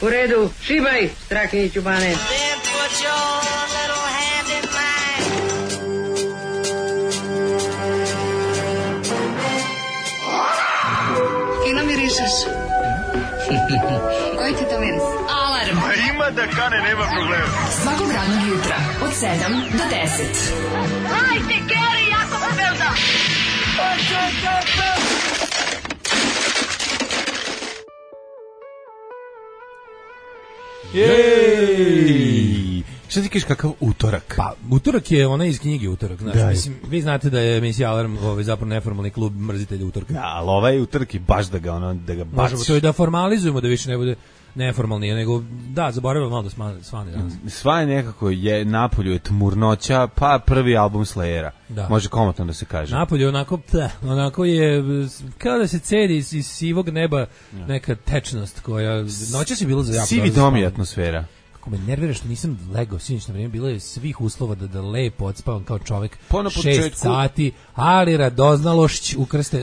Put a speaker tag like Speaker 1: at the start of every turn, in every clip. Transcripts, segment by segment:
Speaker 1: U redu, šibaj, Strahinji Ćubane.
Speaker 2: Then put your little hand in mine.
Speaker 3: Kino mirišeš? Koji ti to miris? Alarm.
Speaker 4: A ima da kane, nema problema.
Speaker 3: Svakog radnog jutra, od 7 do 10.
Speaker 2: Hajde, Geri, jako se velda.
Speaker 5: Jej! Šta ti kažeš kakav utorak?
Speaker 6: Pa, utorak je ona iz knjige Utorak. Znači,
Speaker 5: Da.
Speaker 6: mislim, vi znate da je emisija Alarm zapravo neformalni klub mrzitelja utorka.
Speaker 5: Da, ali ovaj utorak je baš da ga
Speaker 6: Možemo
Speaker 5: baciš.
Speaker 6: to i da formalizujemo, da više ne bude neformalni, nego da, zaboravimo malo da svane danas.
Speaker 5: Sva je nekako je napolju je tmurnoća, pa prvi album Slayera.
Speaker 6: Da.
Speaker 5: Može komotno da se kaže.
Speaker 6: Napolje onako je kao da se cedi iz sivog neba neka tečnost koja noćas je bilo za jako.
Speaker 5: Sivi
Speaker 6: dobro za
Speaker 5: dom je
Speaker 6: spavanje.
Speaker 5: atmosfera.
Speaker 6: Kako me nervira što nisam legao sinoć na vrijeme, bilo je svih uslova da lepo odspavam kao čovjek.
Speaker 5: Pa na
Speaker 6: 6
Speaker 5: početku-
Speaker 6: sati, ali radoznalošć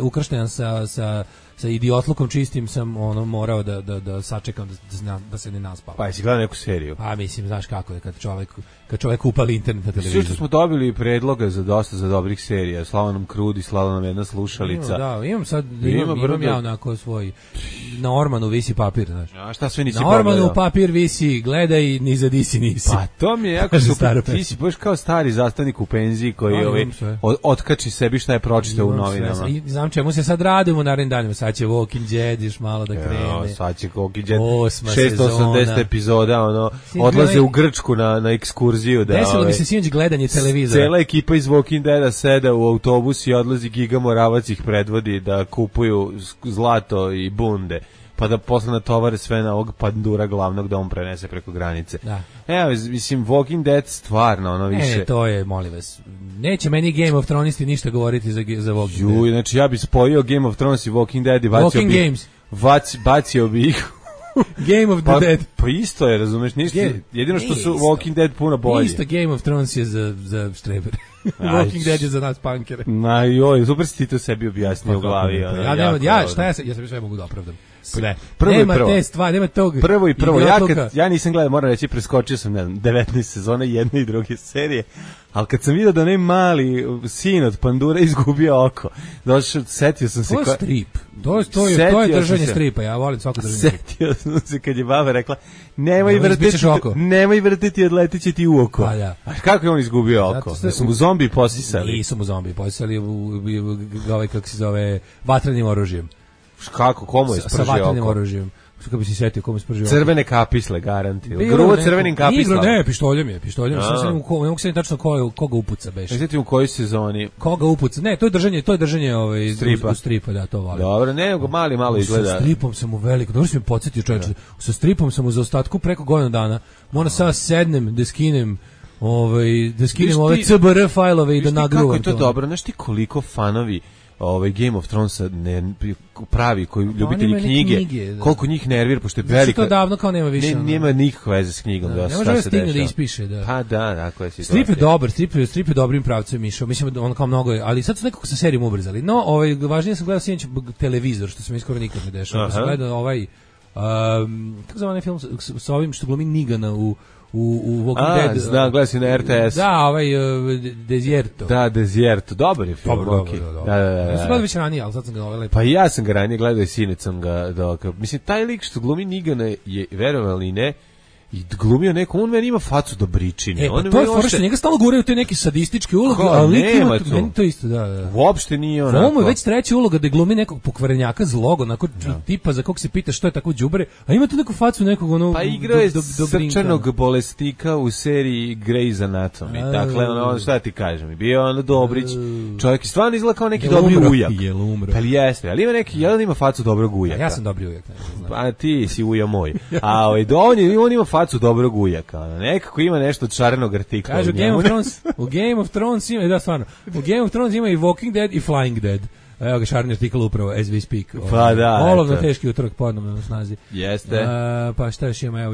Speaker 6: ukršten sa idiotlukom čistim sam morao da sačekam da se ne naspavam.
Speaker 5: Pa jesi gledao neku seriju?
Speaker 6: Pa mislim, znaš kako je kad čovjek upali internet na
Speaker 5: Sve
Speaker 6: televizor.
Speaker 5: što smo dobili predloga za dosta za dobrih serija, slala nam Krudi, slala nam jedna slušalica.
Speaker 6: Imam ja onako svoj, na Ormanu visi papir, znaš.
Speaker 5: A šta sve nisi
Speaker 6: Na Ormanu
Speaker 5: pogledao?
Speaker 6: papir visi, gledaj, ni za disi nisi.
Speaker 5: Pa to mi je jako
Speaker 6: Kaže
Speaker 5: super.
Speaker 6: stara
Speaker 5: Ti
Speaker 6: pesma.
Speaker 5: si baš kao stari zastavnik u penziji koji
Speaker 6: Imam sve.
Speaker 5: otkači sebi šta je pročitao u
Speaker 6: Imam
Speaker 5: novinama.
Speaker 6: sve. I znam čemu se sad radimo u narednim danima. Sad će Walking Dead još malo da krene.
Speaker 5: Sad će Walking Dead
Speaker 6: 8.
Speaker 5: 680
Speaker 6: sezona.
Speaker 5: epizoda,
Speaker 6: Sinoć
Speaker 5: odlaze
Speaker 6: gledaj-
Speaker 5: u Grčku na ekskurziju.
Speaker 6: Desilo mi se sinoć gledanje televizora.
Speaker 5: Cela ekipa iz Walking Deada seda u autobus i odlazi Giga Moravac ih predvodi da kupuju zlato i bunde, pa da posle natovare sve na ovog pandura glavnog da on prenese preko granice.
Speaker 6: Da.
Speaker 5: Evo, mislim, Walking Dead stvarno, ono više...
Speaker 6: Ne, to je, molim vas. Neće meni Game of Thronesi ništa govoriti za Walking Dead.
Speaker 5: Juj, znači ja bi spojio Game of Thrones i Walking Dead i bacio bi ih
Speaker 6: Game of the Dead.
Speaker 5: Pa isto je, razumeš, ništa, jedino što su Walking Dead puno bolje.
Speaker 6: Isto Game of Thrones je za štrebere. Walking Dead je za nas punkere.
Speaker 5: Ma joj, super si ti to sebi objasnio u glavi.
Speaker 6: Ja sam sve mogu da opravdam. Sve.
Speaker 5: Prvo
Speaker 6: nema
Speaker 5: i prvo.
Speaker 6: te stvari, nema tog.
Speaker 5: Prvo,
Speaker 6: idiotluka.
Speaker 5: ja nisam gledao, moram reći, preskočio sam, ne znam, 19 sezona jedne i druge serije, ali kad sam vidio da onaj mali sin od pandura izgubio oko, došao, setio sam se...
Speaker 6: To je strip. To je držanje stripa, ja volim svako držanje stripa.
Speaker 5: Setio sam se kad je baba rekla, nemoj vrtiti, odletit će ti u oko.
Speaker 6: Pa da.
Speaker 5: A kako je on izgubio oko? Da su mu zombi posisali?
Speaker 6: Nisu mu zombi posisali, ovaj, kako se zove, vatrenim oružjem.
Speaker 5: Kako, komu je spržio oko?
Speaker 6: Sa vatrenim oružjem. Kako bi se setio, komu je spržio oko?
Speaker 5: Crvene kapisle, garanti. Grubo crvenim kapislama.
Speaker 6: Ne, pištoljem je. Ne mogu se tačno koga upuca beše.
Speaker 5: Znate u kojoj sezoni?
Speaker 6: Koga upuca? Ne, to je držanje stripa, da, to volim.
Speaker 5: Dobro, ne, malo izgleda.
Speaker 6: Sa stripom sam u veliko, dobro si me podsjetio, čovječe. Sa stripom sam u zaostatku preko godinu dana. Moram sada sednem, da skinem ove CBR fajlove i da nagruvam to.
Speaker 5: Kako je to dobro, znaš ti koliko fanovi Game of Thronesa pravi, koji ljubitelji knjige, koliko njih nervira, pošto je velika...
Speaker 6: Znači to davno kao nema više.
Speaker 5: Nema nikakve veze s knjigom.
Speaker 6: Ne može da stigne da ispiše.
Speaker 5: Pa da, tako je situacija.
Speaker 6: Strip je dobar, strip je dobrim pravcem išao, mislim da on kao mnogo je, ali sad su nekako sa serijom ubrzali. No, važnije sam gledao sinoć televizor, što se mi skoro nikad ne dešava. Pa sam gledao kako zove onaj film sa ovim što glumi Nigana u Walking Dead.
Speaker 5: Znam, gledao si na RTS.
Speaker 6: Da, Desierto.
Speaker 5: Da, Desierto, dobar je film.
Speaker 6: Dobro.
Speaker 5: Da.
Speaker 6: Ja sam gledao već ranije, ali sad sam ga lepo.
Speaker 5: Pa ja sam ga ranije gledao i sinoć sam ga dokao. Mislim, taj lik što glumi Nigana je, verovali ili ne, i glumio neko, on meni ima facu dobričine.
Speaker 6: Pa to je fora što njega stalno guraju te neke sadističke uloge, ali lik ima meni to isto, da.
Speaker 5: Uopšte nije onako.
Speaker 6: Ovo je već treća uloga da glumi nekog pokvarenjaka zlog, onako tipa za kog se pita što je tako đubre, a ima tu neku facu nekog ono...
Speaker 5: Pa igrao je srčanog bolesnika u seriji Grey's Anatomy, dakle, ono, šta ti kažem, bio ono Dobrić, čovjek stvarno izgleda kao neki dobri ujak.
Speaker 6: Jel umro?
Speaker 5: Pa jeste, ali ima neki, jedan ima facu dobrog ujaka.
Speaker 6: Ja sam dobri ujak, ne znam.
Speaker 5: Pa ti si uja moj. A on ima facu dobrog ujaka, nekako ima nešto od šarenog artikla.
Speaker 6: Kažu u Game of Thrones ima, da stvarno, u Game of Thrones ima i Walking Dead i Flying Dead. Evo ga šareni artikl upravo, as we speak.
Speaker 5: Pa da.
Speaker 6: Olovno teški utorak ponovno na snazi.
Speaker 5: Jeste.
Speaker 6: Pa šta još imamo,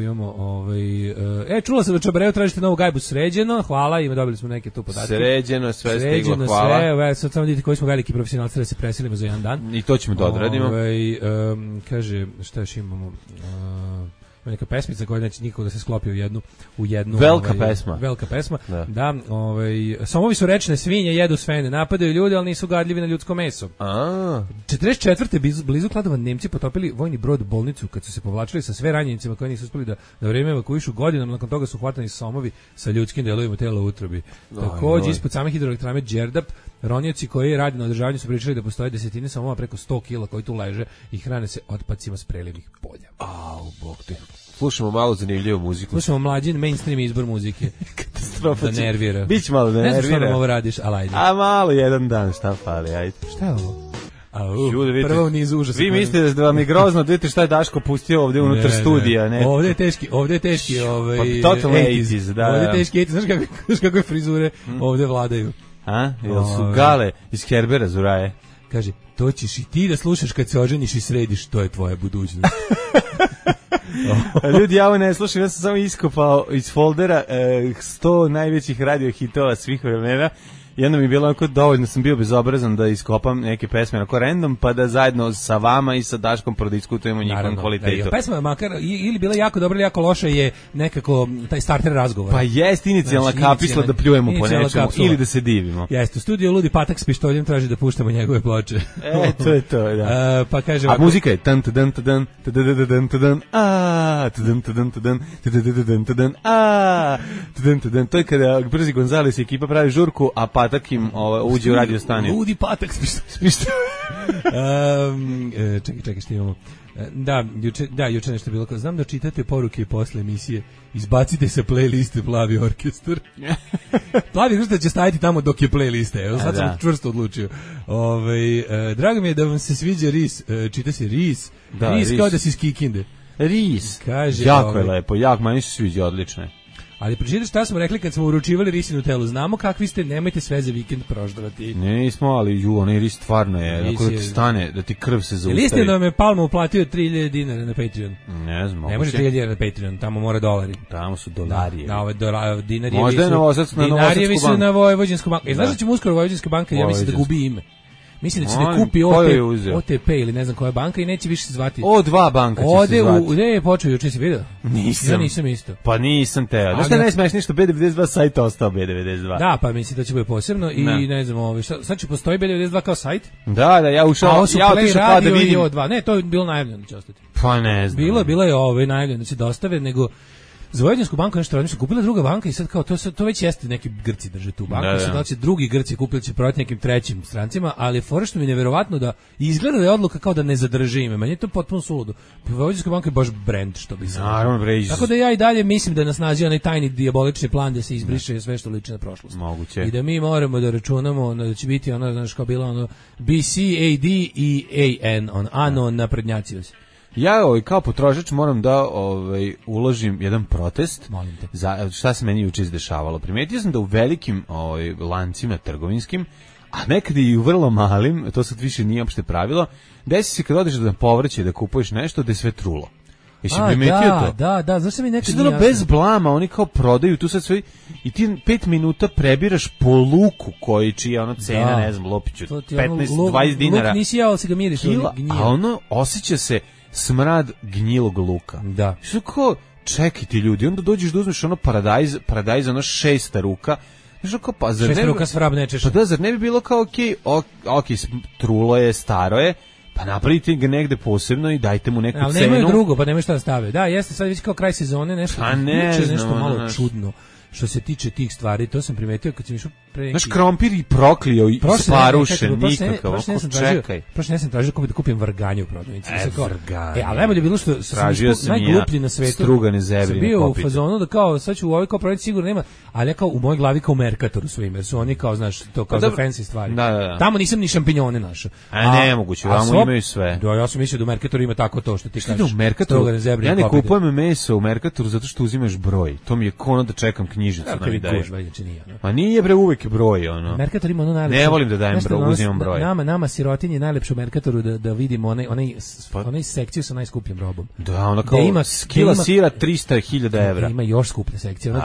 Speaker 6: čula sam da Čabareu tražite novu gajbu Sređeno, hvala, dobili smo neke tu podatke.
Speaker 5: Sređeno, sve stiglo, hvala.
Speaker 6: Sad samo vidite koji smo veliki profesionalci da se preselimo za jedan dan.
Speaker 5: I to ćemo da odradimo.
Speaker 6: Kaže, šta još imamo? neka pesmica koja neće nikako da se sklopi u jednu
Speaker 5: Velika pesma.
Speaker 6: Velika pesma. Da, Somovi su rečne svinje, jedu svene, napadaju ljude, ali nisu gadljivi na ljudsko meso. 44. blizu Kladova Nemci potopili vojni brod bolnicu kad su se povlačili sa sve ranjenicima koji nisu uspeli da vreme evakuišu godinama, nakon toga su hvatani Somovi sa ljudskim delovima tela u utrobi. Takođe, ispod same hidroelektrane Đerdap, ronioci koji radi na održavanju su pričali da postoje desetine Somova preko 100 kila koji tu leže i hrane se otpacima s prelivnih polja.
Speaker 5: Bog te. Slušamo malo zanimljivu muziku.
Speaker 6: Slušamo mlađin mainstream izbor muzike.
Speaker 5: Katastrofa.
Speaker 6: Da nervira.
Speaker 5: Biće malo da nervira.
Speaker 6: Ne znam što nam ovo radiš, ali ajde.
Speaker 5: A malo jedan dan, šta fali, ajde.
Speaker 6: Šta je ovo?
Speaker 5: Prvo
Speaker 6: u nizu užasa.
Speaker 5: Vi mislite da vam je grozno, da vidite šta je Daško pustio ovdje unutar studija, ne?
Speaker 6: Ovdje je teški,
Speaker 5: pa totalno 80s, da.
Speaker 6: Ovdje je teški 80s, znaš kakve frizure ovdje vladaju.
Speaker 5: Jel su gale iz Herbera Zuraje?
Speaker 6: Kaže, to ćeš i ti da slušaš kad se oženiš i središ, to je tvoja budućnost.
Speaker 5: Ljudi, ja ovo ne slušam, ja sam samo iskopao iz foldera 100 najvećih radio hitova svih vremena. Jedno mi je bilo onako dovoljno, sam bio bezobrazan da iskopam neke pesme onako random, pa da zajedno sa vama i sa Daškom prodiskutujemo njihovom kvalitetu.
Speaker 6: Da, pesma makar ili bila jako dobra ili jako loša je nekako taj starter razgovora.
Speaker 5: Pa jest inicijalna kapisla da pljujemo po nečemu ili da se divimo.
Speaker 6: Jeste, u studiju Ludi Patak s pištoljem traži da puštamo njegove ploče.
Speaker 5: To je to, da.
Speaker 6: Pa kaže,
Speaker 5: a muzika je tan tan tan tan tan a tan tan tan to je kada Brzi Gonzales i ekipa pravi žurku, a Patak im uđe u radio stanje.
Speaker 6: Ludi Patak s pištoljem. Čekaj, što imamo? Juče nešto bilo. Znam da čitate poruke posle emisije. Izbacite sa playliste Plavi orkestar. Plavi orkestar će staviti tamo dok je playliste. Sad sam čvrsto odlučio. Drago mi je da vam se sviđa RIS. Čita se RIS. RIS kao da si iz Kikinde.
Speaker 5: RIS. Jako je lepo. Meni se sviđa, odlično je.
Speaker 6: Ali pročitajte šta smo rekli kad smo uručivali risinu telu. Znamo kakvi ste, nemojte sve za vikend proždravati.
Speaker 5: Nismo, ali onaj ris stvarno je, ako da ti stane, da ti krv se zaustavi.
Speaker 6: Istina da me Palma uplatio 3000 dinara na Patreon.
Speaker 5: Ne znam.
Speaker 6: Ne može 3000 dinara na Patreon, tamo mora dolari.
Speaker 5: Tamo su dolari.
Speaker 6: Dinari
Speaker 5: možda je na Novosadsku banku.
Speaker 6: Dinari su na Vojvođansku banku. Znaš da će mu uskoro Vojvođanska banka, ja mislim da gubi ime. Mislim da će da kupi OTP ili ne znam koja banka i neće više se zvati.
Speaker 5: O2 banka će se zvati.
Speaker 6: Gde je počeo juče, si vidio?
Speaker 5: Nisam.
Speaker 6: Ja nisam isto.
Speaker 5: Pa nisam teo. Znaš šta najsmešnije što B92 sajt ostao B92.
Speaker 6: Da, pa mislim da će bude posebno i ne znam, sad će postoji B92 kao sajt?
Speaker 5: Da, ja ušao, ja otišao kao da vidim.
Speaker 6: Ne, to je bilo najavljeno da će ostati.
Speaker 5: Pa ne znam.
Speaker 6: Bilo je najavljeno da će dostave, nego za Vojvođansku banku nešto radili su kupila druga banka i sad kao to već jeste neki Grci drže tu banku, sad da će drugi Grci kupili će prodati nekim trećim strancima, ali fora što mi je neverovatno da izgleda da je odluka kao da ne zadrži ime, meni je to potpuno suludo. Vojvođanska banka je baš brand, što bi se. Tako da ja i dalje mislim da nas nađe onaj tajni dijabolični plan da se izbriše sve što liči na prošlost.
Speaker 5: Moguće.
Speaker 6: I da mi moramo da računamo da će biti ono, znaš, kao bilo BC, AD i AN, ano naprednjaci.
Speaker 5: Ja kao potrošač moram da uložim jedan protest.
Speaker 6: Molim te.
Speaker 5: Za šta se meni juče izdešavalo. Primetio sam da u velikim lancima trgovinskim, a nekad i u vrlo malim, to sad više nije opšte pravilo, desi se kad odeš na povrće da kupuješ nešto da je sve trulo. Jesi primetio to?
Speaker 6: Da, zašto mi nekad
Speaker 5: nije bez blama, oni kao prodaju tu sad sve i ti 5 minuta prebiraš po luku koji čija ono cena, ne znam, lopiću 15-20 dinara.
Speaker 6: Luk nisi jao, si ga miriš,
Speaker 5: a ono osjeća se smrad gnjilog luka.
Speaker 6: Da.
Speaker 5: Što kao, čekaj ti ljudi, onda dođeš da uzmeš ono paradajz ono 6 ruka, znaš kao, pa zar
Speaker 6: 6 ruka s vrab nečeš.
Speaker 5: Pa da, zar ne bi bilo kao, okej, trulo je, staro je, pa napravite ga negde posebno i dajte mu neku cenu.
Speaker 6: Ali nemaju drugo, pa nemaju šta da stave. Da, jeste, sad već kao kraj sezone, nešto malo čudno. Što se tiče tih stvari, to sam primetio kad sam išao pre neki...
Speaker 5: Znaš, krompir i proklio i sparušen, nikakav, čekaj.
Speaker 6: Prošle ne sam tražio da kupim varganje u prodavnici.
Speaker 5: Varganje.
Speaker 6: Ali najbolje je bilo što sam najgluplji na svetu.
Speaker 5: Strugane zebrine
Speaker 6: bio u fazonu da kao, sad ću u ovoj kao prodavnici sigurno nema, ali ja kao u mojoj glavi kao Mercatoru svojim, jer su oni kao, znaš, to kao za fancy stvari.
Speaker 5: Da.
Speaker 6: Tamo nisam ni šampinjone našao.
Speaker 5: Nemoguće, tamo imaju sve.
Speaker 6: Da, ja sam mislio da u Mercatoru ima tako to što ti kažeš.
Speaker 5: Ja ne kupujem meso u Mercatoru zato što uzimaš broj. To mi je kono da čekam knjigu knjižicu nam i daju.
Speaker 6: Nije,
Speaker 5: Pa nije bre, uvek je broj, ono.
Speaker 6: Merkator ima ono najlepše.
Speaker 5: Ne volim da dajem broj, uzimam broj.
Speaker 6: Nama sirotinje najlepše u Merkatoru da vidimo onaj sekciju sa najskupljim robom.
Speaker 5: Da, ono kao kila sira 300.000 evra.
Speaker 6: Ima još skuplje sekcije, ono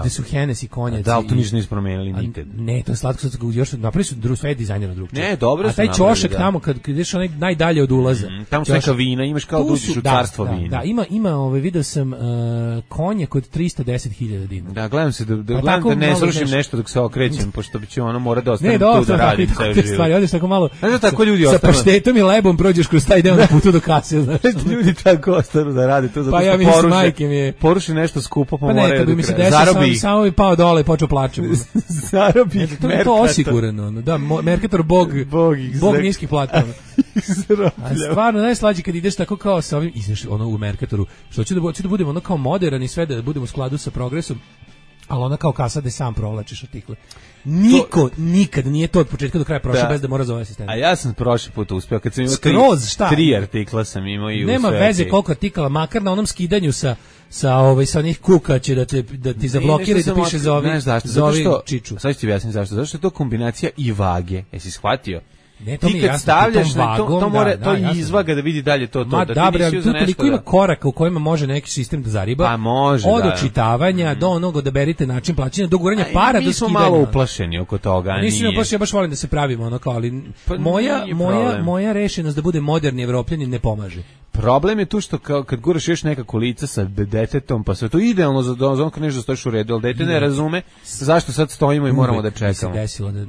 Speaker 6: gde su Hennessy konjaci.
Speaker 5: Da, to ništa nisu promenili nikad.
Speaker 6: Ne, to je slatko, još napravili su sve dizajnera drugčije.
Speaker 5: Ne, dobro.
Speaker 6: A taj ćošak tamo kad ideš onaj najdalje od ulaza.
Speaker 5: Tamo su neka vina, imaš kao da uđeš u carstvo vina.
Speaker 6: Da, ima video sam konjak od 310.000 dinara.
Speaker 5: Da, gledam se da ne srušim nešto dok se okrećem, pošto bi će ono mora da ostane tu da radi ceo život.
Speaker 6: Stvari, odeš tako malo.
Speaker 5: Znaš da tako ljudi
Speaker 6: sa
Speaker 5: ostanu.
Speaker 6: Sa paštetom i lebom prođeš kroz taj deo na putu do kase, znaš.
Speaker 5: Ljudi tako ostanu da rade to zato što poruši nešto skupo, pa moraju da krenu. Zarobi.
Speaker 6: Samo bi pao dole i počeo plačem.
Speaker 5: Zarobi.
Speaker 6: To je osigurano. Da, Merkator bog niskih plata. A stvarno najslađe kad ideš tako kao sa ovim, ideš ono u Merkatoru, što hoću da budemo ono kao moderan i sve da budemo u skladu sa progresom, ali ona kao kasa da sam provlačiš artikle. Niko nikad nije to od početka do kraja prošao bez da mora zove asistenta.
Speaker 5: A ja sam prošli put uspeo kad sam imao tri artikla sam imao i
Speaker 6: nema veze koliko artikala, makar na onom skidanju sa onih kuka će da ti zablokira i da piše za ovi čiču.
Speaker 5: Sad ću ti objasniti zašto. Zato što je to kombinacija i vage. Jesi shvatio?
Speaker 6: Ne, to
Speaker 5: ti kad stavljaš to izvaga da vidi dalje to.
Speaker 6: Ma da, ali tu toliko ima koraka u kojima može neki sistem da zariba.
Speaker 5: Pa može,
Speaker 6: od očitavanja do onoga da berite način plaćanja, do guranja para, do skidanja. Mi smo
Speaker 5: malo uplašeni oko toga.
Speaker 6: Nisam uplašen, ja baš volim da se pravimo ono kao, ali moja rešenost da bude moderni Evropljanin ne pomaže.
Speaker 5: Problem je tu što kad guraš još nekako lica sa detetom, pa sve to idealno za onko nešto stojiš u redu, ali dete ne razume zašto sad stojimo i moramo da čekamo.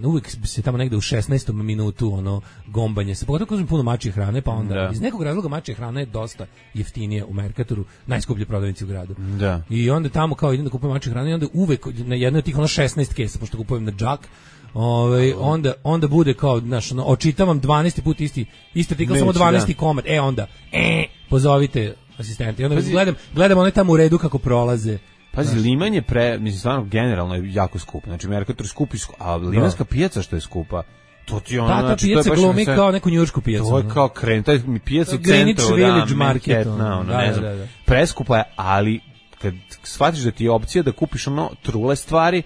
Speaker 6: Uvijek se tamo negde u 16. minutu ono gombanje se, pogotovo kad puno mačje hrane, pa onda iz nekog razloga mačje hrana je dosta jeftinije u Merkatoru, najskuplje prodavnici u gradu.
Speaker 5: Da.
Speaker 6: I onda tamo kao idem da kupujem mačje hrane i onda uvek na jednoj od tih ono 16 kesa, pošto kupujem na džak, onda bude kao, znaš, očitavam 12. put isti artikl, samo 12. komad. Onda pozovite asistente. I onda gledam one tamo u redu kako prolaze.
Speaker 5: Pazi, liman je mislim, stvarno generalno je jako skup. Znači, Merkator skupi, a limanska pijaca što je skupa, to ti ono,
Speaker 6: ta pijaca glumi kao neku njujoršku pijacu.
Speaker 5: To je kao taj pijaca u
Speaker 6: Greenwich
Speaker 5: centru,
Speaker 6: Village Market,
Speaker 5: ne znam. Preskupa je, ali kad shvatiš da ti je opcija da kupiš ono trule stvari,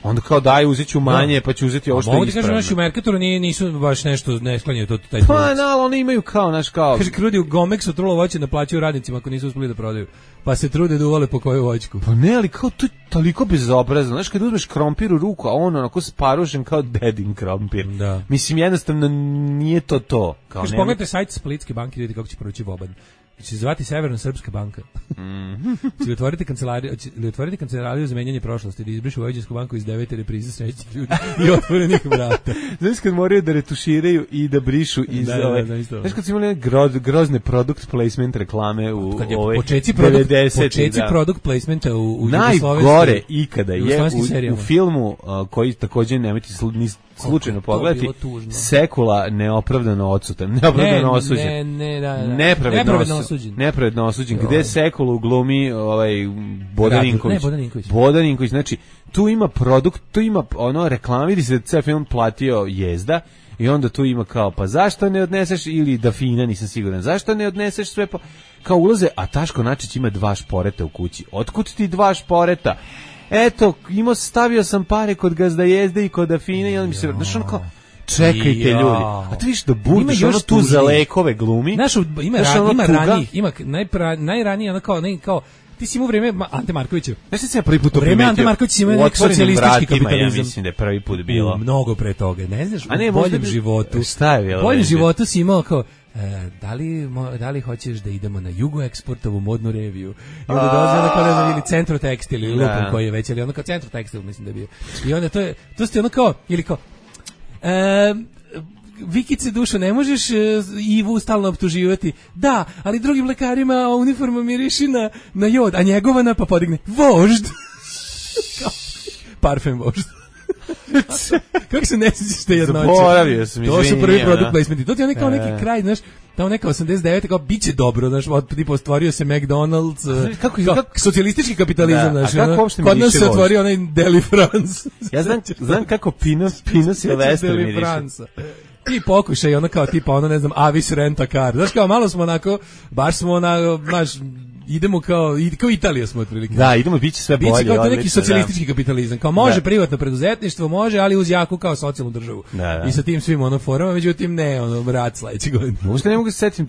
Speaker 5: onda kao daj, uzet ću manje, pa ću uzeti ovo što je ispravno.
Speaker 6: Mogu ti kažem, u Merkatoru nisu baš nešto, ne sklanjaju to taj
Speaker 5: Pa, oni imaju kao,
Speaker 6: Kaže, krudi u Gomexu trulo voće naplaćaju radnicima ako nisu uspeli da prodaju. Pa se trude da uvale po koju voćku.
Speaker 5: Pa ne, ali kao to je toliko bezobrazno. Znaš, kad uzmeš krompir u ruku, a on onako sparužen kao dedin krompir. Da. Mislim, jednostavno nije to.
Speaker 6: Kaže, pogledajte sajt Splitske banke, vidite kako će proći Boban. Će se zvati Severno-Srpska banka. Će li otvoriti kancelariju za menjanje prošlosti, da izbrišu Vojvođansku banku iz 9. reprize srećnih ljudi i otvorenih vrata.
Speaker 5: Znaš kad moraju da retuširaju i da brišu iz znaš kad su imali grozne product placement reklame u ovoj 90.
Speaker 6: Počeci product placementa u
Speaker 5: najgore ikada je u filmu koji također nemojte slučajno pogledati, Sekula neopravdano odsutan, neopravdano osuđen. Nepravedno osuđen. Gde Sekulu glumi Bodaninković. Znači, tu ima produkt, tu ima ono reklama, vidi se da ceo film platio Jezda i onda tu ima kao, pa zašto ne odneseš, ili Dafina, nisam siguran, zašto ne odneseš sve, kao ulaze, a Taško Načić ima 2 šporeta u kući. Otkud ti 2 šporeta? Eto, stavio sam pare kod Gazda Jezde i kod Dafine i onda mi se, znaš ono kao, čekajte ljudi, a ti viš da budiš ono tu za lekove glumi.
Speaker 6: Znaš, ima ranijih, ima najranije, ono kao, ti si imao vreme Ante Markovića.
Speaker 5: Znaš što sam ja prvi put to primetio?
Speaker 6: Ante Marković ima neki socijalistički kapitalizam.
Speaker 5: Ja mislim da je prvi put bilo.
Speaker 6: Mnogo pre toga, ne znaš, u boljem životu.
Speaker 5: Šta je bilo?
Speaker 6: U boljem životu si imao kao, da li hoćeš da idemo na Jugo Eksportovu modnu reviju? I onda dolazi ono kao, ne znam, ili Centro Tekstil, ili Lupom koji je već, ali ono kao Centro Tekstil, mislim da je bio. I onda to ste ono kao, ili kao, Vikice, dušo, ne možeš Ivu stalno optuživati. Da, ali drugim lekarima uniforma miriši na jod, a njegovana pa podigne vožd. Parfem vožd. Kako se ne sjećaš te jednoće?
Speaker 5: Zaboravio sam, izvinjenja.
Speaker 6: To su prvi produkt placementi. To ti je kao neki kraj, znaš, tamo neka 89. kao biće dobro, znaš, tipa ostvorio se McDonald's, kako socijalistički kapitalizam, znaš. Kod nas se otvorio onaj Deli France.
Speaker 5: Ja znam kako Pino Silvestre miriše.
Speaker 6: Ti pokušaj, ono kao tipa, ono ne znam, Avis Rent a Car. Znaš kao, malo smo onako, baš smo znaš, idemo kao Italija smo otprilike.
Speaker 5: Da, idemo, biće sve bolje.
Speaker 6: Biće kao neki
Speaker 5: odlično,
Speaker 6: socijalistički kapitalizam. Kao može privatno preduzetništvo, može, ali uz jaku kao socijalnu državu. I sa tim svim forama, međutim ne, rat sledeće godine.
Speaker 5: Možda ne mogu se setiti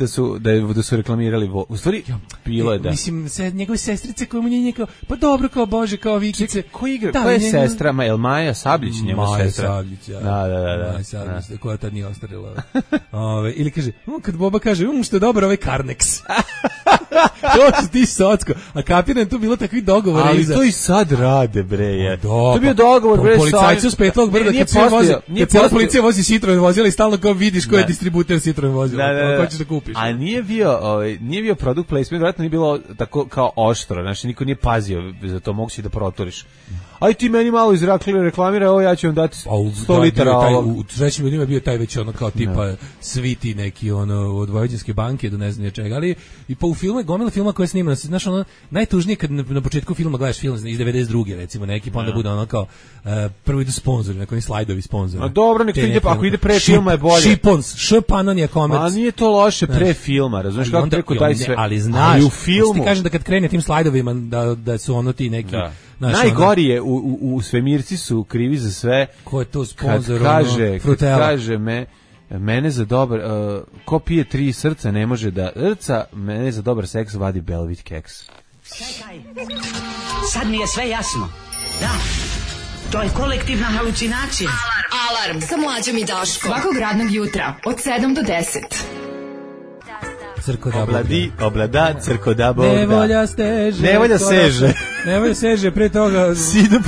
Speaker 5: da su reklamirali u stvari, bilo je da.
Speaker 6: Mislim, njegove sestrice koje mu nije kao, pa dobro, kao Bože, kao Vikice.
Speaker 5: Ko igra? Koja je sestra? Maja Sabljić, njemu sestra.
Speaker 6: Maja Sabljić, ja.
Speaker 5: Da.
Speaker 6: Maja Sabljić, koja tad nije ostarila. Ili kaže, kad Boba kaže, što je dobar ovaj Karnex. To su ti socko. A kapiram, tu bilo takvih dogovora
Speaker 5: ali
Speaker 6: iza.
Speaker 5: to i sad rade, bre, je.
Speaker 6: To
Speaker 5: je bio dogovor, bre,
Speaker 6: policajci s Petlog brda, kad cijela policija vozi Citroen vozila i stalno kao vidiš ko je distributer Citroen vozila. Ko ćeš da kupiš.
Speaker 5: A nije bio product placement, vjerojatno nije bilo tako kao oštro, znači niko nije pazio za to, mogu si da proturiš. Aj ti meni malo iz reklamira, ovo ja ću vam dati 100 litara ovog.
Speaker 6: U trećim ljudima je bio taj već kao tipa sviti neki od Vojvođanske banke do ne znam čega, ali i po u filmu, gomila filma koje snima, znaš najtužnije kad na početku filma gledaš film iz 92. recimo neki, pa onda bude kao prvo idu sponzori, neki slajdovi sponzora.
Speaker 5: A dobro, nek to ide, ako ide pre filma je bolje.
Speaker 6: Šipons, Španon je komerc.
Speaker 5: A nije to loše pre filma, razumiješ kako preko taj sve.
Speaker 6: Ali znaš,
Speaker 5: u filmu
Speaker 6: ti kažem da kad krene tim slajdovima da su ti neki.
Speaker 5: Najgori je u svemirci su krivi za sve.
Speaker 6: Ko je to sponzor?
Speaker 5: Kad kaže mene za dobar ko pije 3 srca ne može da mene za dobar seks vadi Belvit keks.
Speaker 7: Čekaj, sad mi je sve jasno. Da, to je kolektivna halucinacija.
Speaker 3: Alarm sa Mlađom i Daškom. Svakog radnog jutra od 7 do 10.
Speaker 5: Oblada, crkoda, Bog da.
Speaker 6: Nevolja steže. Nevolja seže, pre toga.
Speaker 5: Sidu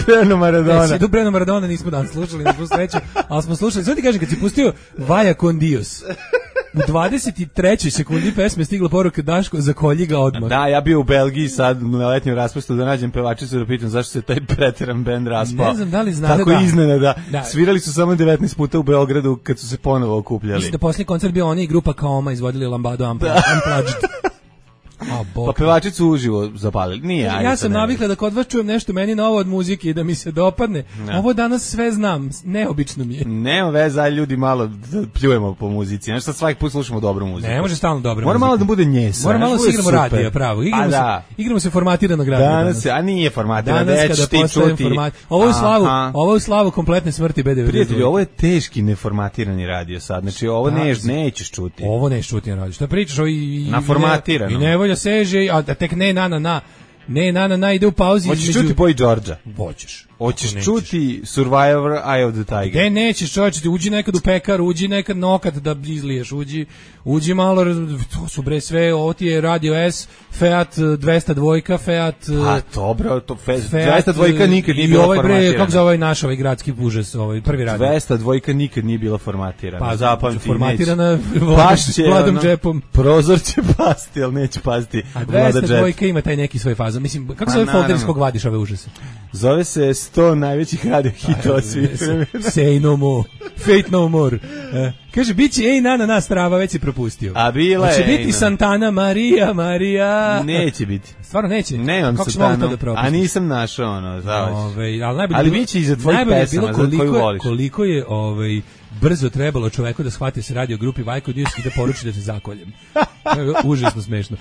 Speaker 5: Preno Maradona
Speaker 6: nismo danas slušali, na sreću, ali smo slušali. Sve ti kažem, kad si pustio Vaja con Dios, u 23. sekundi pesme stigla poruka Daško, zakolji ga odmah.
Speaker 5: Da, ja bio u Belgiji sad na letnjem raspustu da nađem pevačicu da pitam zašto se taj preteran bend raspao.
Speaker 6: Ne znam da li znate
Speaker 5: tako iznenada. Svirali su samo 19 puta u Beogradu kad su se ponovo okupljali.
Speaker 6: Mislim da posljednji koncert bio oni i grupa Kaoma izvodili Lambado Unplugged.
Speaker 5: Pa pevačicu uživo zapalili. Nije,
Speaker 6: ja sam navikla da kod vas čujem nešto meni novo od muzike i da mi se dopadne. Ovo danas sve znam, neobično mi je.
Speaker 5: Nema veze, ljudi malo pljujemo po muzici. Znači sad svaki put slušamo dobru muziku.
Speaker 6: Ne može stalno dobra
Speaker 5: mora
Speaker 6: muzika.
Speaker 5: Mora malo da bude njesa.
Speaker 6: Mora malo da igramo radija, pravo. Igramo se formatiranog radija.
Speaker 5: Danas, a nije formatirano, već ti čuti.
Speaker 6: Ovo je slavu kompletne smrti BDV.
Speaker 5: Prijatelji, ovo je teški neformatirani radio sad. Znači ovo nećeš čuti.
Speaker 6: Ovo nećeš čuti na radiju. Šta pričaš?
Speaker 5: Na formatirano.
Speaker 6: Seže, a tek ne na ide u pauzi.
Speaker 5: Hoćeš čuti Boy Georgia?
Speaker 6: Hoćeš
Speaker 5: čuti Survivor Eye of the Tiger?
Speaker 6: Gde nećeš, čovječe, uđi nekad u pekar, uđi nekad nokat da izliješ, uđi malo, to su bre sve, ovo ti je Radio S, Fiat 202, Fiat...
Speaker 5: Pa dobro, to 202 nikad nije bila formatirana.
Speaker 6: Kako za ovaj naš, ovaj gradski užas, ovaj prvi radio?
Speaker 5: 202 nikad nije bila formatirana.
Speaker 6: Pa
Speaker 5: zapamti,
Speaker 6: formatirana Vladom džepom.
Speaker 5: Prozor će pasti, ali neće pasti Vlada džep.
Speaker 6: A 202 ima taj neki svoj faza. Mislim, kako se ovaj folder s kog vadiš ove užase?
Speaker 5: Zove se 100 najvećih radio hitova svih vremena.
Speaker 6: Say no more, fate no more. Kaže, bit će ej na strava, već si propustio.
Speaker 5: A bila je.
Speaker 6: Hoće biti Santana Maria.
Speaker 5: Neće biti.
Speaker 6: Stvarno neće?
Speaker 5: Nemam Santanu, a nisam našao ali bit će iza tvojih pesama, za koju voliš.
Speaker 6: Koliko je brzo trebalo čoveku da shvati se radi o grupi Vajko Dios i da poruči da se zakoljem. Užasno smešno.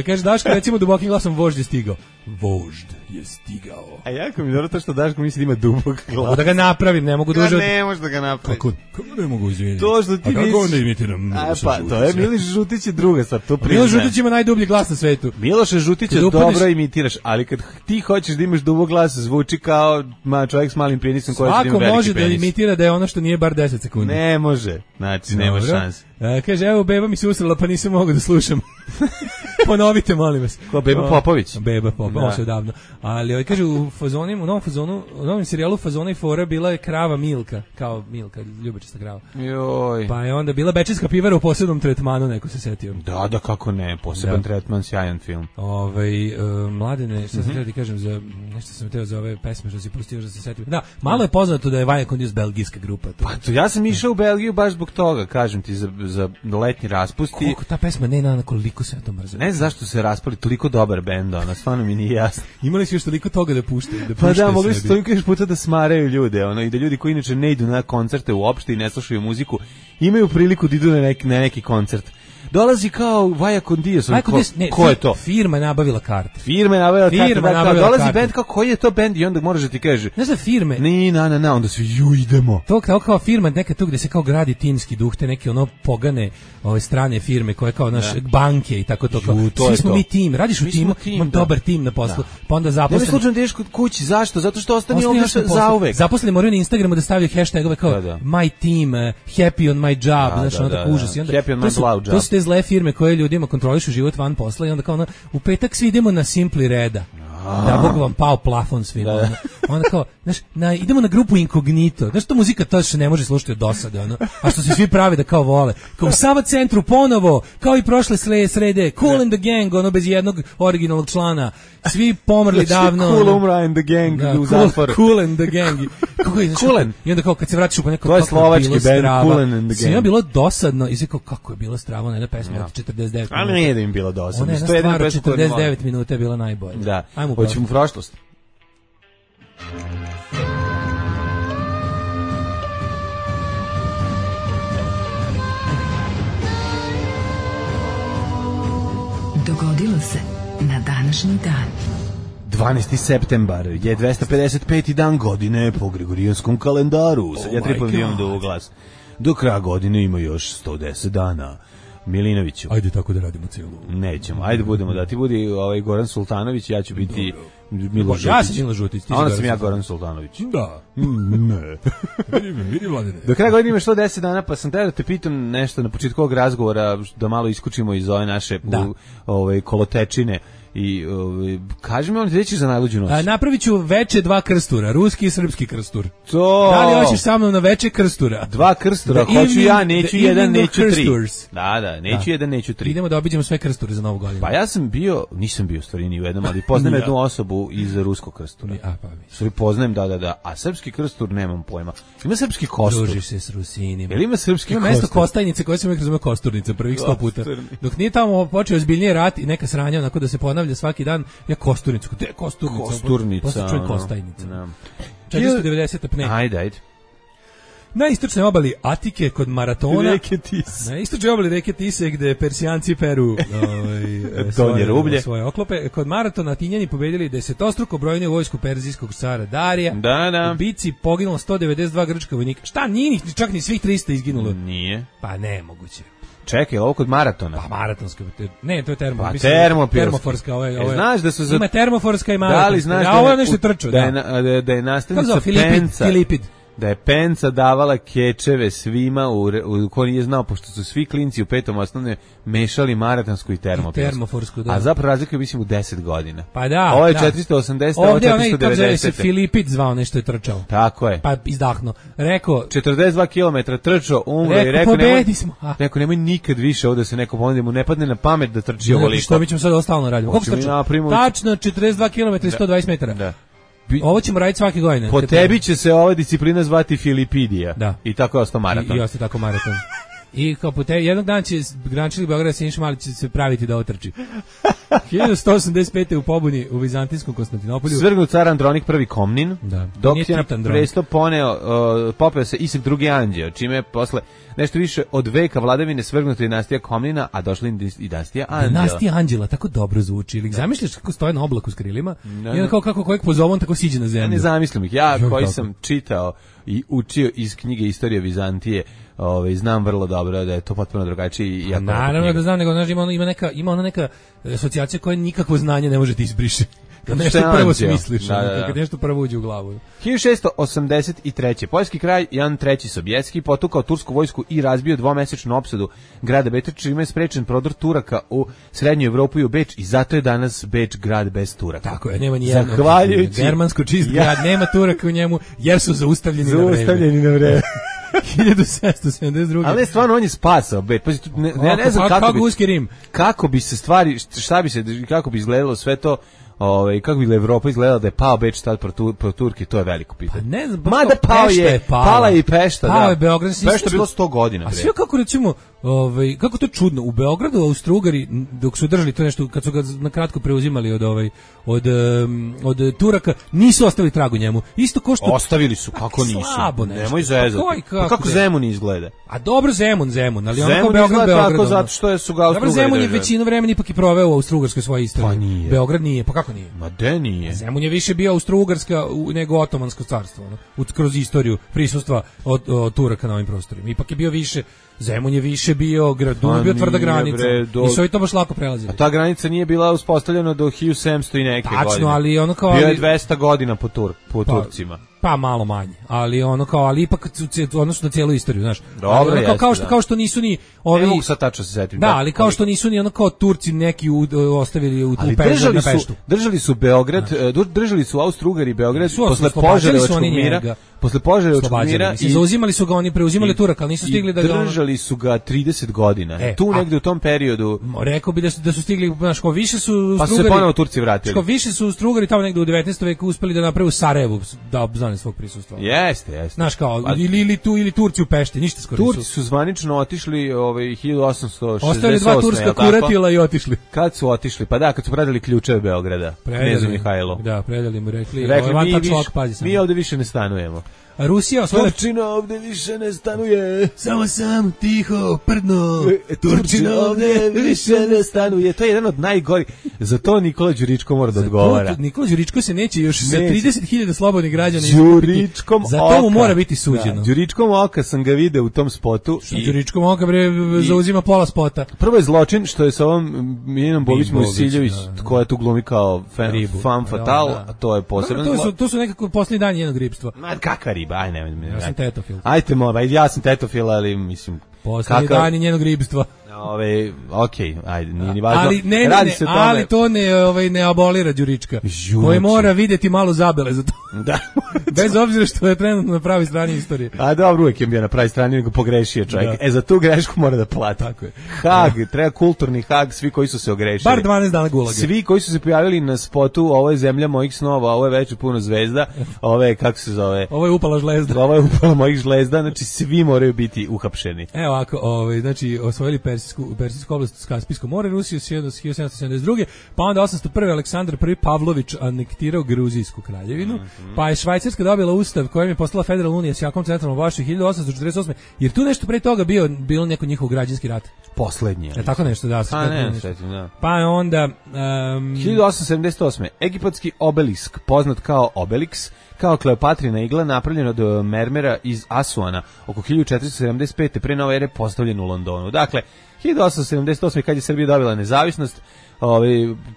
Speaker 6: Kaže Daško, recimo dubokim glasom vožd je stigao. Vožd je stigao.
Speaker 5: A jako mi dobro to što Daško misli da ima dubok glas.
Speaker 6: Mogu da ga napravim, ne mogu duže.
Speaker 5: Ne možeš da ga napraviš.
Speaker 6: Kako ne mogu izviniti?
Speaker 5: To što ti
Speaker 6: a kako onda imitiram?
Speaker 5: Pa to je Miloš Žutić je druga stvar, to priznajem.
Speaker 6: Miloš Žutić ima najdublji glas na svetu.
Speaker 5: Miloša Žutića dobro imitiraš, ali kad ti hoćeš da imaš dubok glas, zvuči kao čovjek s malim penisom koji ima veliki penis.
Speaker 6: Svako može da imitira da je ono što nije bar 10 sekundi.
Speaker 5: Ne može, znači nema šanse.
Speaker 6: Kaže, evo beba mi se usrala pa nisam mogao da slušam. Ponovite, molim vas.
Speaker 5: Ko, Beba Popović?
Speaker 6: Beba Popović, ovo se odavno. Ali kaže, u novom serijalu Fazona i fora bila je krava Milka, kao Milka, ljubičasta krava.
Speaker 5: Joj.
Speaker 6: Pa je onda bila bečejska pivara u posebnom tretmanu, neko se setio.
Speaker 5: Da, kako ne, poseban tretman, sjajan film.
Speaker 6: Mladene, šta sam htio ti kažem, nešto sam htio za ove pesme što si pustio, da se setio. Da, malo je poznato da je Vaja con Dios belgijska grupa.
Speaker 5: Pa to, ja sam išao u Belgiju baš zbog toga, kažem ti, za letnji raspust.
Speaker 6: Koliko ta pesma, koliko se ja to mrzim.
Speaker 5: Ne znam zašto se raspali, toliko dobar bend, stvarno mi nije jasno.
Speaker 6: Imali su još toliko toga da puštaju.
Speaker 5: Pa da, mogli su toliko još puta da smaraju ljude, i da ljudi koji inače ne idu na koncerte uopšte i ne slušaju muziku, imaju priliku da idu na neki koncert. dolazi kao Vaja Condios. Ko je to?
Speaker 6: Firma je nabavila karte.
Speaker 5: Firma je nabavila karte. Dolazi bend, kao koji je to bend i onda moraš da ti kaže.
Speaker 6: Ne znam firme.
Speaker 5: Onda svi idemo.
Speaker 6: To kao firma neka tu gde se kao gradi timski duh, te neke ono pogane ove strane firme koje kao naš banke i tako to kao. Svi smo mi tim, radiš u timu, imam dobar tim na poslu. Pa onda zaposleni.
Speaker 5: Ne slučajno ideš kod kući, zašto? Zato što ostani ovdje zauvek.
Speaker 6: Zaposleni moraju na Instagramu da stavljaju hashtagove kao my team, happy on my job, znači ono tako užas.
Speaker 5: Happy on my job.
Speaker 6: To su te zle firme koje ljudima kontrolišu život van posla i onda kao u petak svi idemo na Simpli Reda. Da, Bog vam pao plafon svima. Onda kao, znaš, idemo na grupu Incognito. Znaš, to muzika to što ne može slušati od dosade, ono. A što se svi pravi da kao vole. Kao u Sava centru ponovo, kao i prošle srede, Cool and the Gang, ono bez jednog originalnog člana. Svi pomrli davno.
Speaker 5: Cool umra and the Gang u zatvoru.
Speaker 6: Cool and the Gang. I onda kao kad se vratiš u neko,
Speaker 5: to je slovački band Cool and the Gang.
Speaker 6: Svima bilo dosadno i sve kao kako je bilo strava na jedna pesma od 49 minuta.
Speaker 5: Ali nije da im bilo dosadno.
Speaker 6: Ona je jedna stvar 49 minuta je bila najbolja.
Speaker 5: Da. Hoćemo u prošlost.
Speaker 3: Dogodilo se na današnji dan.
Speaker 5: 12. septembar je 255. dan godine po Gregorijanskom kalendaru. Sad ja tripam imam do glas. Do kraja godine ima još 110 dana. Milinoviću.
Speaker 6: Ajde tako da radimo celu.
Speaker 5: Nećemo. Ajde budemo da ti budi Goran Sultanović, ja ću biti Milo Žutić.
Speaker 6: Ja sam Milo Žutić.
Speaker 5: A onda sam ja Goran Sultanović.
Speaker 6: Da.
Speaker 5: Ne.
Speaker 6: Vidi Vladine.
Speaker 5: Do kraja godine ima 110 dana, pa sam teo da te pitam nešto na početku ovog razgovora, da malo iskučimo iz ove naše kolotečine. I kaži mi on gde ćeš za najluđu noć?
Speaker 6: Napravit ću veče 2 krstura, ruski i srpski krstur.
Speaker 5: To.
Speaker 6: Da li hoćeš sa mnom na veče krstura?
Speaker 5: 2 krstura, hoću ja, neću jedan, neću 3. Da, neću jedan, neću 3.
Speaker 6: Idemo da obiđemo sve krsture za novu godinu.
Speaker 5: Pa ja nisam bio u stvari ni u jednom, ali poznajem jednu osobu iz ruskog krstura. Poznajem, da. A srpski krstur nemam pojma. Ima srpski kostur.
Speaker 6: Družiš se s Rusinima.
Speaker 5: Jel ima srpski kostur?
Speaker 6: Ima mesto Kostajnice koje se uvijek razume kosturnica, prvih 100 puta. Dok nije tamo počeo ozbiljniji rat i neka sranja, onako da se ponavlja svaki dan, ja kosturnicu. Gde je kosturnica?
Speaker 5: Kosturnica.
Speaker 6: Posle čujem Kostajnica. 490 apne.
Speaker 5: Ajde.
Speaker 6: Na istočnoj obali Atike kod Maratona.
Speaker 5: Reke Tise.
Speaker 6: Na istočnoj obali reke Tise gde Persijanci peru svoje oklope. Kod Maratona Atinjani pobedili desetostruko brojniju vojsku perzijskog cara Darija.
Speaker 5: Da.
Speaker 6: U bici poginulo 192 grčka vojnika. Šta, nije čak ni svih 300 izginulo?
Speaker 5: Nije.
Speaker 6: Pa nemoguće.
Speaker 5: Čekaj, ovo kod Maratona?
Speaker 6: Pa maratonska, ne, to je
Speaker 5: termoforska. Znaš da su
Speaker 6: ima termoforska i maratonska.
Speaker 5: Da li znaš
Speaker 6: ovo je nešto trčao.
Speaker 5: Da je nastavnica Penca.
Speaker 6: Filipid.
Speaker 5: Da je Penca davala kečeve svima u ko nije znao, pošto su svi klinci u 5. osnovne mešali maratonsku i termoforsku.
Speaker 6: Da.
Speaker 5: A zapravo razlika je mislim u 10 godina.
Speaker 6: Pa da.
Speaker 5: Ovo je 480, ovo je 490.
Speaker 6: Se Filipid zvao nešto je trčao.
Speaker 5: Tako je.
Speaker 6: Pa izdahno. Rekao
Speaker 5: 42 km trčao, umro i rekao nemoj nikad više ovde se neko ponudi, mu ne padne na pamet da trči ovoliko.
Speaker 6: Što mi ćemo sad ostalno raditi? Koliko trčao? Tačno 42 km i 120 metara.
Speaker 5: Da.
Speaker 6: Ovo ćemo raditi svake godine.
Speaker 5: Po tebi će se ova disciplina zvati Filipidija.
Speaker 6: Da.
Speaker 5: I tako je ostao maraton.
Speaker 6: I ostao tako maraton. I kao po tebi, jednog dana će Grančili Beograd Siniša Mali će se praviti da otrči. 1185. u pobuni u Vizantijskom Konstantinopolju.
Speaker 5: Svrgnut car Andronik I Komnin, dok je na presto popeo se Isak II Anđeo, čime je posle nešto više od veka vladavine svrgnuta dinastija Komnina, a došla i dinastija Anđela.
Speaker 6: Dinastija Anđela, tako dobro zvuči. Ili zamišljaš kako stoje na oblaku s krilima i onda kako kojeg pozove on tako siđe na zemlju.
Speaker 5: Ja ne zamislim ih. Ja koji sam čitao i učio iz knjige Istorija Vizantije, znam vrlo dobro da je to potpuno drugačije. Ja
Speaker 6: naravno da znam, nego ima ona neka asocijacija koja nikakvo znanje ne može ti izbriše. Kad nešto prvo smisliš, kad nešto prvo uđe u glavu.
Speaker 5: 1683. Poljski kralj Jan III Sobieski potukao tursku vojsku i razbio dvomesečnu opsadu grada Beča, čime je sprečen prodor Turaka u srednju Evropu i u Beč, i zato je danas Beč grad bez Turaka.
Speaker 6: Tako je, nema nijednog. Zahvaljujući germansko čist grad, nema Turaka u njemu jer su zaustavljeni na vreme. 1772.
Speaker 5: Ali stvarno on je spasao Beč. Pazi, ne znam kako bi se stvari, kako bi izgledalo sve to. kako bi Evropa izgledala da je pao Beč tad pro Turki, to je veliko pitanje.
Speaker 6: Pa ne znam,
Speaker 5: mada pao je, pala je i Pešta,
Speaker 6: pao je Beograd.
Speaker 5: Pešta je bilo 100 godina.
Speaker 6: A sve kako recimo, kako to je čudno, u Beogradu Austro-Ugari dok su držali to nešto, kad su ga na kratko preuzimali od Turaka, nisu ostavili trag u njemu. Isto ko što
Speaker 5: ostavili su, kako nisu?
Speaker 6: Slabo nešto.
Speaker 5: Nemoj zezati. Pa kako Zemun izgleda?
Speaker 6: A dobro Zemun, ali
Speaker 5: Zemun
Speaker 6: onako Beograd
Speaker 5: tako zato što su ga Austro-Ugari.
Speaker 6: Zemun je većinu vremena ipak i proveo u Austro-Ugarskoj svojoj istoriji.
Speaker 5: Pa nije.
Speaker 6: Beograd nije, pa kako nije?
Speaker 5: Ma de nije.
Speaker 6: Zemun je više bio Austro-Ugarska nego Otomansko carstvo, kroz istoriju prisustva od Turaka na ovim prostorima. Ipak je bio više, Zemun je više bio grad, bio tvrda granica. I su i to baš lako prelazili.
Speaker 5: A ta granica nije bila uspostavljena do 1700 i neke godine.
Speaker 6: Tačno, ali ono kao...
Speaker 5: Bio je 200 godina po Turcima.
Speaker 6: Pa malo manje, ali ali ipak odnosno na cijelu istoriju, znaš.
Speaker 5: Dobro,
Speaker 6: jeste, kao što nisu ni ovi...
Speaker 5: Ne mogu sad tačno se setim.
Speaker 6: Da, ali kao što nisu ni kao Turci neki ostavili u Peštu.
Speaker 5: Držali su Beograd, držali su Austro-Ugari Beograd posle Požarevačkog mira. Posle Požarevačkog mira
Speaker 6: i zauzimali su ga, oni preuzimali Turaka, ali nisu stigli da ga...
Speaker 5: Držali su ga 30 godina. Tu negde u tom periodu...
Speaker 6: Rekao bi da su stigli, znaš, ko više su Austro-Ugari...
Speaker 5: Pa su se ponovo Turci vratili.
Speaker 6: Ko više su Austro-Ugari tamo negde u 19. veku uspeli da naprave u Sarajevu, da obznane svog prisustva.
Speaker 5: Jeste.
Speaker 6: Znaš kao, ili Turci u Pešti, ništa skoro nisu.
Speaker 5: Turci su zvanično otišli 1868.
Speaker 6: Ostavili 2 turska kuratila i otišli.
Speaker 5: Kad su otišli? Pa da, kad su predali ključeve Beograda, knezu Mihajlu.
Speaker 6: Da, predali mu, rekli
Speaker 5: mi ovde više ne stanujemo.
Speaker 6: Rusija osvojila...
Speaker 5: Turčina ovde više ne stanuje.
Speaker 6: Samo sam tiho prdno.
Speaker 5: Turčina ovde više ne stanuje. To je jedan od najgorih. Za to Nikola Đuričko mora da odgovara.
Speaker 6: Nikola Đuričko se neće još sa 30.000 slobodnih građana.
Speaker 5: Đuričkom oka.
Speaker 6: Za to mu mora biti suđeno.
Speaker 5: Đuričkom oka sam ga video u tom spotu.
Speaker 6: Đuričkom oka zauzima pola spota.
Speaker 5: Prvo je zločin što je sa ovom Miljanom Bobić Musiljević, koja tu glumi kao femme fatale, a to je posebno.
Speaker 6: To su nekako posljednji dan njenog ribstva.
Speaker 5: Ma kakva riba, aj ne.
Speaker 6: Ja sam tetofil.
Speaker 5: Ajte ja sam tetofil, ali mislim...
Speaker 6: Posljednji dan njenog ribstva.
Speaker 5: Okej, ajde, nije ni važno.
Speaker 6: Ali to ne abolira Đurička. Koji mora vidjeti malo zabele za to.
Speaker 5: Da.
Speaker 6: Bez obzira što je trenutno na pravoj strani istorije.
Speaker 5: A dobro, uvijek je bio na pravoj strani, nego pogrešio čovjek. Da. Za tu grešku mora da plati.
Speaker 6: Tako je.
Speaker 5: Hag, treba kulturni hag, svi koji su se ogrešili.
Speaker 6: Bar 12 dana gulaga.
Speaker 5: Svi koji su se pojavili na spotu, ovo je zemlja mojih snova, ovo je večer puno zvezda, ovo je, kako se zove?
Speaker 6: Ovo je upala žlezda.
Speaker 5: Ovo je upala mojih žlezda, znači svi moraju biti uhapšeni.
Speaker 6: Evo ovako, znači osvojili Persijsku oblast, Kaspijsko more, Rusiju 1772. Pa onda 801. Aleksandar I Pavlović anektirao Gruzijsku kraljevinu, pa je Švajcarska dobila ustav kojem je postala federalna unija s jakom centralnom vlašću 1848. Jer tu nešto pre toga bilo neko njihov građanski rat.
Speaker 5: Poslednji.
Speaker 6: Tako nešto, da. Pa je onda...
Speaker 5: 1878. Egipatski obelisk, poznat kao Obelix, kao Kleopatrina igla, napravljen od mermera iz Asuana, oko 1475. pre nove ere, postavljen u Londonu. Dakle, 1878. kad je Srbija dobila nezavisnost,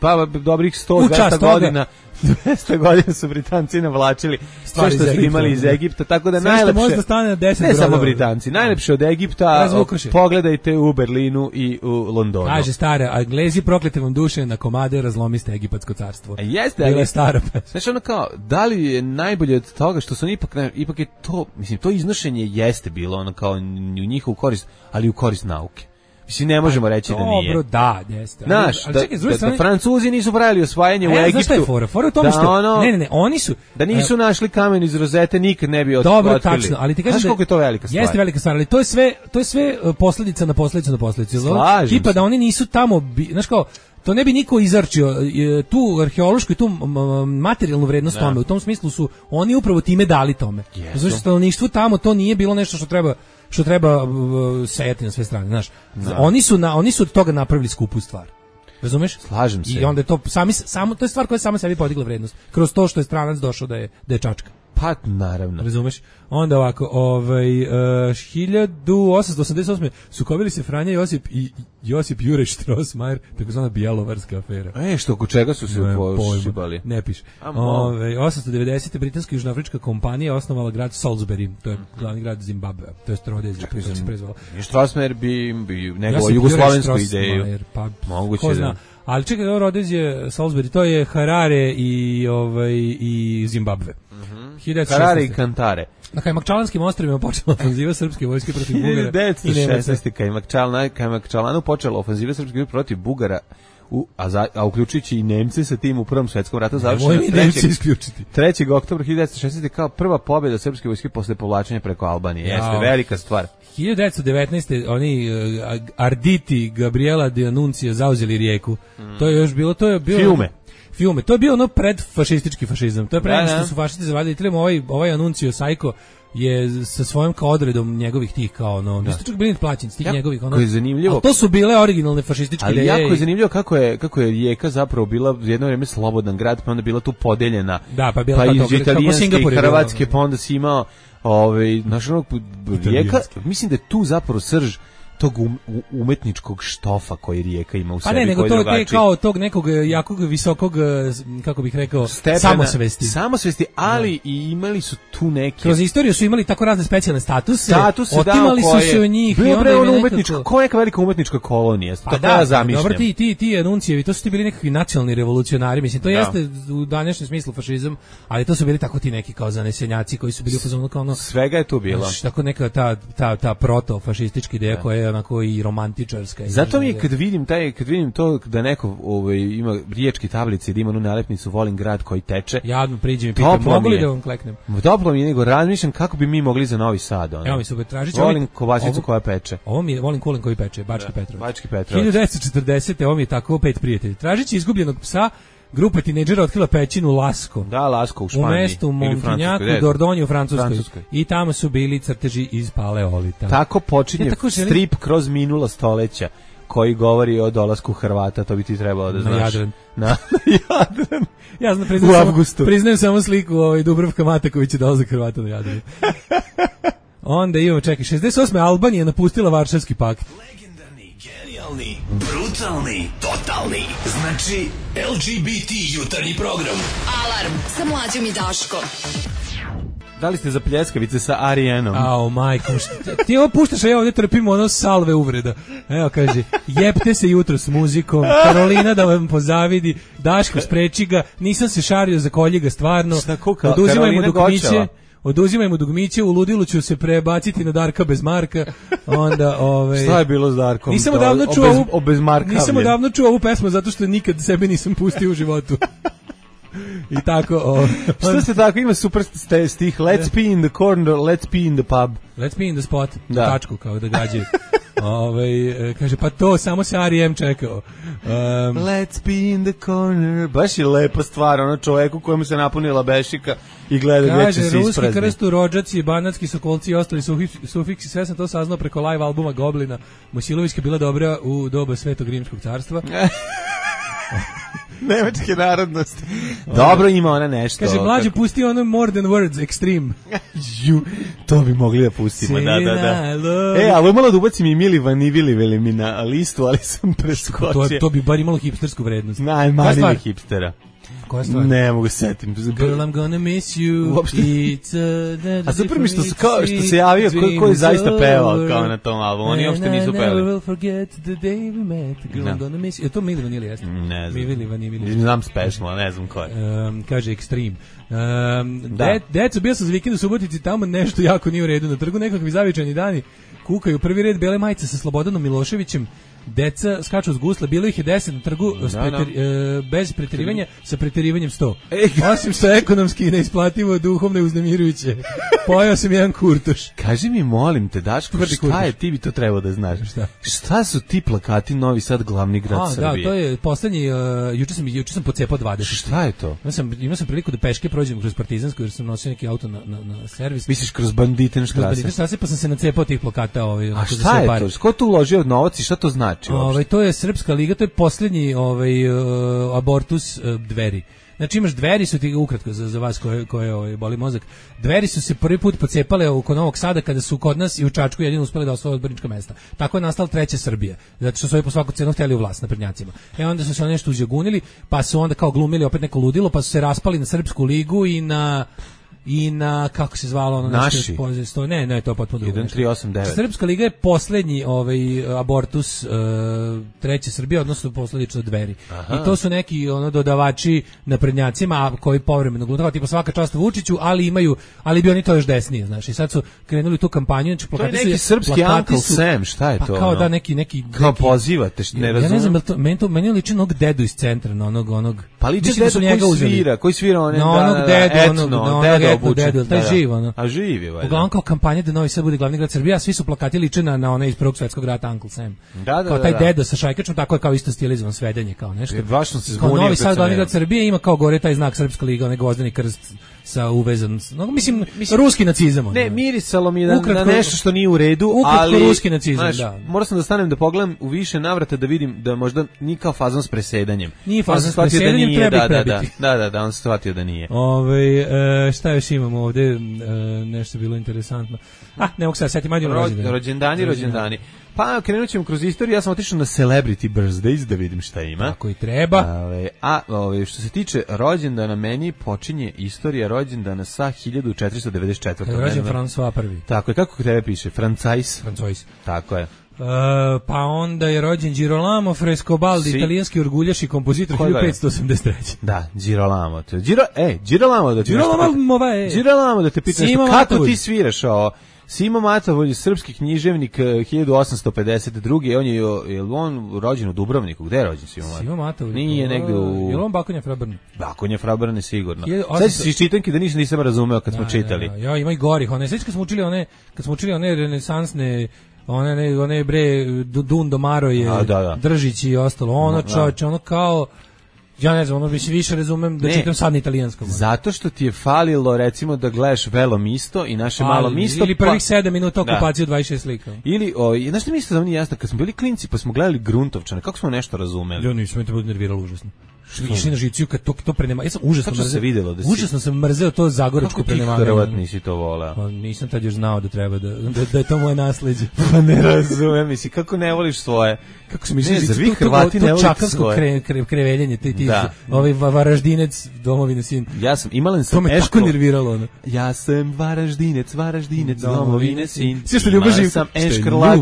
Speaker 5: pa dobrih 100-200 godina 200 godina su Britanci navlačili sve što su imali iz Egipta, tako da najlepše
Speaker 6: možda stane na 10
Speaker 5: ne samo Britanci, najlepše od Egipta pogledajte u Berlinu i u Londonu.
Speaker 6: Kaže stara, Englezi proklete vam duše, na komade razlomiste Egipatsko carstvo.
Speaker 5: Jeste,
Speaker 6: bila je stara.
Speaker 5: Znači ono kao, da li je najbolje od toga što su ipak je to, mislim, to iznošenje jeste bilo ono kao u njihovu korist, ali u korist nauke. Mislim, ne možemo reći da nije.
Speaker 6: Dobro, da, jeste.
Speaker 5: Znaš, da Francuzi nisu pravili osvajanje u Egiptu. Znaš šta je
Speaker 6: fora? Fora u tome što... Ne, oni su...
Speaker 5: Da nisu našli kamen iz rozete, nikad ne bi otkrili.
Speaker 6: Dobro, tačno, ali ti kažeš
Speaker 5: da... Znaš koliko je to velika stvar?
Speaker 6: Jeste velika stvar, ali to je sve posljedica na posljedicu.
Speaker 5: Slažem se.
Speaker 6: Tipa da oni nisu tamo... Znaš kao, to ne bi niko izarčio, tu arheološku i tu materijalnu vrednost tome, u tom smislu su oni upravo time dali tome. Znači, stanovništvu tamo to nije bilo nešto što treba sejati na sve strane, znaš. Oni su od toga napravili skupu stvar. Razumeš?
Speaker 5: Slažem se.
Speaker 6: I onda je to to je stvar koja je sama sebi podigla vrednost. Kroz to što je stranac došao da je čačka.
Speaker 5: Pa, naravno.
Speaker 6: Razumeš? Onda ovako, 1888. sukobili se Franja Josip i Josip Juraj Strossmayer, takozvana Bjelovarska afera.
Speaker 5: Što oko čega su se pošibali?
Speaker 6: Ne piše. 890. britanska južnoafrička kompanija osnovala grad Salisbury, to je glavni grad Zimbabve, to je Rodezija, kako se prezvala.
Speaker 5: Strossmayer bi nego jugoslovensku ideju.
Speaker 6: Pa,
Speaker 5: moguće da.
Speaker 6: Ali čekaj, Rodezija, Salisbury, to je Harare i Zimbabve.
Speaker 5: Harare i Kantare.
Speaker 6: Na Kajmakčalanskim ostrvima počela ofanziva srpske vojske protiv Bugara.
Speaker 5: 1916. Kajmakčalanu počela ofanziva srpske vojske protiv Bugara a uključujući i Nemce sa tim u Prvom svetskom ratu završena
Speaker 6: Nemoj mi Nemci isključiti.
Speaker 5: 3. oktobra 1960. kao prva pobjeda srpske vojske posle povlačenja preko Albanije. Jeste velika stvar.
Speaker 6: 1919. oni Arditi Gabriela de Annunzio zauzeli Rijeku. To je još bilo, Fiume. To je bio ono predfašistički fašizam. To je pre nego što su fašisti zavadili Italijom. Ovaj Annunzio Sajko je sa svojom kao odredom njegovih tih kao nisu čak bili plaćeni tih njegovih
Speaker 5: je zanimljivo.
Speaker 6: Ali to su bile originalne fašističke ideje.
Speaker 5: Ali jako je zanimljivo kako je Rijeka zapravo bila jedno vrijeme slobodan grad, pa onda bila tu podeljena.
Speaker 6: Da, pa bila
Speaker 5: iz italijanske i hrvatske, pa onda si imao Rijeka, mislim da je tu zapravo srž tog umetničkog štofa koji Rijeka ima u sebi.
Speaker 6: Pa ne, nego to je kao tog nekog jakog, visokog, kako bih rekao, samosvesti, ali i imali su tu neke... Kroz istoriju su imali tako razne specijalne statuse, otimali su se od njih.
Speaker 5: Bilo bre ono umetnička, kao neka velika umetnička kolonija, to ja zamišljam.
Speaker 6: Dobro, ti Annunzijevi, to su ti bili nekakvi nacionalni revolucionari, mislim, to jeste u današnjem smislu fašizam, ali to su bili tako ti neki kao zanesenjaci koji su bili u fazonu kao ono...
Speaker 5: Svega je tu bilo.
Speaker 6: Tako neka ta proto-fašistička ideja koja je onako i romantičarska.
Speaker 5: Zato mi je kad vidim to da neko ima riječki tablice i da ima onu nalepnicu volim grad koji teče.
Speaker 6: Ja priđem i pitam mogu li da vam kleknem.
Speaker 5: Toplo mi je, nego razmišljam kako bi mi mogli za Novi Sad.
Speaker 6: Evo mi se tražit
Speaker 5: volim kobasicu koja peče.
Speaker 6: Ovo mi je volim kulen koji peče, Bački Petrovac.
Speaker 5: Bački Petrovac.
Speaker 6: 1940. Ovo mi je tako 5 prijatelji. Tražići izgubljenog psa, grupa tinejdžera otkrila pećinu Lasko.
Speaker 5: Da, Lasko u Španiji.
Speaker 6: U mestu Montignacu, Dordogne u Francuskoj. I tamo su bili crteži iz paleolita.
Speaker 5: Tako počinje strip kroz minula stoleća koji govori o dolasku Hrvata, to bi ti trebalo da znaš.
Speaker 6: Na Jadran.
Speaker 5: Na Jadran.
Speaker 6: Ja znam, priznajem samo sliku Dubravka Matakovića dolazak Hrvata na Jadran. Onda imamo, čekaj, 68. Albanija napustila Varšavski pakt.
Speaker 8: Genijalni, brutalni, totalni. Znači, LGBT jutarnji program.
Speaker 3: Alarm sa Mlađom i Daškom.
Speaker 5: Da li ste za pljeskavice sa Arijenom?
Speaker 6: Ao, majko, ti ovo puštaš, a ja ovdje trpim ono salve uvreda. Evo, kaže, jebte se jutro s muzikom, Karolina da vam pozavidi, Daško spreči ga, nisam se šario za koljiga stvarno, oduzimaj mu dugmiće, u ludilu ću se prebaciti na Darka bez Marka. Onda,
Speaker 5: šta je bilo s Darkom?
Speaker 6: Nisam odavno čuo ovu pesmu zato što nikad sebe nisam pustio u životu. I tako,
Speaker 5: što se tako, ima super stih, let's pee in the corner, let's pee in the pub.
Speaker 6: Let's pee in the spot, tačku kao da gađaju. Kaže, pa to samo se R.E.M. čekao.
Speaker 5: Let's be in the corner. Baš je lepa stvar, ono čoveku kojemu se napunila bešika i gleda gdje će se isprazni.
Speaker 6: Ruski krstu, rođaci, banatski sokolci i ostali sufiksi, sve sam to saznao preko live albuma Goblina. Mosilovićka bila dobra u doba Svetog Rimskog carstva.
Speaker 5: Nemačke narodnosti. Dobro, ima ona nešto.
Speaker 6: Kaže, mlađe, pusti ono More Than Words, Extreme.
Speaker 5: To bi mogli da pustimo, da. Ali malo da ubacim i Mili Vanivili mi na listu, ali sam preskočio.
Speaker 6: To bi bar imalo hipstersku vrednost.
Speaker 5: Najmanji hipstera.
Speaker 6: Koja stvar?
Speaker 5: Ne mogu setim.
Speaker 6: Girl, I'm gonna miss you.
Speaker 5: A super mi što se javio ko je zaista pevao kao na tom albumu. Oni uopšte nisu pevali.
Speaker 6: I never will forget the day we met. Girl, I'm gonna miss you. Je to Mili Vanili, jeste?
Speaker 5: Ne znam.
Speaker 6: Mili Vanili.
Speaker 5: Znam special, ne znam ko je.
Speaker 6: Kaže Extreme. Deco, bio sam za vikend u Subotici, tamo nešto jako nije u redu. Na trgu nekakvi zavičajni dani kukaju prvi red bele majice sa Slobodanom Miloševićem. Deca skaču s gusla, bilo ih je 10 na trgu bez preterivanja, sa preterivanjem 100. Osim što ekonomski neisplativo, duhovno je uznemirujuće. Pojao sam jedan kurtoš.
Speaker 5: Kaži mi, molim te, Daško, šta je, ti bi to trebao da znaš. Šta su ti plakati Novi Sad, glavni grad Srbije?
Speaker 6: Da, to je poslednji, juče sam pocepao 20.
Speaker 5: Šta je to?
Speaker 6: Imao sam priliku da peške prođem kroz Partizansku, jer sam nosio neki auto na servis.
Speaker 5: Misliš kroz Banditenštrase?
Speaker 6: Pa sam se nacepao tih plakata.
Speaker 5: A šta je to? Ko tu uložio novac i šta to znači?
Speaker 6: To je Srpska liga, to je posljednji abortus Dveri. Znači imaš Dveri, su ti ukratko za vas koje boli mozak. Dveri su se prvi put pocepale oko Novog Sada kada su kod nas i u Čačku jedino uspeli da osvoje odbornička mesta. Tako je nastala treća Srbija, zato što su ovi po svaku cenu htjeli u vlast naprednjacima. Onda su se nešto uzjogunili, pa su onda kao glumili opet neko ludilo, pa su se raspali na Srpsku ligu i na i na, kako se zvalo ono
Speaker 5: Naši.
Speaker 6: Ne, to je potpuno drugo.
Speaker 5: 1389.
Speaker 6: Srpska liga je poslednji abortus treće Srbije, odnosno posledično Dveri.
Speaker 5: Aha.
Speaker 6: I to su neki dodavači naprednjacima koji povremeno glutava, tipa svaka čast Vučiću, ali bi oni to još desnije, znaš. I sad su krenuli tu kampanju, znači
Speaker 5: to je neki srpski Uncle Sam, šta je to?
Speaker 6: Pa kao da neki
Speaker 5: kao pozivate, ne razumem.
Speaker 6: Ja ne znam, meni liči onog dedu iz centra, na onog
Speaker 5: pa liči dedu koji svira one
Speaker 6: na onog dedu, dedu, taj živ, ono.
Speaker 5: A živ je, valjda.
Speaker 6: Uglavnom kao kampanja da Novi Sad bude glavni grad Srbije, a svi su plakati liče na one iz Prvog svetskog rata Uncle Sam. Kao taj deda sa šajkačom, tako je kao isto stilizovan svedenje, kao nešto.
Speaker 5: Baš sam se
Speaker 6: zbunio.
Speaker 5: Kao
Speaker 6: Novi Sad glavni grad Srbije ima kao gore taj znak Srpska liga, onaj gvozdeni krst sa uvezan, mislim ruski nacizam.
Speaker 5: Ne, mirisalo mi je na nešto što nije u redu, ali
Speaker 6: ruski nacizam, da.
Speaker 5: Morao sam da stanem da pogledam u više navrata da vidim da možda nije kao fazon s presedanjem.
Speaker 6: Nije fazon s presedanjem, treba prebiti.
Speaker 5: Da, on se shvatio da nije.
Speaker 6: Šta još imamo ovde, nešto bilo interesantno. Ne mogu sad setiti, manje
Speaker 5: rođendani. Pa krenut ćemo kroz istoriju, ja sam otišao na Celebrity Birthdays da vidim šta ima.
Speaker 6: Tako i treba.
Speaker 5: Što se tiče rođendana, meni počinje istorija rođendana sa 1494.
Speaker 6: Kada je rođen François I.
Speaker 5: Tako je, kako tebe piše? Francois. Tako je.
Speaker 6: Pa onda je rođen Girolamo Frescobaldi, italijanski orguljaš i kompozitor 1583.
Speaker 5: Da, Girolamo. Girolamo da te pitam, kako ti sviraš ovo? Simo Matovolj, srpski književnik 1852. On je on rođen u Dubrovniku? Gde je rođen Simo Matovolj? Nije negde u...
Speaker 6: Je on Bakonja Frabrne?
Speaker 5: Bakonja Frabrne sigurno. Sad si iz čitanke da nisam razumeo kad smo čitali.
Speaker 6: Ja, ima i gorih. Sveći kad smo učili one renesansne, one bre, Dundo Maroje, Držić i ostalo. Ono čovječe, ono kao... Ja ne znam, ono bi se više razumem da čitam sad na italijanskom.
Speaker 5: Zato što ti je falilo, recimo, da gledaš Velo Misto i naše Malo Misto.
Speaker 6: Ili prvih 7 minuta okupaciju 26 slika.
Speaker 5: Ili, znaš što mi isto da vam nije jasno, kad smo bili klinci pa smo gledali Gruntovčane, kako smo nešto razumeli?
Speaker 6: Ja nisam, mi te bude nerviralo užasno. Išli na žiciju kad to prenema. Ja sam užasno sam mrzeo to zagorečko prenemaganje.
Speaker 5: Kako ti Hrvat nisi to voleo?
Speaker 6: Nisam tad još znao da treba da je to moje nasleđe.
Speaker 5: Pa ne razumem, misli, kako ne voliš svoje?
Speaker 6: Kako se misliš, za vi Hrvati ne volite svoje? Kreveljenje, ovaj Varaždinec, domovine sin.
Speaker 5: Ja sam, imalen sam
Speaker 6: to me tako nerviralo.
Speaker 5: Ja sam Varaždinec, domovine sin.
Speaker 6: Sve što Ljuba Živkov,
Speaker 5: sam Eškrlak,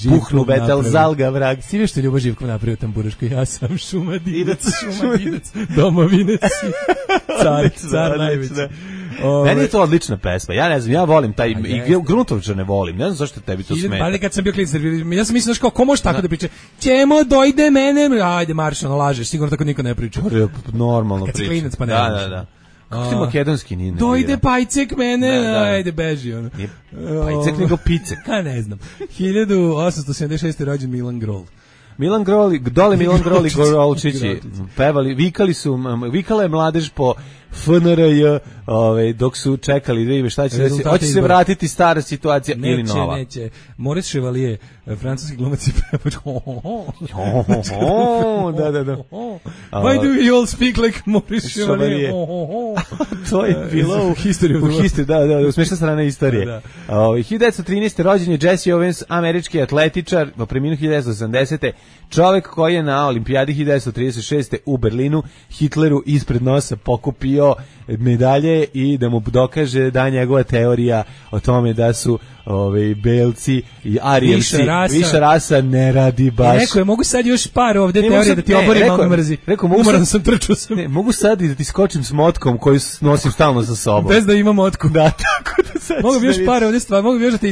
Speaker 5: puhnu betel, zalga vrag.
Speaker 6: Sve što Ljuba Živkov napravio tamburaško, ja sam Šumadinac, domovine sin. Car najveći.
Speaker 5: Meni je to odlična pesma. Ja ne znam, ja volim taj Gruntovčane volim. Ne znam zašto tebi to smeta.
Speaker 6: Ali kad sam bio klinac, ja sam mislio ko može tako da priča. Ćemo dojde mene. Ajde marš, ono lažeš, sigurno tako niko ne priča.
Speaker 5: Normalno
Speaker 6: priča. Kad si klinac pa ne.
Speaker 5: Da. Kako ti makedonski nije?
Speaker 6: Dojde pajcek mene, ajde beži ono.
Speaker 5: Pajcek nego picek.
Speaker 6: Ne znam. 1876. rođen Milan Grol.
Speaker 5: Milan Grol i Gorolčići pevali, vikala je mladež po FNRJ, dok su čekali da ime šta će se, hoće se vratiti stara situacija ili nova.
Speaker 6: Neće. Maurice Chevalier, francuski glumac i pevač.
Speaker 5: Da.
Speaker 6: Why do you all speak like Maurice Chevalier?
Speaker 5: To je bilo u historiji, da, smešna strana istorije. 1913. rođen je Jesse Owens, američki atletičar, preminuo 1980. Čovek koji je na olimpijadi 1936. u Berlinu Hitleru ispred nosa pokupio medalje i da mu dokaže da njegova teorija o tome da su belci i arijevci više rasa ne radi baš.
Speaker 6: Rekao je, mogu sad još par ovde teorije da ti oborim malo mrzi. Umoran sam, trčao sam.
Speaker 5: Mogu sad i da ti skočim s motkom koju nosim stalno sa sobom.
Speaker 6: Bez da imam motku.
Speaker 5: Da, tako da sad.
Speaker 6: Mogu bi još par ovde stvari, mogu bi još da ti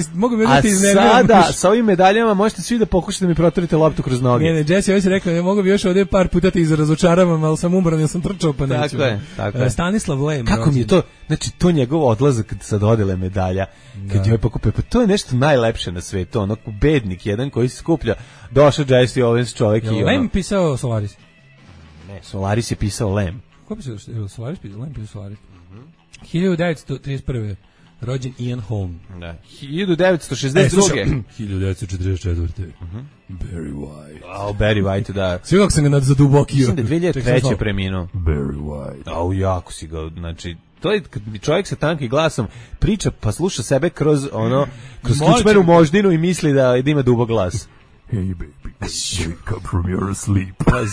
Speaker 6: iznerviram.
Speaker 5: A sada, sa ovim medaljama možete svi da pokušate da mi proturite loptu kroz noge.
Speaker 6: Ne, Jesse ovdje rekao, ne mogu bi još ovde par puta ti razočaravam, ali sam umoran, ja sam trčao pa neću.
Speaker 5: Tako je.
Speaker 6: Stanislav Lem.
Speaker 5: Kako mi je to, znači to njegov odlazak sa dodele medalja, kad joj pokupe, pa to je nešto najlepše na svetu, ono bednik jedan koji se skuplja, došao Jesse Owens čovjek i ono.
Speaker 6: Lem pisao Solaris?
Speaker 5: Ne, Solaris je pisao Lem.
Speaker 6: Ko pisao Solaris? Lem pisao Solaris. 1931. rođen Ian Holm.
Speaker 5: Da. 1962.
Speaker 6: 1944. Barry White.
Speaker 5: Barry White, da.
Speaker 6: Sve kako sam ga za dubokio.
Speaker 5: Mislim da 2003. preminuo.
Speaker 6: Barry White.
Speaker 5: Jako si ga, znači, to je kad čovjek sa tankim glasom priča pa sluša sebe kroz kičmenu moždinu i misli da ima dubok glas.
Speaker 6: Hey baby, wake up from your sleep.
Speaker 5: Pa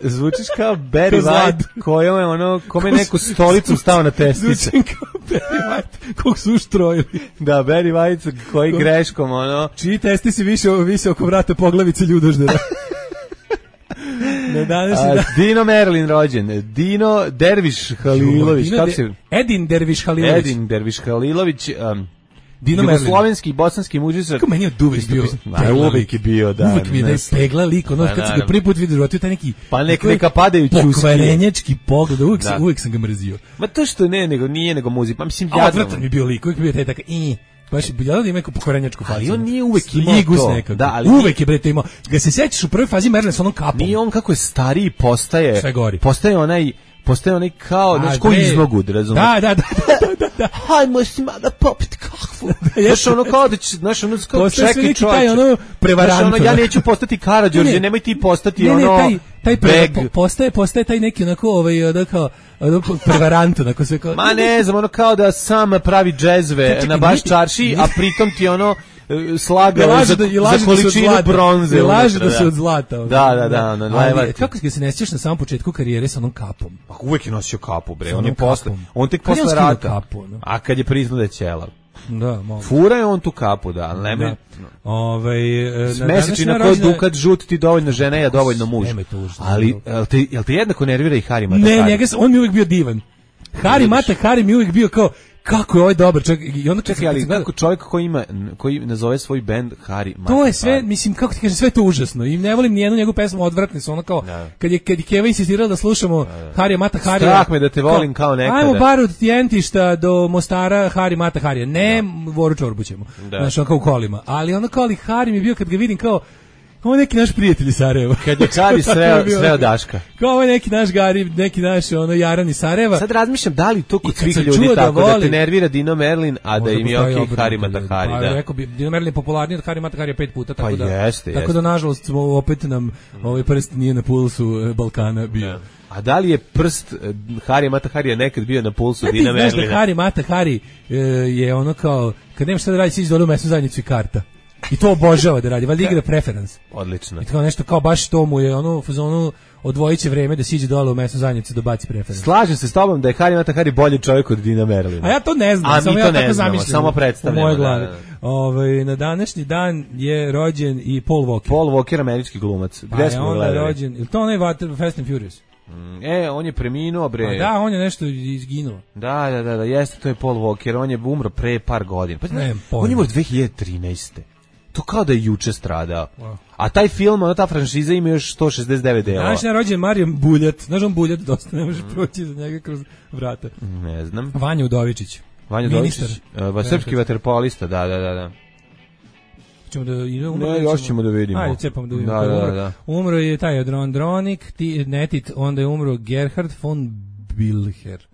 Speaker 5: zvučiš kao Barry White, kome neko stolicom stao na testice.
Speaker 6: Zvučim kao Barry White, kog su uštrojili.
Speaker 5: Da, Barry White koji greškom,
Speaker 6: Čiji testi si više oko vrata poglavice ljudoždera.
Speaker 5: Dino Merlin rođen, Dino Derviš Halilović, kako se...
Speaker 6: Edin Derviš Halilović.
Speaker 5: Edin Derviš Halilović, jugoslovenski i bosanski muzičar.
Speaker 6: Kako meni je uvek bio.
Speaker 5: Uvek je bio, da.
Speaker 6: Uvek mi je da je pegla lik, kad sam ga prvi put vidio životu, taj neki...
Speaker 5: Pa neka padajući uskije.
Speaker 6: Pokvarenjački pogled, uvek sam ga mrzio.
Speaker 5: Ma to što nije nego muzika, pa mislim...
Speaker 6: Odvratan mi bio lik, uvek mi bio taj taka... Baš je bilo da ima neku pokvarenjačku facu.
Speaker 5: Ali on nije uvek imao to.
Speaker 6: Da, ali uvek je bre to imao. Ga se sećaš u prvoj fazi Merlin sa onom kapom.
Speaker 5: Nije on kako je stariji postaje.
Speaker 6: Sve gori.
Speaker 5: Postaje onaj kao, znači koji iznogu, razumiješ?
Speaker 6: Da.
Speaker 5: Hajmo si malo popit kakvu. Znaš ono kao da će, znaš ono kao čekaj
Speaker 6: taj ono prevarant.
Speaker 5: Ja neću postati Karađorđe, nemoj ti postati
Speaker 6: taj postaje taj neki onako kao prevarant, onako sve kao...
Speaker 5: Ma ne znam, ono kao da sam pravi džezve na baš čarši, a pritom ti ono slagao za količinu bronze.
Speaker 6: I laže da se od zlata.
Speaker 5: Da.
Speaker 6: Kako se ne sjećaš na samom početku karijere sa onom kapom?
Speaker 5: Uvek je nosio kapu, bre. On tek posle rata. A kad je priznao da je ćelav.
Speaker 6: Da, malo.
Speaker 5: Fura je on tu kapu, da, ali nema. Mesečina koji dukat žut ti dovoljno žena, ja dovoljno muž. Ali, jel te jednako nervira i Hari Mata Hari?
Speaker 6: Ne, on mi uvijek bio divan. Hari Mata Hari mi uvijek bio kao, kako je ovaj dobar čovjek. I onda
Speaker 5: čekaj, ali kako čovjek koji nazove svoj bend Hari Mata Hari.
Speaker 6: To je sve, mislim, kako ti kažem, sve to užasno. I ne volim nijednu njegovu pesmu, odvratne su, ono kao, kad je Keva insistirala da slušamo Hari Mata Hari.
Speaker 5: Strah me da te volim kao nekada.
Speaker 6: Ajmo bar od Tijentišta do Mostara Hari Mata Hari. Ne, Voru Čorbu ćemo. Znaš, ono kao u kolima. Ali ono kao, ali Hari mi je bio kad ga vidim kao, ovo je neki naš prijatelj iz Sarajeva.
Speaker 5: Kad je Kari sreo Daška.
Speaker 6: Kao ovo je neki naš Gari, neki naš Jaran iz Sarajeva.
Speaker 5: Sad razmišljam da li to kod svih ljudi tako da te nervira Dino Merlin, a da im je okej Hari Mata Hari.
Speaker 6: Pa rekao bi, Dino Merlin je popularniji od Hari Mata Hari 5 puta, tako da.
Speaker 5: Jeste.
Speaker 6: Tako da nažalost opet nam ovaj prst nije na pulsu Balkana bio.
Speaker 5: A da li je prst Hari Mata Hari nekad bio na pulsu Dina Merlina?
Speaker 6: Znaš da Hari Mata Hari je ono kao, kad nemaš šta da radi, siđi dole u mesnu zajednicu i karta. I to obožava da radi, valjda igra preference.
Speaker 5: Odlično.
Speaker 6: I to nešto kao baš to mu je ono u fazonu odvojiće vreme da siđe dole u mesnu zajednicu da baci preference.
Speaker 5: Slažem se s tobom da je Hari Mata Hari bolji čovjek od Dina Merlina.
Speaker 6: A ja to ne znam,
Speaker 5: a
Speaker 6: samo
Speaker 5: mi
Speaker 6: ja
Speaker 5: to
Speaker 6: tako
Speaker 5: ne znamo,
Speaker 6: zamišljam.
Speaker 5: Samo predstavljamo.
Speaker 6: U mojoj glavi. Na današnji dan je rođen i Paul Walker.
Speaker 5: Paul Walker, američki glumac. Gde smo
Speaker 6: onda je rođen, ili to onaj Fast and Furious?
Speaker 5: On je preminuo, bre.
Speaker 6: A da, on je nešto izginuo.
Speaker 5: Da, jeste, to je Paul Walker, on je umro pre par godina. Pa, on je umro 2013. To kao da je juče stradao. Wow. A taj film, ta franšiza ima još 169 dela.
Speaker 6: Danas je rođen Marijan Buljat. Znaš on Buljat dosta, ne može proći za njega kroz vrata.
Speaker 5: Ne znam.
Speaker 6: Vanja Udovičić.
Speaker 5: Ministar. Srpski vaterpolista, da.
Speaker 6: Ćemo da idemo.
Speaker 5: Ne, još ćemo da vidimo.
Speaker 6: Ajde, cepamo da vidimo.
Speaker 5: Da.
Speaker 6: Umro je taj Andronik, Netit, onda je umro Gerhard von Blicher.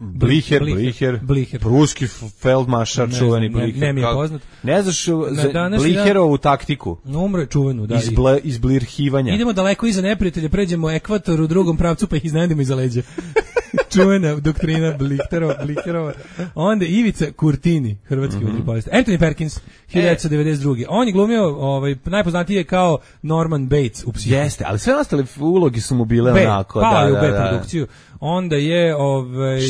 Speaker 5: Pruski feldmašar, čuveni Blicher.
Speaker 6: Ne mi je poznat.
Speaker 5: Ne znaš Blicherovu taktiku?
Speaker 6: Umro je čuvenu, da.
Speaker 5: Izblirhivanja.
Speaker 6: Idemo daleko iza neprijatelja, pređemo ekvator u drugom pravcu pa ih iznenadimo iza leđa. Čuvena doktrina Blicherova. Onda Ivica Kurtini, hrvatski vaterpolista. Anthony Perkins, 1992. On je glumio, najpoznatiji je kao Norman Bates u Psihu.
Speaker 5: Jeste, ali sve ostale ulogi su mu bile onako.
Speaker 6: Pao je u B produkciju. Onda je...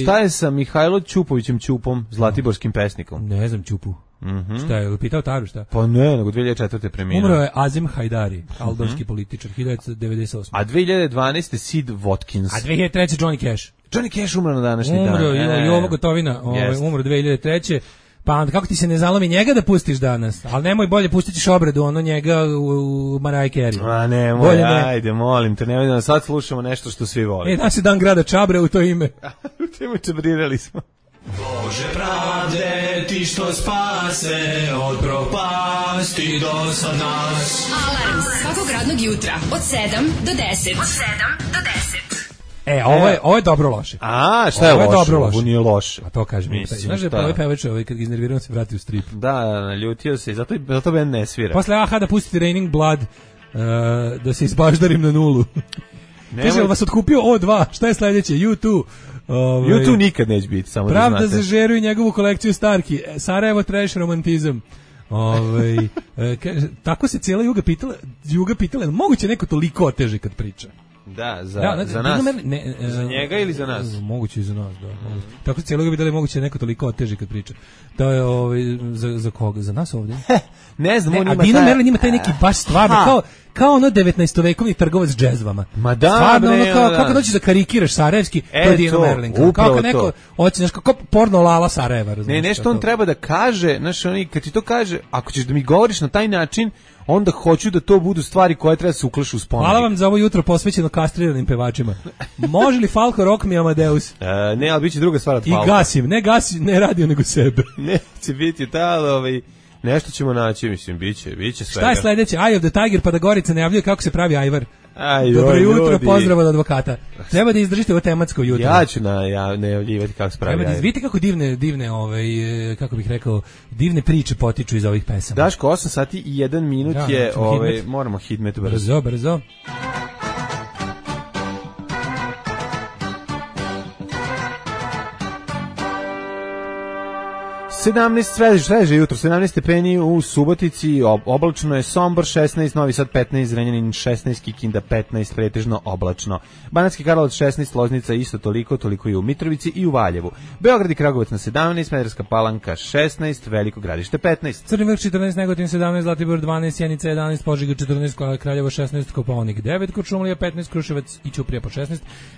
Speaker 5: Šta je sa Mihajlo Ćupovićem Ćupom, zlatiborskim pesnikom?
Speaker 6: Ne znam Ćupu. Šta je, pitao Taru šta?
Speaker 5: Pa ne, nego 2004. preminuo.
Speaker 6: Umro je Azem Hajdari, albanski političar, 1998.
Speaker 5: A 2012. Sid Watkins.
Speaker 6: A 2003. Johnny Cash.
Speaker 5: Johnny Cash umro na današnji dan.
Speaker 6: Umro i ovo Gotovina, umro 2003. Pa onda kako ti se ne zalomi njega da pustiš danas? Ali nemoj bolje, pustit ćeš obradu, njega u Mariah Carey.
Speaker 5: A nemoj, ajde, molim te, nemoj da sad slušamo nešto što svi vole.
Speaker 6: Danas je dan grada Čabre u to ime.
Speaker 5: U to ime čabrirali smo.
Speaker 8: Bože pravde, ti što spase od propasti do sad nas.
Speaker 3: Alarm svakog radnog jutra od 7 do 10.
Speaker 6: Ovo je dobro loše.
Speaker 5: A, šta je loše? Ovo nije loše.
Speaker 6: A to kažem. Znaš da ovaj pevač kad ga iznervirao se vrati u strip.
Speaker 5: Da, naljutio se i zato ben ne svira.
Speaker 6: Posle da pustiti Raining Blood, da se izbaždarim na nulu. Kaže, vas otkupio O2, šta je sledeće? U2.
Speaker 5: U2 nikad neće biti, samo da znate.
Speaker 6: Pravda za Žeru i njegovu kolekciju Starki. Sarajevo trash romantizam. Kaže, tako se cijela Juga pitala, moguće neko toliko oteže kad priča?
Speaker 5: Da, za nas. Za njega ili za nas?
Speaker 6: Moguće i za nas, da. Tako cijelo ga bi dali moguće neko toliko oteži kad priča. To je za koga? Za nas ovdje?
Speaker 5: Ne znam, on ima
Speaker 6: Dino Merlin ima taj neki baš stvarno, kao ono 19-vekovni trgovac džezvama.
Speaker 5: Ma da,
Speaker 6: stvarno,
Speaker 5: bre,
Speaker 6: ono kako doći da karikiraš Sarajevski, to je Dino Merlin. Kao neko, hoćeš kao porno Lala Sarajeva, razumiješ?
Speaker 5: Ne, nešto on treba da kaže, znaš, kad ti to kaže, ako ćeš da mi govoriš na taj način, onda hoću da to budu stvari koje treba se uklašu u spomenik.
Speaker 6: Hvala vam za ovo jutro posvećeno kastriranim pevačima. Može li Falko Rock mi Amadeus?
Speaker 5: Ne, ali bit će druga stvar od Falka.
Speaker 6: I gasim, ne radio nego sebe.
Speaker 5: Neće biti nešto ćemo naći, mislim, biće svega.
Speaker 6: Šta je sledeće? Eye of the Tiger, pa da Gorica najavljuje kako se pravi ajvar.
Speaker 5: Dobro
Speaker 6: jutro,
Speaker 5: ljudi.
Speaker 6: pozdrav od advokata. Treba da izdržite ovo tematsko jutro.
Speaker 5: Ja ću najavljivati kako se pravi ajvar.
Speaker 6: Vidite kako divne, kako bih rekao, divne priče potiču iz ovih pesama.
Speaker 5: Daško, 8 sati i 1 minut je, moramo hitmet brzo.
Speaker 6: Brzo.
Speaker 5: 17 sveže jutro, 17 stepeni u Subotici, oblačno je Sombor 16, Novi Sad 15, Zrenjanin 16, Kikinda 15, pretežno oblačno. Banatski Karlovac 16, Loznica isto toliko i u Mitrovici i u Valjevu. Beograd i Kragujevac na 17, Smederevska Palanka 16, Veliko Gradište 15.
Speaker 6: Crni Vrh 14, Negotin 17, Zlatibor 12, Sjenica 11, Požega 14, Kraljevo 16, Kopaonik 9, Kuršumlija 15, Kruševac i Ćuprija po 16,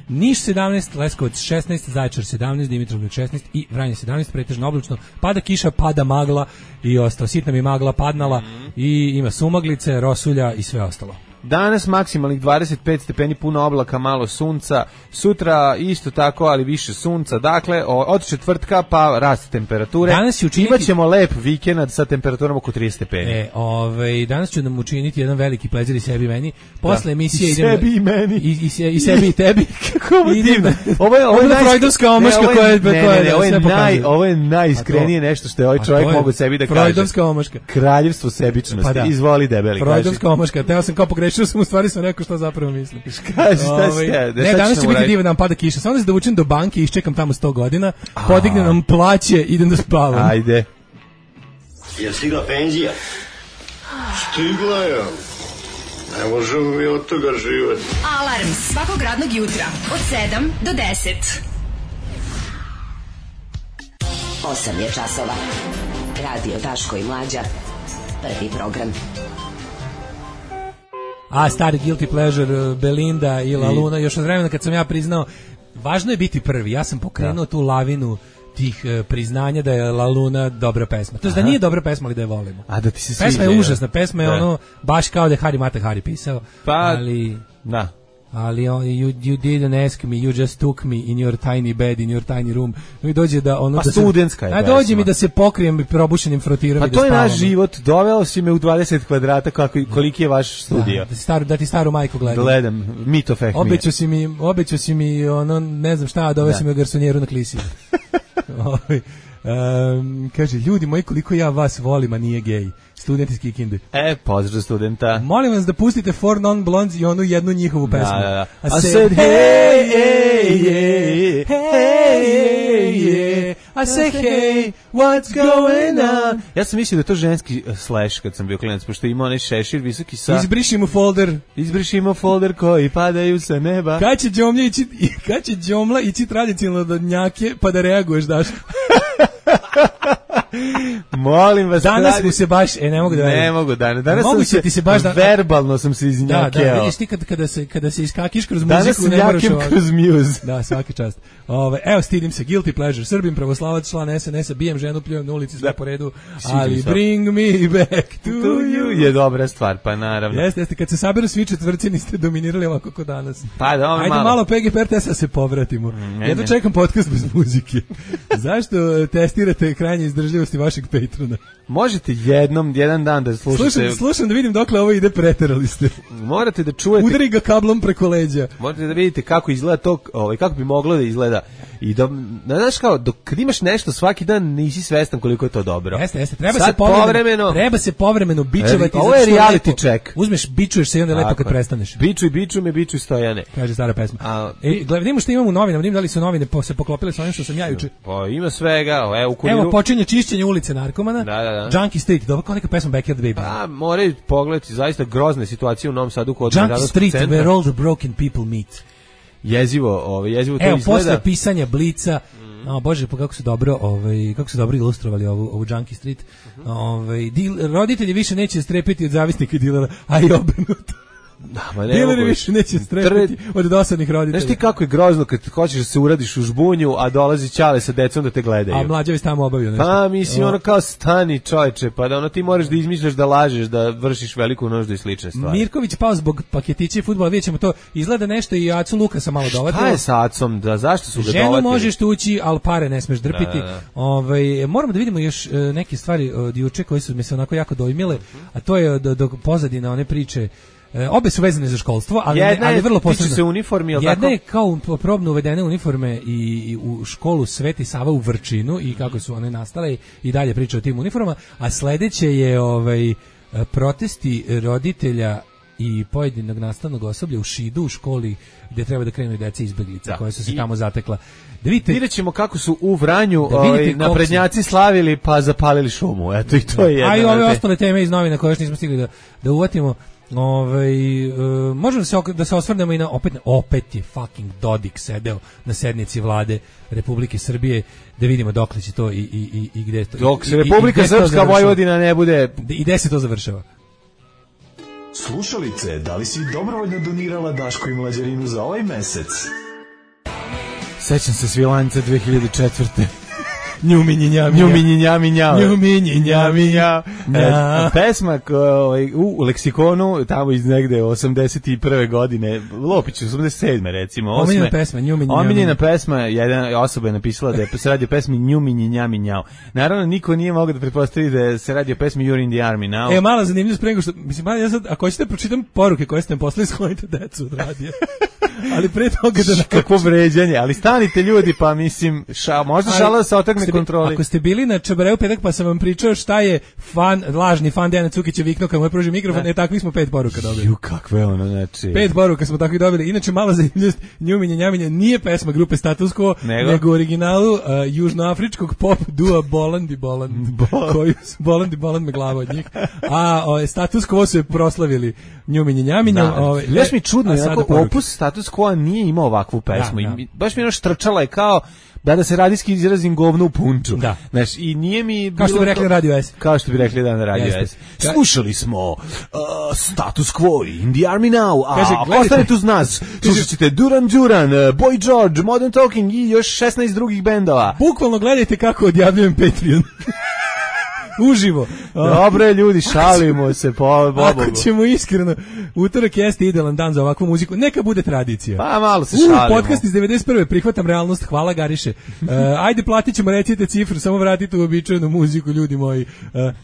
Speaker 6: Niš 17, Leskovac 16, Zaječar 17, Dimitrovgrad 16 i Vranje 17, pretežno oblačno. Pada kiša, pada magla i ostalo. Sitna mi magla padnala i ima sumaglice, rosulja i sve ostalo.
Speaker 5: Danas maksimalnih 25 stepeni, puno oblaka, malo sunca. Sutra isto tako, ali više sunca. Dakle, od četvrtka pa rast temperature. Imaćemo lep vikend sa temperaturom oko 30 stepeni.
Speaker 6: Danas ću nam učiniti jedan veliki plezir i sebi i meni. Posle emisije idem...
Speaker 5: Sebi i meni.
Speaker 6: I sebi i tebi.
Speaker 5: Kako ovo divno. Ovo je
Speaker 6: freudovska omaška koja je sve pokazuje.
Speaker 5: Ovo je najiskrenije nešto što je ovaj čovjek mogu sebi da kaže.
Speaker 6: Freudovska omaška.
Speaker 5: Kraljevstvo sebičnosti. Izvoli debeli.
Speaker 6: Freudovska omaška. Teo sam kao pogrešio sam, u stvari sam rekao što zapravo mislim.
Speaker 5: Ne,
Speaker 6: danas će biti divan dan, pada kiša. Samo da se dovučem do banke i iščekam tamo 100 godina, podignem nam plaće, idem da spavam.
Speaker 5: Ajde.
Speaker 4: Je stigla penzija? Stigla je. Ne možemo mi od toga živjeti.
Speaker 3: Alarm svakog radnog jutra od 7 do 10.
Speaker 9: 8 je časova. Radio Daško i Mlađa. Prvi program.
Speaker 6: Stari guilty pleasure, Belinda i La Luna, još od vremena kad sam ja priznao, važno je biti prvi, ja sam pokrenuo tu lavinu tih priznanja da je La Luna dobra pesma. To je da nije dobra pesma, ali da je volimo.
Speaker 5: A da ti se sviđa.
Speaker 6: Pesma je užasna, pesma je ono, baš kao da je Hari Mata Hari pisao, ali...
Speaker 5: Da.
Speaker 6: Ali you didn't ask me, you just took me in your tiny bed, in your tiny room. Mi dođe da ono da
Speaker 5: studentska je.
Speaker 6: Dođe mi da se pokrijem probušenim frotirom i da spavam.
Speaker 5: Pa to je naš život. Doveo si me u 20 kvadrata koliki je vaš studio.
Speaker 6: Da ti staru majku gledam.
Speaker 5: Gledam, Myth of Acme.
Speaker 6: Obećao si mi ono ne znam šta, doveo si mi u garsonjeru na klisi. Kaže, ljudi moji, koliko ja vas volim, a nije gej. Student iz Kikinde.
Speaker 5: Pozdrav studenta.
Speaker 6: Molim vas da pustite Four Non Blondes i onu jednu njihovu pesmu.
Speaker 5: Da.
Speaker 6: I said, hey, hey, I say, hey, what's going on?
Speaker 5: Ja sam mislio da je to ženski slash kad sam bio klinac, pošto ima onaj šešir visoki sa...
Speaker 6: Izbrišimo folder
Speaker 5: koji padaju sa neba.
Speaker 6: Kad će Đomla ići tradicionalno do njake pa da reaguješ, Daško?
Speaker 5: Molim vas.
Speaker 6: Danas mu se baš, ne mogu da...
Speaker 5: Ne mogu danas. Danas
Speaker 6: mogu
Speaker 5: sam
Speaker 6: ti se baš
Speaker 5: verbalno sam se iznjakeo.
Speaker 6: Da, vidiš ti kada se iskakiš kroz muziku, ne moraš
Speaker 5: ovako. Kroz muse.
Speaker 6: Da, svaki čast. Evo, stidim se, guilty pleasure. Srbim, pravoslavac, član SNS-a, bijem ženu, pljujem na ulici, sve po redu, ali bring me back to you.
Speaker 5: Je dobra stvar, pa naravno.
Speaker 6: Jeste, kad se saberu svi četvrci, niste dominirali ovako kod danas.
Speaker 5: Pa da,
Speaker 6: ajde malo PGP RTS-a se povratimo. Jedno čekam podcast bez muzike. Zašto testirate krajnje izdržljivosti vašeg patrona?
Speaker 5: Možete jedan dan da slušate.
Speaker 6: Slušam da vidim dokle ovo ide, preterali ste.
Speaker 5: Morate da čujete.
Speaker 6: Udari ga kablom preko leđa.
Speaker 5: Morate da vidite kako izgleda to, kako bi moglo da izgleda I znaš kao, kad imaš nešto svaki dan nisi svestan koliko je to dobro.
Speaker 6: Jeste, treba se povremeno bičevati.
Speaker 5: Ovo je reality check.
Speaker 6: Uzmeš, bičuješ se i onda lepo kad prestaneš.
Speaker 5: Bičuj Stojane.
Speaker 6: Kaže stara pesma. Gledamo što imamo u novinama, vidim da li su novine se poklopile sa onim što sam ja juče.
Speaker 5: Pa ima svega, u Kuriru.
Speaker 6: Evo počinje čišćenje ulice narkomana. Junkie Street, dobro kao neka pesma Backyard Baby.
Speaker 5: Moraju pogledati zaista grozne situacije u Novom Sadu kod
Speaker 6: Junkie Street, where all the broken people meet.
Speaker 5: Jezivo to izgleda.
Speaker 6: Evo, posle pisanja Blica, bože, pa kako su dobro ilustrovali ovu Junkie Street. Roditelji više neće strepiti od zavisnika i dilera, a i obrnuto. Dileri više neće strepiti od dosadnih roditelja.
Speaker 5: Znaš ti kako je grozno kad hoćeš da se uradiš u žbunju, a dolazi ćale sa decom da te gledaju.
Speaker 6: A mlađavi se tamo obavio nešto.
Speaker 5: Pa mislim, ono kao stani čovječe, pa da ti moraš da izmišljaš, da lažeš, da vršiš veliku nuždu i slične stvari.
Speaker 6: Mirković pao zbog paketića i fudbala, vidjet ćemo to, izgleda nešto i Acu Lukasa malo dovatilo.
Speaker 5: Šta je sa Acom, zašto su ga dovatili?
Speaker 6: Ženu možeš tući, ali pare ne smeš drpiti. Moramo da vidimo još neke stvari od juče koje su mi se onako jako dojmile, a to je do pozadina one priče. Obe su vezane za školstvo, ali vrlo posebno.
Speaker 5: Se uniformi,
Speaker 6: jedna je kao probno uvedene uniforme i u školu Sveti Sava u Vrčinu i kako su one nastale i dalje priča o tim uniformama, a sledeće je protesti roditelja i pojedinog nastavnog osoblja u Šidu u školi gdje treba da krenu i deca izbeglica koje su se tamo zatekla.
Speaker 5: Vidjet ćemo kako su u Vranju naprednjaci slavili pa zapalili šumu. Eto i to je jedna.
Speaker 6: A i ove ostale teme iz novina koje još nismo stigli da uvatimo. Možemo da se osvrnemo i na opet je fucking Dodik sedeo na sednici vlade Republike Srbije, da vidimo dokle će to i gde to.
Speaker 5: Dok se Republika Srpska Vojvodina ne bude
Speaker 6: i gde se to završava.
Speaker 8: Slušalice, da li si dobrovoljno donirala Daško i Mlađarinu za ovaj mesec?
Speaker 6: Sećam se Svilanca 2004. Njuminji njami.
Speaker 5: Pesma u leksikonu tamo iz negde 81. godine, Lopić 87. recimo. Omiljena pesma, jedna osoba je napisala da se radi o pesmi Njuminji njami njao. Naravno, niko nije mogao da pretpostavi da se radi o pesmi You're in the Army Now.
Speaker 6: Mala zanimljivost prego što, mislim, ja sad, ako hoćete pročitam poruke koje ste nam poslali, sklonite decu od radija. Ali pre toga da...
Speaker 5: Kakvo vređanje, ali stanite ljudi, pa mislim, možda šala da se otakne kontroli.
Speaker 6: Ako ste bili na Čabareu petak pa sam vam pričao šta je lažni fan Dejana Cukića viknuo kad mu je pružio mikrofon, takvih smo 5 poruka dobili.
Speaker 5: Kakve ono, znači...
Speaker 6: 5 poruka smo takvih dobili. Inače, mala zanimljivost, Njuminje Njaminje nije pesma grupe Status Quo, nego u originalu južnoafričkog pop dua Bolandi Boland, koji su Bolandi Boland me glava od njih. A Status Quo su je proslavili Njuminje Njaminje.
Speaker 5: Još mi čudno, opus Status Quo nije imao ovakvu pesmu. Baš mi ono štrčala je kao da se radijski izrazim govno u punču. Znaš, i nije mi...
Speaker 6: Kao što bi rekli Radio S.
Speaker 5: Kao što bi rekli na Radio S. Slušali smo Status Quo, In the Army Now, a ostanete uz nas. Slušat ćete Duran Duran, Boy George, Modern Talking i još 16 drugih bendova.
Speaker 6: Bukvalno gledajte kako odjavljujem Patreon. Uživo.
Speaker 5: Dobre ljudi, šalimo se po Bogu.
Speaker 6: Ako ćemo iskreno, utorak jeste idealan dan za ovakvu muziku, neka bude tradicija.
Speaker 5: Pa malo se šalimo.
Speaker 6: Podcast iz 91. Prihvatam realnost, hvala Gariše. Ajde, platit ćemo, recite cifru, samo vratite u običajnu muziku, ljudi moji.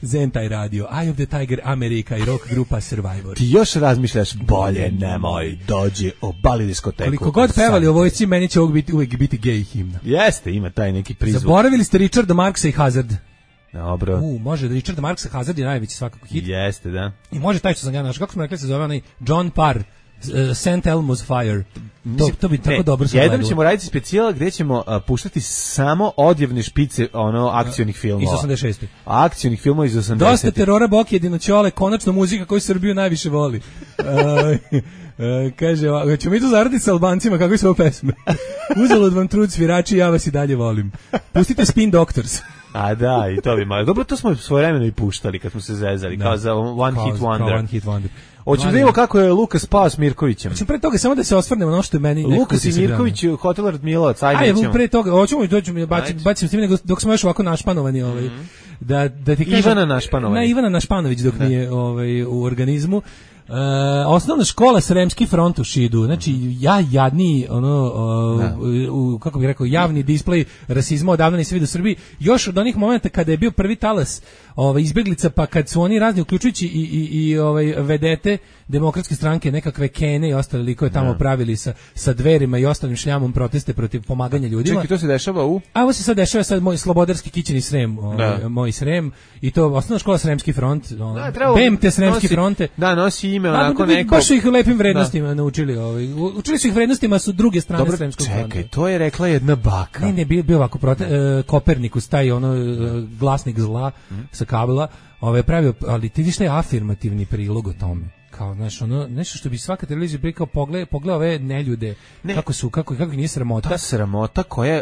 Speaker 6: Zentaj radio, Eye of the Tiger, Amerika i rock grupa Survivor.
Speaker 5: Ti još razmišljaš, bolje nemoj, dođi, obali diskoteku.
Speaker 6: Koliko god pevali o vojsci, meni će uvijek biti gej himna.
Speaker 5: Jeste, ima taj neki prizvuk.
Speaker 6: Zaboravili ste Richarda Marksa i Hazard.
Speaker 5: Dobro.
Speaker 6: Može, Richard Marksa Hazard je najveći svakako hit.
Speaker 5: Jeste, da.
Speaker 6: I može taj što sam ja našao, kako smo rekli se zove onaj John Parr, St. Elmo's Fire. To bi tako dobro se
Speaker 5: Jednom ćemo raditi specijal gdje ćemo puštati samo odjevne špice akcionih filmova.
Speaker 6: Iz 86.
Speaker 5: Akcionih filmova iz 80.
Speaker 6: Dosta terora, Bok, Jedinoćole, konačno muzika koju Srbiju najviše voli. Kaže, ćemo mi to zaraditi sa Albancima, kako su ovo pesme? Uzalud vam trud svirači, ja vas i dalje volim. Pustite Spin Doctors.
Speaker 5: A da, i to bi malo. Dobro, to smo svojevremeno i puštali kad smo se zezali, kao za One Hit Wonder. Hoćemo da vidimo kako je Lukas spao s Mirkovićem.
Speaker 6: Hoćemo pre toga samo da se osvrnemo na ono što je meni...
Speaker 5: Lukas i Mirković u Hotel Radmilovac, ajde nećemo.
Speaker 6: Pre toga, hoćemo i doćemo, bacim s tim dok smo još ovako našpanovani. Da ti kažem,
Speaker 5: Ivana Našpanović.
Speaker 6: Ivana Našpanović dok nije u organizmu. Osnovna škola Sremski front u Šidu. Znači, ja jadni, kako bih rekao, javni displej rasizma odavno nisam vidio u Srbiji. Još od onih momenta kada je bio prvi talas izbeglica, pa kad su oni razni, uključujući i vedete demokratske stranke, nekakve Kene i ostale likove tamo pravili sa Dverima i ostalim šljamom proteste protiv pomaganja ljudima.
Speaker 5: Čekaj, to se dešava u?
Speaker 6: A ovo se sad dešava sad moj slobodarski kićeni Srem, moj Srem, i to osnovna škola Sremski front, BMT Sremski fronte.
Speaker 5: Da, nosi ime onako neko.
Speaker 6: Baš su ih lepim vrednostima naučili. Učili su ih vrednostima su druge strane Sremskog fronta.
Speaker 5: Čekaj, to je rekla jedna baka.
Speaker 6: Ne, bio ovako Kopernikus, taj glasnik zla sa kabela, pravio, ali ti viš taj afirmativni prilog o tome. Kao, znaš, nešto što bi svaka televizija prikao, pogleda ove neljude, kako ih nije sramota.
Speaker 5: Ta sramota koja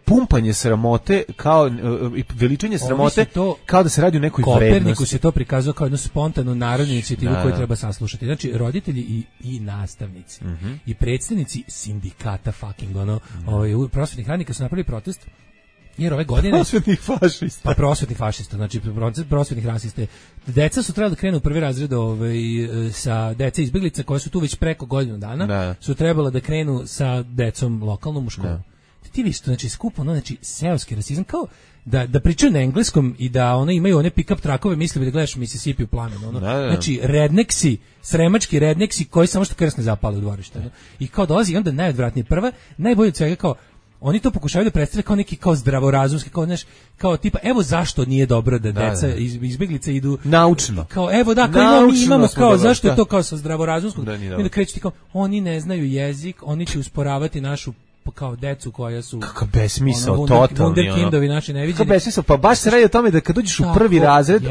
Speaker 5: pumpanje sramote, kao veličanje sramote, kao da se radi o nekoj vrednosti.
Speaker 6: Kopernikus je to prikazao kao jednu spontanu narodnu inicijativu koju treba saslušati. Znači, roditelji i nastavnici i predstavnici sindikata prosvetnih radnika su napravili protest. Jer ove godine
Speaker 5: prosvetnih fašista.
Speaker 6: Pa prosvetnih fašista, znači prosvetnih rasista. Deca su trebala da krenu u prvi razred sa dece izbeglica koje su tu već preko godinu dana, su trebala da krenu sa decom lokalnom u školu. Ti vidiš to, znači skupo, znači seoski rasizam, kao da pričaju na engleskom i da imaju one pick-up trakove, misli da gledaš Mississippi u plamenu. Znači redneksi, sremački redneksi koji samo što krsne zapale u dvorište. I kao dolazi i onda najodvratnije prva, najbolje od svega kao oni to pokušavaju da predstave kao neki kao zdravorazumski, kao tipa evo zašto nije dobro da deca izbeglice idu
Speaker 5: naučno.
Speaker 6: Kao evo kao mi imamo kao zašto je to kao sa zdravorazumskog. I da krećete kao oni ne znaju jezik, oni će usporavati našu kao decu koja su
Speaker 5: kakav besmisao totalni
Speaker 6: wunderkindovi naši neviđeni.
Speaker 5: Kakav besmisao, pa baš se radi o tome da kad uđeš u prvi razred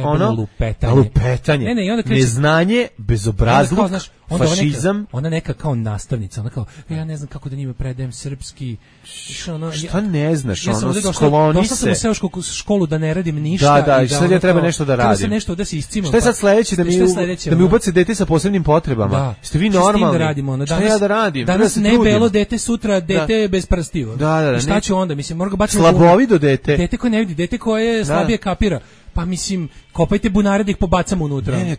Speaker 5: lupetanje. Neznanje, bezobrazluk, fašizam.
Speaker 6: Ona neka kao nastavnica, ona kao ja ne znam kako da njima predajem srpski.
Speaker 5: Šta ne znaš, skloni se.
Speaker 6: Došla sam u seosku školu da ne radim ništa.
Speaker 5: Da, i sad ja treba nešto da radim.
Speaker 6: Treba nešto da se iscimam.
Speaker 5: Šta je sad sledeće, da mi ubace dete sa posebnim potrebama? Ste vi normalni? Šta ja da radim?
Speaker 6: Danas ne belo dete, sutra dete bez prstiju.
Speaker 5: Da,
Speaker 6: šta će onda? Mislim, mora ga baciti
Speaker 5: slabovido dete.
Speaker 6: Dete koje ne vidi, dete koje slabije kapira. Pa mislim, kopajte bunare da ih pobacamo unutra.
Speaker 5: Ne,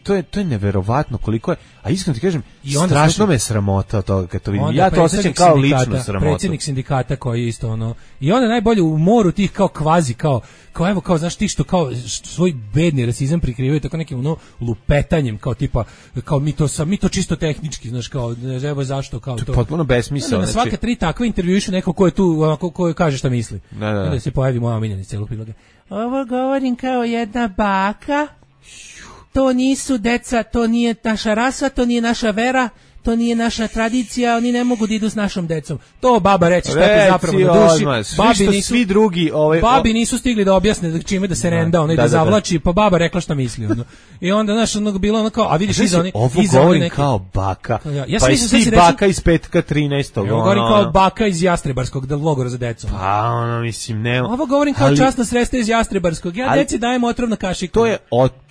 Speaker 5: to je neverovatno koliko je. A iskreno ti kažem, strašno me sramota od toga kad to vidim. Ja to osjećam kao ličnu sramotu.
Speaker 6: Predsjednik sindikata koji je isto I onda najbolje u moru tih kao kvazi, kao evo, kao znaš ti što kao svoj bedni rasizam prikrivaju tako nekim lupetanjem, kao tipa, kao mi to čisto tehnički, znaš, kao evo zašto, kao to.
Speaker 5: To je potpuno besmisao.
Speaker 6: Na svaka 3 takve intervjuišu neko ko je tu, ko kaže šta misli. Da se pojavi moja omiljenica celog priloga. Ovo govorim kao jedna baka, to nisu deca, to nije naša rasa, to nije naša vera, to nije naša tradicija, oni ne mogu da idu s našom decom. To baba reći šta ti zapravo na duši.
Speaker 5: Svi drugi
Speaker 6: babi nisu stigli da objasne čime da se renda, da zavlači, pa baba rekla šta misli. I onda znaš bilo kao, a vidiš iza oni.
Speaker 5: Ovo govorim kao baka. Pa i ti baka iz petka 13.
Speaker 6: Ovo govorim kao baka iz Jastrebarskog logora za decu.
Speaker 5: Pa mislim nema.
Speaker 6: Ovo govorim kao časna sredstva iz Jastrebarskog. Ja deci dajem otrov kašiku.
Speaker 5: To je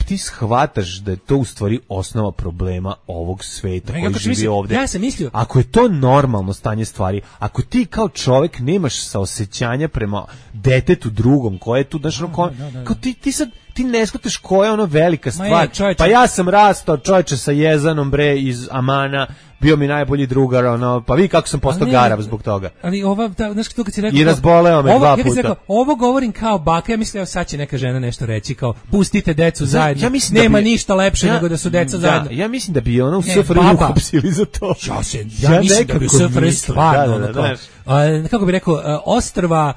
Speaker 5: ti shvataš da je to u stvari osnova problema ovog sveta koji živi ovde.
Speaker 6: Ja sam mislio,
Speaker 5: ako je to normalno stanje stvari, ako ti kao čovjek nemaš saosećanja prema detetu drugom koje je tu, kao ti ne shvataš koja je velika stvar. Pa ja sam rastao čovječe sa Jezanom bre iz Amana, bio mi najbolji drugar, pa vi kako sam postao garav zbog toga.
Speaker 6: Ali znaš to kad si rekao...
Speaker 5: I razboleo me 2 puta.
Speaker 6: Rekao, ovo govorim kao baka, ja mislim, sad će neka žena nešto reći, kao, pustite decu zajedno, nema ništa lepše nego da su deca zajedno.
Speaker 5: Ja mislim da bi ona u SFRJ uhapsili za to.
Speaker 6: Ja mislim da bi u SFRJ stvarno, kako bi rekao, ostrva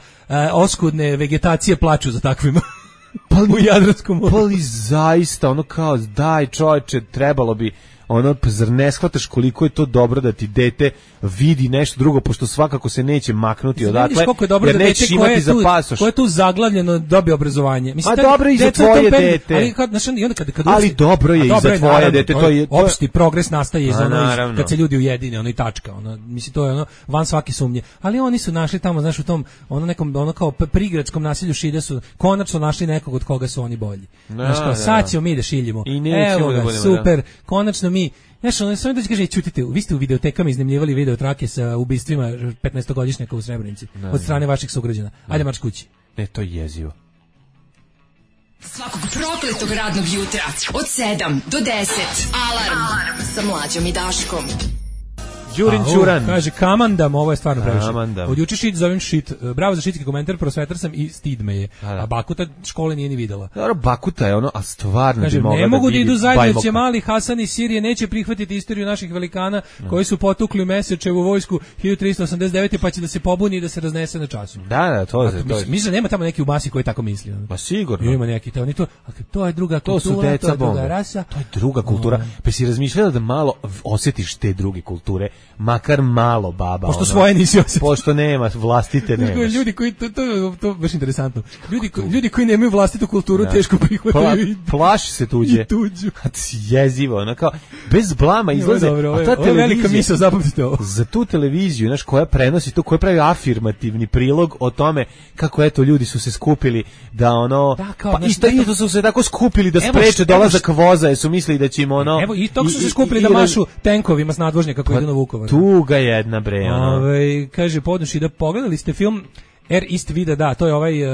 Speaker 6: oskudne vegetacije plaču za takvima. U Jadranskom moru.
Speaker 5: Pa li zaista, kao, daj čovječe, trebalo bi, zar ne shvataš koliko je to dobro da ti dete vidi nešto drugo, pošto svakako se neće maknuti odatle, jer nećeš imati za pasoš.
Speaker 6: Koje je tu zaglavljeno dobije obrazovanje.
Speaker 5: Mislim, dobro je i za tvoje dete. Ali dobro je i za tvoje dete.
Speaker 6: Opšti progres nastaje iz kad se ljudi ujedine, i tačka. Mislim, to je van svake sumnje. Ali oni su našli tamo, znaš, u tom nekom kao prigradskom naselju Šide su konačno našli nekog od koga su oni bolji. Znaš, kao, sad ćemo mi da šiljimo. Evo ga, super, konačno mi. Znaš, samo da kaže, čutite, vi ste u videotekama iznemljivali videotrake sa ubistvima 15-godišnjaka u Srebrenici od strane vaših sugrađana. Ajde marš kući.
Speaker 5: Ne, to je jezivo.
Speaker 3: Svakog prokletog radnog jutra od 7 do 10. Alarm sa Mlađom i Daškom.
Speaker 5: Đurin Ćuran.
Speaker 6: Kaže, kamandam, ovo je stvarno previše.
Speaker 5: Kamandam.
Speaker 6: Od juče šit zovem šit. Bravo za šitski komentar, prosvetar sam i stid me je.
Speaker 5: Da.
Speaker 6: A Bakuta škole nije ni videla.
Speaker 5: Dobro, Bakuta je ono, a stvarno
Speaker 6: Kaže,
Speaker 5: bi mogla
Speaker 6: ne mogu da
Speaker 5: vidi
Speaker 6: idu zajedno,
Speaker 5: Bajmoka.
Speaker 6: će mali Hasan iz Sirije neće prihvatiti istoriju naših velikana koji su potukli Mesečevu vojsku 1389. pa će da se pobuni i da se raznese na času.
Speaker 5: Da, to je.
Speaker 6: Mislim, nema tamo neki u masi koji tako misli.
Speaker 5: Pa sigurno.
Speaker 6: Ima neki, to je druga kultura,
Speaker 5: To su deca
Speaker 6: to je druga
Speaker 5: bombe.
Speaker 6: rasa.
Speaker 5: To je druga kultura. Pa si razmišljala da malo osjetiš te druge kulture, makar malo, baba.
Speaker 6: Pošto svoje nisi osjetio.
Speaker 5: Pošto nema, vlastite nemaš.
Speaker 6: Ljudi koji, to baš interesantno. Ljudi koji nemaju vlastitu kulturu teško prihvataju.
Speaker 5: Plaši se tuđe.
Speaker 6: I tuđu.
Speaker 5: Jezivo, ono kao, bez blama izlaze.
Speaker 6: Ovo je velika misao, zapamtite ovo.
Speaker 5: Za tu televiziju, znaš, koja prenosi to, koja pravi afirmativni prilog o tome kako, eto, ljudi su se skupili da ono...
Speaker 6: Da, kao,
Speaker 5: pa
Speaker 6: znaš,
Speaker 5: isto su se tako skupili da spreče dolazak voza, jer su mislili da će im ono...
Speaker 6: Evo, i tog su se skupili da mašu tenkovima s nadvožnjaka koji idu na Vukovar.
Speaker 5: Tuga jedna, bre, ono.
Speaker 6: Kaže, podnoši da pogledali ste film Ist Vida, da, to je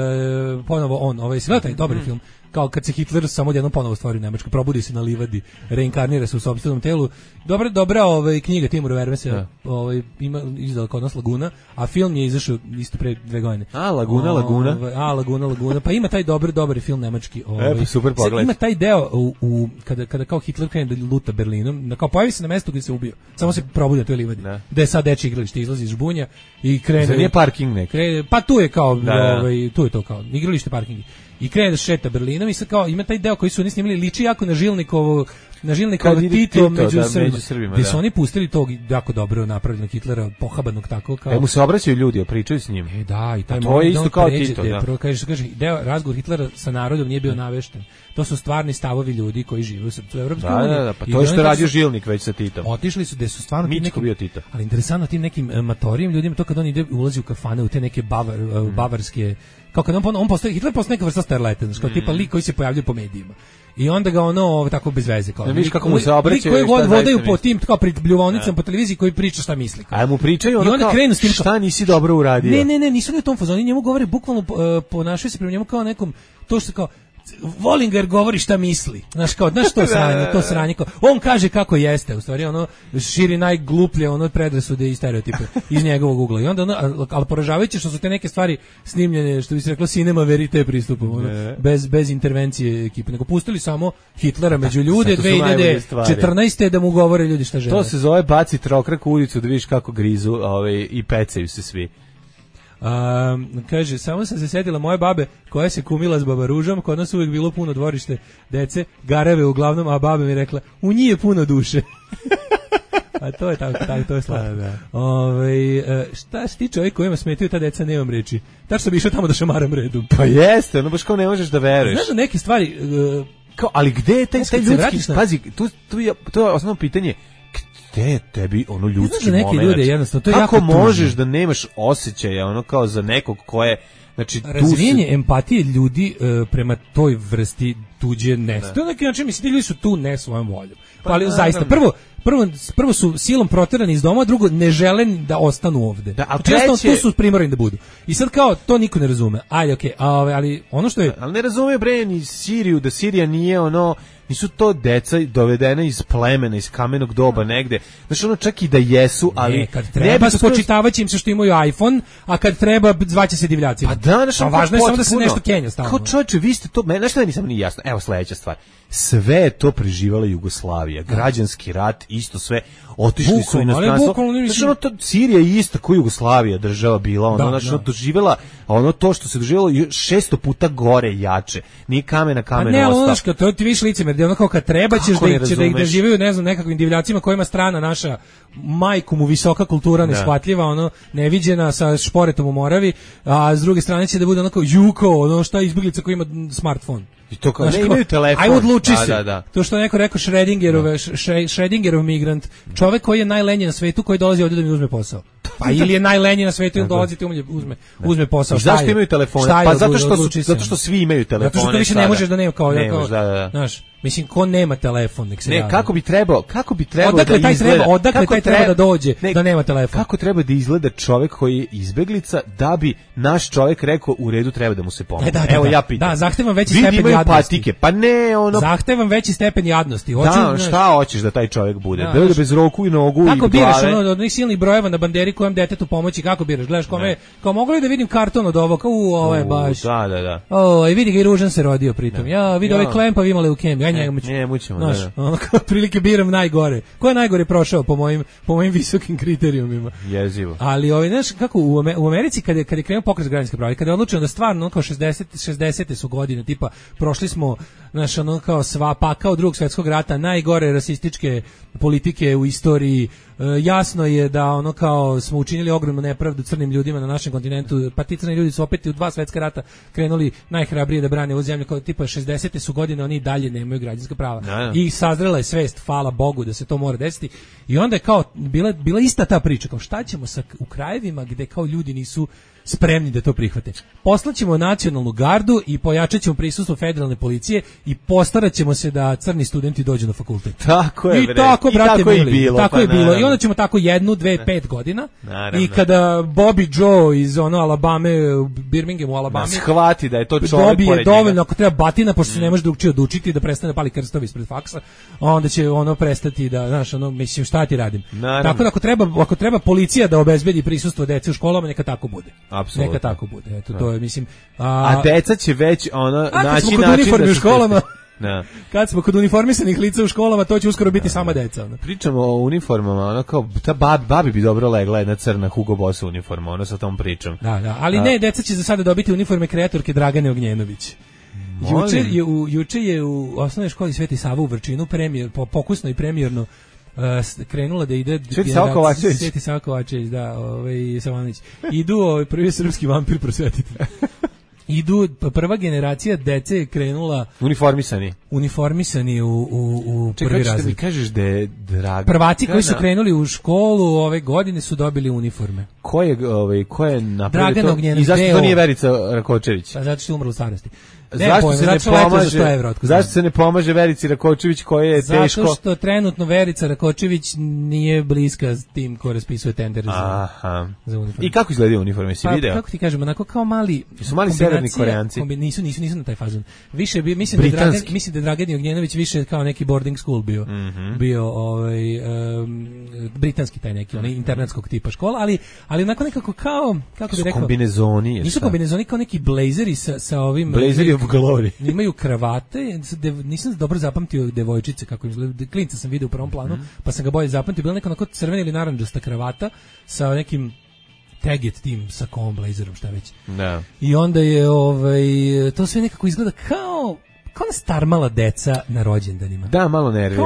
Speaker 6: ponovo on, taj dobri film, kao kad se Hitler samo odjednom ponovo stvori u Nemačkoj, probudi se na livadi, reinkarnira se u sopstvenom telu. Dobra knjiga Timura Vermesa, ima izdala kod nas Laguna, a film je izašao isto pre 2 godine. Laguna. Pa ima taj dobar film nemački.
Speaker 5: Pa super pogled.
Speaker 6: Ima taj deo kada kao Hitler krene da luta Berlinom, kao pojavi se na mestu gdje se ubio. Samo se probudi na toj livadi. Gde je sad dečje igralište, izlazi iz žbunja i krene.
Speaker 5: Zar nije parking neki?
Speaker 6: Pa tu je kao, tu je to kao igralište, parking. I krene da šeta Berlinom i sad kao ima taj deo koji su oni snimili, liči jako na Žilnikovo Tito među Srbima. Gde su oni pustili tog jako dobro napravljenog Hitlera, pohabanog tako kao...
Speaker 5: mu se obraćaju ljudi, pričaju s njim.
Speaker 6: Da, i taj
Speaker 5: to je isto kao Tito, da.
Speaker 6: Prvo kaže, razgovor Hitlera sa narodom nije bio navešten. To su stvarni stavovi ljudi koji žive u Evropskoj uniji.
Speaker 5: Da, pa to je što je radio Žilnik već sa Titom.
Speaker 6: Otišli su gde su stvarno
Speaker 5: Mičko bio Tito.
Speaker 6: Ali interesantno tim nekim matorijim ljudima, to kad on ulazi u kafane, u te neke bavarske, kao kad on postoji, Hitler postoji neka vrsta starleta, znači kao tipa lik koji se pojavljuje po medijima. I onda ga tako bez veze kao.
Speaker 5: Vidiš kako mu se obraćaju.
Speaker 6: Koji god vodaju po tim kao pred bljuvonicama po televiziji koji priča šta misli.
Speaker 5: A mu pričaju ono kao krenu s tim šta nisi dobro uradio.
Speaker 6: Ne, nisu ni u tom fazonu, njemu govore bukvalno ponašaju se prema njemu kao nekom to što kao volim ga jer govori šta misli. Znaš to sranje kao, on kaže kako jeste, u stvari ono širi najgluplje predrasude i stereotipe iz njegovog ugla. I onda ali poražavajuće što su te neke stvari snimljene, što bi se reklo cinema verite pristupom, bez intervencije ekipe, nego pustili samo Hitlera među ljude 2014. da mu govore ljudi šta žele.
Speaker 5: To se zove baci trokrak u ulicu da vidiš kako grizu i pecaju se svi.
Speaker 6: Kaže, samo sam se sjetila moje babe koja se kumila s baba Ružom, kod nas uvijek bilo puno dvorište dece, gareve uglavnom, a baba mi rekla, u njih je puno duše. A to je tako, to je slatko. Šta si ti čovjek kojima smetaju ta deca, nemam reči. Tačno bi išao tamo da šamaram redu.
Speaker 5: Pa jeste, ono baš kao ne možeš da veruješ.
Speaker 6: Znaš da neke stvari...
Speaker 5: kao, ali gde je taj ljudski... Pazi, to je osnovno pitanje... Gde je tebi ono ljudski moment?
Speaker 6: Ljude, jednostavno, to je
Speaker 5: kako
Speaker 6: jako
Speaker 5: možeš da nemaš osjećaja ono kao za nekog ko je... Znači,
Speaker 6: razvijenje empatije ljudi prema toj vrsti tuđe nestaje. To je neki način, mislim, ti ljudi su tu ne svojom voljom. Ali zaista, prvo su silom proterani iz doma, drugo ne žele da ostanu ovde. Tu su primorani da budu. I sad kao, to niko ne razume. Ajde, okej, ali ono što je...
Speaker 5: Ali ne razume, bre, ni Siriju, da Sirija nije ono... Nisu to deca dovedene iz plemena, iz kamenog doba negde. Znači ono čak i da jesu, ali...
Speaker 6: Ne, kad treba spočitavaće im se što imaju iPhone, a kad treba zvaće se divljacima.
Speaker 5: Pa da, znači...
Speaker 6: Važno je samo da se nešto kenja stalno.
Speaker 5: Kao čovječe, vi ste to... Znaš šta nisam ni jasno? Evo sledeća stvar. Sve je to preživala Jugoslavija. Građanski rat, isto sve. Otišli su u inostranstvo. Znači ono, Sirija je ista kao Jugoslavija država bila. Znači ono doživjela, ono to što se doživjelo 600 puta gore jače. Nije kamena ostao.
Speaker 6: Ne, ono što to ti viš licemer, gdje ono kao kad treba ćeš da ih doživaju, ne znam, nekakvim divljacima kojima strana naša majku mu visoka kultura neshvatljiva, ono neviđena sa šporetom u Moravi, a s druge strane će da bude onako juko, ono šta izbjeglica koji ima smartfon.
Speaker 5: I to kao, ne imaju telefon.
Speaker 6: Aj odluči se. Da. To što neko rekao Schrödingerov migrant, čovek koji je najlenji na svetu, koji dolazi ovdje da mi uzme posao. Pa ili je najlenji na svetu ili dolazi ti uzme posao.
Speaker 5: Zašto imaju telefone? Pa zato što svi imaju telefone.
Speaker 6: Zato što više ne možeš da nema kao,
Speaker 5: znaš,
Speaker 6: Mislim, ko nema telefon, nek se
Speaker 5: Ne,
Speaker 6: javi.
Speaker 5: kako bi trebao
Speaker 6: Odakle
Speaker 5: da
Speaker 6: taj
Speaker 5: izgleda?
Speaker 6: odakle taj treba da dođe da nema telefon?
Speaker 5: Kako treba da izgleda čovjek koji je izbeglica da bi naš čovjek rekao u redu treba da mu se pomogne? Evo ja pitam.
Speaker 6: Da, zahtevam veći
Speaker 5: Vidi,
Speaker 6: stepen
Speaker 5: imaju
Speaker 6: jadnosti.
Speaker 5: patike, pa ne ono...
Speaker 6: Zahtevam veći stepen jadnosti. Hoću,
Speaker 5: Da, šta hoćeš da taj čovjek bude?
Speaker 6: Da,
Speaker 5: Da bude bez ruku i nogu
Speaker 6: kako
Speaker 5: i
Speaker 6: biraš
Speaker 5: glave?
Speaker 6: ono od onih silnih brojeva na banderi kojem detetu pomoći, kako biraš? Gledaš kome, kao mogu li da vidim karton od ovo, kao ovo je baš.
Speaker 5: Da.
Speaker 6: O, i vidi ga i ružan se rodio pritom. Ja vidi ovaj klempav ima leukemiju, ja njega muću.
Speaker 5: Ne, mućemo,
Speaker 6: Znaš, ono kao prilike biram najgore. Ko je najgore prošao po mojim visokim kriterijumima?
Speaker 5: Jezivo.
Speaker 6: Ali znaš kako u Americi kad je krenuo pokret za građanska prava, kada je odlučeno da stvarno kao 60 su godine, tipa prošli smo naš ono kao sva pakao Drugog svjetskog rata, najgore rasističke politike u istoriji. Jasno je da ono kao smo učinili ogromnu nepravdu crnim ljudima na našem kontinentu, pa ti crni ljudi su opet u 2 svjetska rata krenuli najhrabrije da brane ovu zemlju, kao tipa 60 su godine, oni dalje nemaju građanska prava. I sazrela je svest, hvala Bogu da se to mora desiti. I onda je kao bila ista ta priča, kao šta ćemo u krajevima gde kao ljudi nisu spremni da to prihvate. Poslaćemo nacionalnu gardu i pojačat ćemo prisustvo federalne policije i postarat ćemo se da crni studenti dođu na fakultet.
Speaker 5: Tako je,
Speaker 6: I tako, brate,
Speaker 5: tako je bilo.
Speaker 6: Tako je bilo. I onda ćemo tako 1, 2, 5 godina.
Speaker 5: Naravno.
Speaker 6: I kada Bobby Joe iz Alabame, Birminghamu, Alabama,
Speaker 5: shvati da je to čovjek
Speaker 6: dobije
Speaker 5: pored
Speaker 6: dovoljno,
Speaker 5: njega.
Speaker 6: ako treba batina, pošto se ne može drugčije odučiti, da prestane da pali krstovi ispred faksa, onda će prestati da, znaš, mislim, šta ti radim.
Speaker 5: Naravno.
Speaker 6: Tako da ako treba policija da obezbedi prisustvo dece u školama, neka tako bude.
Speaker 5: Apsolutno.
Speaker 6: Neka tako bude. Eto, to je, mislim...
Speaker 5: A deca će već naći
Speaker 6: kod
Speaker 5: način
Speaker 6: uniforme
Speaker 5: da
Speaker 6: u školama,
Speaker 5: Kad
Speaker 6: smo kod uniformisanih lica u školama, to će uskoro biti sama deca.
Speaker 5: Pričamo o uniformama, kao ta babi bi dobro legla jedna crna Hugo Boss uniforma, sa tom pričom.
Speaker 6: Da, ali ne, deca će za sada dobiti uniforme kreatorke Dragane Ognjenović. Juče je u osnovnoj školi Sveti Sava u Vrčinu pokusno i premijerno krenula da ide Sveti Sava Kovačević, da, Savanović. Idu prvi srpski vampir prosvetitelj. Prva generacija dece je krenula uniformisani u prvi razred.
Speaker 5: Čekaj, mi kažeš da je Dragana...
Speaker 6: Prvaci koji su krenuli u školu ove godine su dobili uniforme.
Speaker 5: Ko je napravio
Speaker 6: Dragana
Speaker 5: to?
Speaker 6: Ognjenović.
Speaker 5: I zašto to nije Verica Rakočević?
Speaker 6: Pa zato što je umrla u starosti.
Speaker 5: Zašto se ne pomaže Verici Rakočević koja je teško?
Speaker 6: Zato što trenutno Verica Rakočević nije bliska s tim ko raspisuje tender za uniforme.
Speaker 5: I kako izgledaju uniforme, si video?
Speaker 6: Kako ti kažem, onako kao mali...
Speaker 5: Su mali severni Koreanci?
Speaker 6: Nisu na taj fazon. Više mislim da je Dragan Ognjenović više kao neki boarding school bio britanski taj neki, onaj internetskog tipa škola, ali onako nekako kao, kako bih rekao...
Speaker 5: kombinezoni.
Speaker 6: Nisu kombinezoni kao neki blazeri sa ovim...
Speaker 5: Blazeri of glory.
Speaker 6: Imaju kravate, nisam dobro zapamtio devojčice kako izgleda, klinca sam vidio u prvom planu, pa sam ga bolje zapamtio, bila neka onako crvena ili narandžasta kravata sa nekim Teget tim sakom, blazerom, šta već.
Speaker 5: Da.
Speaker 6: I onda je to sve nekako izgleda kao starmala deca na rođendanima.
Speaker 5: Da, malo nervira.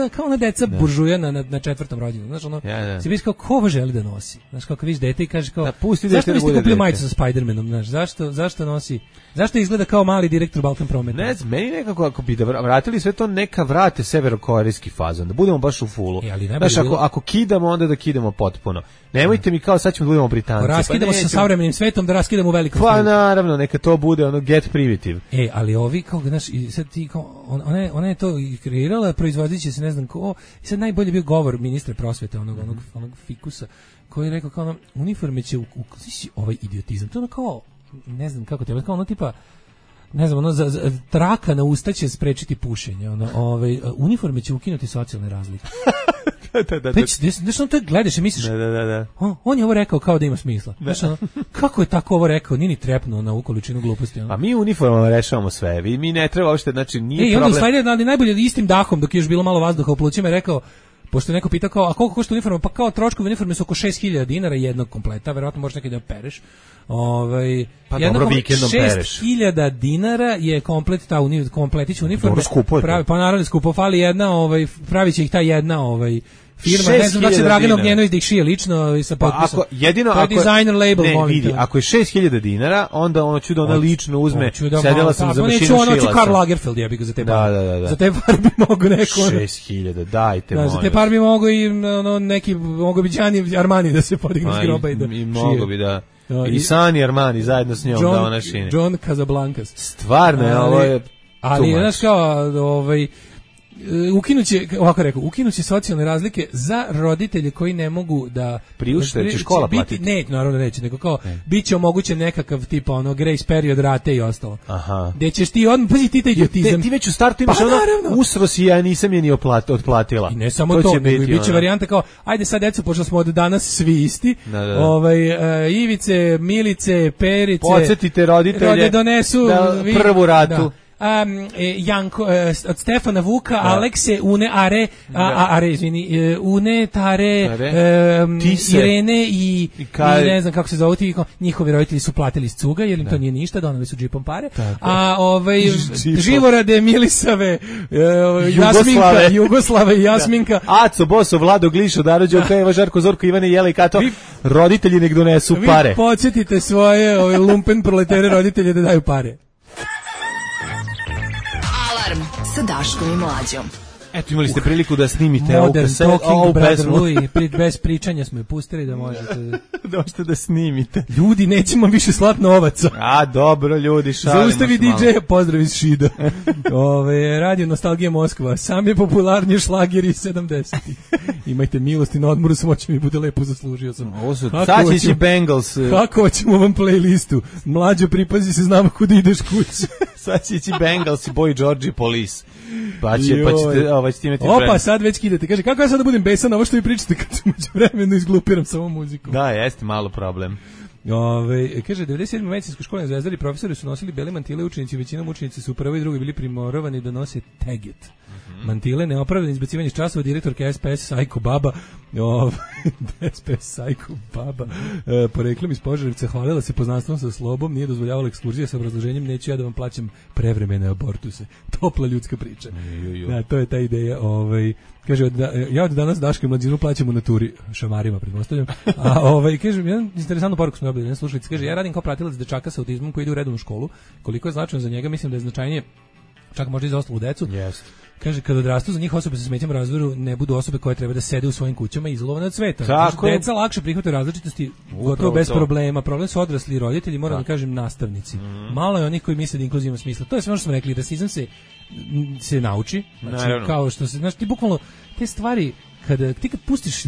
Speaker 6: Kao ona deca buržuja na 4. rođendanu. Znaš, si vidiš kao ko ovo želi da nosi. Znaš, kako vidiš dete i kažeš kao, zašto niste kupili majicu sa Spider-Manom, znaš, zašto nosi, zašto izgleda kao mali direktor Balkan Prometa?
Speaker 5: Ne znam, meni nekako, ako bi da vratili sve to, neka vrate severokorejski fazon, da budemo baš u fullu. Znaš, ako kidamo, onda da kidamo potpuno. Nemojte mi kao sad ćemo da budemo Britanci.
Speaker 6: Raskidamo se sa savremenim svetom, da raskidamo velikom
Speaker 5: svetom. Pa naravno, neka to bude get primitive.
Speaker 6: Ali ovi, kao, znaš, i sad ti, kao, ona je to i kreirala, proizvodit će se ne znam ko, i sad najbolje bio govor ministra prosvete, onog fikusa, koji je rekao kao uniforme će ovaj idiotizam, to ono kao, ne znam kako te, kao ono tipa, ne znam, za traka na usta će sprečiti pušenje, uniforme će ukinuti socijalne razlike. Znaš, to gledaš i misliš, on je ovo rekao kao da ima smisla. Znaš, kako je tako ovo rekao, nije ni trepnuo na ovu količinu gluposti.
Speaker 5: Pa mi uniformama rešavamo sve, mi ne treba uopšte, znači nije problem.
Speaker 6: I onda najbolje istim dahom, dok je još bilo malo vazduha u plućima, je rekao, pošto je neko pitao kao, a koliko košta uniforma? Pa kao troškovi uniforme su oko 6.000 dinara jednog kompleta, verovatno možeš nekaj da pereš.
Speaker 5: Pa dobro, vikendom pereš.
Speaker 6: 6.000 dinara je komplet kompletić uniforme.
Speaker 5: Dobro, skupo je to.
Speaker 6: Pa naravno skupo, fali jedna, pravit će ih ta jedna firma, ne znam da će Dragan Ognjenović da ih šije lično i sa potpisom. To je designer label.
Speaker 5: Ne, vidi, ako je 6.000 dinara, onda ono ću da ona lično uzme, sedela sam za mašinu, šila sam.
Speaker 6: Neću Karl Lagerfeld jebi ga za te par.
Speaker 5: Da.
Speaker 6: Za te par bi mogo neko...
Speaker 5: 6.000, dajte molim.
Speaker 6: Za te par bi mogo i neki, mogo bi Gianni Armani da se podigne s groba i da šije.
Speaker 5: I mogo bi da... I Sani Armani zajedno s njom da ona šine.
Speaker 6: John Casablancas.
Speaker 5: Stvarno, ovo je...
Speaker 6: Ali znaš kao ukinuće socijalne razlike za roditelje koji ne mogu da
Speaker 5: priušte, će škola platiti.
Speaker 6: Ne, naravno neće, nego kao biće omogućen nekakav tipa grace period rate i ostalo.
Speaker 5: Aha.
Speaker 6: Gde ćeš ti pazi ti taj idiotizam.
Speaker 5: Ti već u startu imaš usros i ja nisam je ni otplatila.
Speaker 6: I ne samo to nego biće varijanta kao ajde sad deco, pošto smo od danas svi isti. Ivice, Milice, Perice.
Speaker 5: Podsjetite roditelje
Speaker 6: donesu
Speaker 5: prvu ratu.
Speaker 6: Janko od Stefana Vuka, Alekse, Une, Une, Tare, Irene i ne znam kako se zove, njihovi roditelji su platili iz cuga, jer im to nije ništa, donali su džipom pare. A Živorade, Milisave, Jugoslave i Jasminka.
Speaker 5: Aco, Boso, Vlado, Glišo, Darođe, Okajeva, Žarko, Zorko, Ivane, Jela i Kato, roditelji nek donesu pare.
Speaker 6: Vi podsjetite svoje lumpen proletere roditelje da daju pare.
Speaker 3: Sa Daškom i Mlađom.
Speaker 5: Eto, imali ste priliku da snimite
Speaker 6: ovu pesmu. Bez pričanja smo je pustili da možete
Speaker 5: da snimite.
Speaker 6: Ljudi, nećemo više slat novaca.
Speaker 5: A, dobro, ljudi, šalimo.
Speaker 6: Zaustavi DJ-a, pozdrav iz Šida. Radio Nostalgija Moskva, sam je popularniji šlager iz 70-ih. Imajte milosti na odmoru, smoće mi bude lepo, zaslužio sam.
Speaker 5: Sačići Bengals.
Speaker 6: Kako hoćemo vam playlistu? Mlađo, pripazi se, znamo kuda ideš kući.
Speaker 5: Sačići Bengals i Boy George Police. Pa ćete imati
Speaker 6: Opa, sad već kidate. Kaže, kako ja sad da budem besan na ovo što vi pričate kad ću među vremenu izglupiram samo muziku?
Speaker 5: Da, jeste malo problem.
Speaker 6: Kaže, 97. medicinskoj školi na Zvezdari profesori su nosili bele mantile, učenici, većinom učenici su u prvoj i drugoj bili primorovani da nose teget. Mantile, neopravdano izbacivanje iz časova, direktorka SPS Sajko Baba, SPS Sajko Baba, poreklom iz Požarevca, hvalila se poznanstvom sa slobom, nije dozvoljavala ekskurzije sa obrazloženjem, neću ja da vam plaćam prevremene abortuse. Topla ljudska priča. Da, to je ta ideja. Kaže, ja od danas Daška i Mlađinu plaćam u naturi, šamarima pretpostavljam. Kaže, jedan interesantnu poruku smo dobili, jedan slušalic, kaže, ja radim kao pratilac dečaka sa autizmom koji ide u redovnu školu, koliko je značajno za njega, mislim da je značajnije čak možda i za ostalu decu.
Speaker 5: Yes.
Speaker 6: Kaže, kada odrastu za njih osobe sa smetnjama u razvoju ne budu osobe koje treba da sede u svojim kućama izolovane od sveta.
Speaker 5: Tako.
Speaker 6: Deca lakše prihvataju različitosti gotovo bez problema. Problem su odrasli i roditelji, moram da kažem nastavnici. Malo je onih koji misle da inkluzija ima smisla. To je sve ono što smo rekli, rasizam se nauči. Znači, kao što se, znači, ti bukvalno te stvari, kad pustiš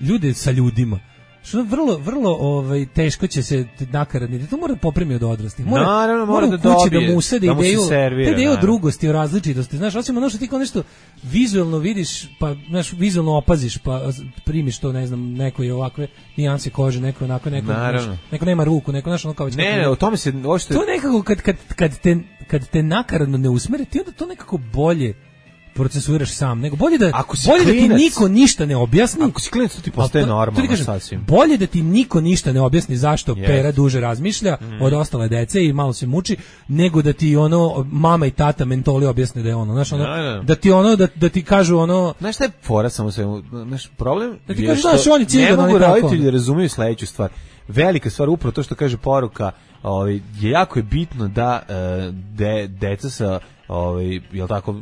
Speaker 6: ljude sa ljudima, što vrlo teško će se nakaradni. To mora da popremi od odraslih. Mora
Speaker 5: da
Speaker 6: kući
Speaker 5: dobije,
Speaker 6: da mu usade
Speaker 5: da mu
Speaker 6: ideju,
Speaker 5: servira,
Speaker 6: ideju o drugosti, o različitosti. Znaš, osim ono što ti kao nešto vizualno vidiš, pa znaš, vizualno opaziš, pa primiš to, ne znam, neko je ovakve nijanse kože, neko onako, neko nema ruku, neko znaš ono kao već.
Speaker 5: Ne, o tome se ošte.
Speaker 6: To nekako kad te nakaradno ne usmeri, ti onda to nekako bolje procesuiraš sam, nego bolje da ti niko ništa ne objasni.
Speaker 5: Ako si klinac, to ti postaje normalno sasvim.
Speaker 6: Bolje da ti niko ništa ne objasni zašto Pera duže razmišlja od ostale dece i malo se muči, nego da ti mama i tata mentoli objasne da je ono, znaš, da ti kažu ono.
Speaker 5: Znaš šta je fora samo sve, znaš, problem?
Speaker 6: Da ti kažu, znaš, oni cigan,
Speaker 5: ne mogu roditelji da razumiju sledeću stvar. Velika stvar, upravo to što kaže poruka, je jako je bitno da deca sa jel tako,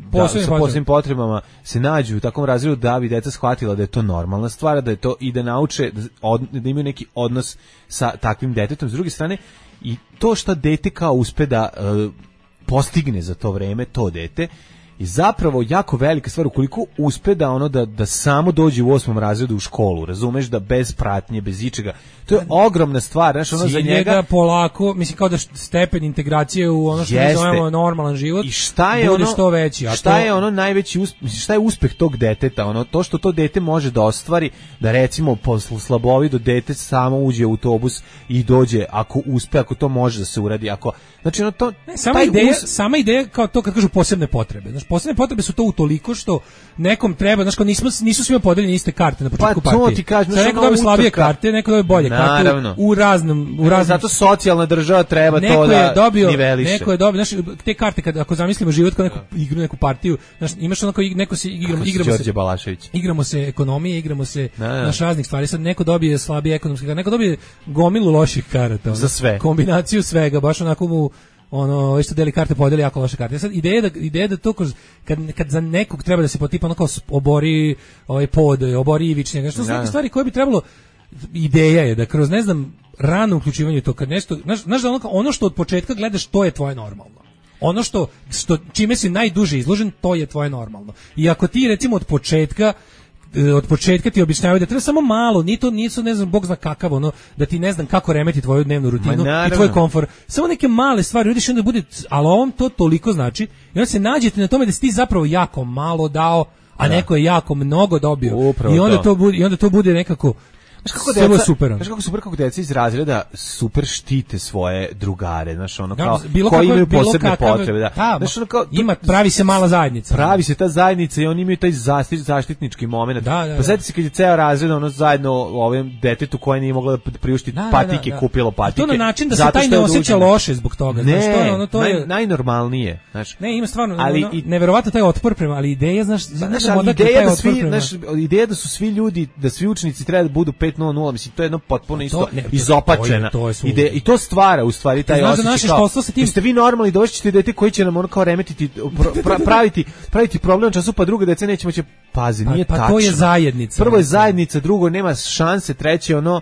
Speaker 5: sa posebnim potrebama se nađu u takvom razredu da bi deca shvatila da je to normalna stvar, da je to i da nauče da imaju neki odnos sa takvim detetom. S druge strane, i to što dete kao uspe da postigne za to vreme, to dete, i zapravo jako velika stvar ukoliko uspe da samo dođe u 8. razredu u školu, razumeš, da bez pratnje, bez ičega. To je ogromna stvar, znaš, ono za njega
Speaker 6: polako, mislim kao da stepen integracije u ono što mi zovemo normalan život.
Speaker 5: I šta je
Speaker 6: bude što veći, a
Speaker 5: šta je ono najveći šta je uspeh tog deteta, to što to dete može da ostvari, da recimo posle slabovido dete samo uđe u autobus i dođe, ako uspe, ako to može da se uradi, ako znači to
Speaker 6: sama ideja kao to kad kažu posebne potrebe. Znači posebne potrebe su to utoliko što nekom treba, znači nisu svima podeljene iste karte na početku partije.
Speaker 5: Pa to ti kažem,
Speaker 6: neko dobije slabije karte, neko dobije bolje karte u raznim.
Speaker 5: Zato socijalna država treba to da niveliše.
Speaker 6: Neko je dobio, znači te karte ako zamislimo život kao neku igru, neku partiju, znači imaš onako neko se igramo se ekonomije, igramo se naš raznih stvari. Sad neko dobije slabije ekonomske karte, neko dobije gomilu loših karata.
Speaker 5: Za sve.
Speaker 6: Kombinaciju svega, baš onako mu što deli karte podeli jako loše karte. Sad ideja da to kad za nekog treba da se potipa onako obori obori ivičnjega, što su neke stvari koje bi trebalo. Ideja je da kroz, ne znam, rano uključivanje to kad nešto, znaš da ono što od početka gledaš, to je tvoje normalno. ono što čime si najduže izložen, to je tvoje normalno. I ako ti recimo od početka ti objašnjavaju da treba samo malo, nisu ne znam bog zna kakav ono, da ti ne znam kako remeti tvoju dnevnu rutinu i tvoj komfor. Samo neke male stvari udiš i onda bude, ali ovom to toliko znači i onda se nađete na tome da si ti zapravo jako malo dao, a neko je jako mnogo dobio.
Speaker 5: Upravo
Speaker 6: I onda to bude nekako
Speaker 5: Znaš kako super kako deca iz razreda super štite svoje drugare, znaš ono kao koji imaju posebne potrebe, da.
Speaker 6: Znaš ono kao pravi se mala zajednica.
Speaker 5: Pravi se ta zajednica i oni imaju taj zaštitnički momenat. Pa setite se kad je ceo razred ono zajedno ovim detetu koje nije moglo da priušti patike, kupilo patike.
Speaker 6: To na način da se taj ne osjeća loše zbog toga,
Speaker 5: znaš to je najnormalnije, znaš.
Speaker 6: Ne, ima stvarno neverovatno taj otpor prema, ali ideja, znaš,
Speaker 5: ideja da su svi ljudi, da svi učenici treba da budu 5:00, mislim to je jedno potpuno isto izopačena ideja i to stvara u stvari taj osjećaj kao ste vi normalni, dođete dete koji će nam ono kao remetiti praviti problem na času, pa druga deca neće moći nije tačno.
Speaker 6: Pa to je zajednica.
Speaker 5: Prvo je zajednica, drugo nema šanse, treće ono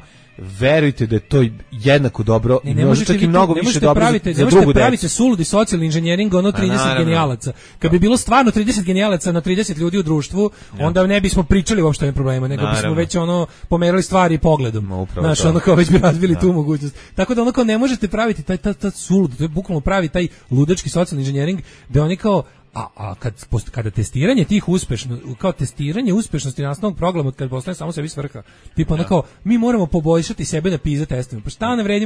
Speaker 5: verujte da je to jednako dobro i može čak i mnogo više dobro za drugu decu. Ne možete
Speaker 6: praviti suludi socijalni inženjering ono 30 genijalaca. Kad bi bilo stvarno 30 genijalaca na 30 ljudi u društvu, onda ne bismo pričali uopšte o problema, nego bismo već ono pomerali stvari pogledom. Znaš, ono kao već bi razvili tu mogućnost. Tako da ono kao ne možete praviti taj sulud, to je bukvalno pravi taj ludački socijalni inženjering da oni kao kada testiranje tih kao testiranje uspešnosti nastavnog programa kad postane samo sebi svrha, tipa ono kao mi moramo poboljšati sebe na PISA testovima, pa šta ne vredi,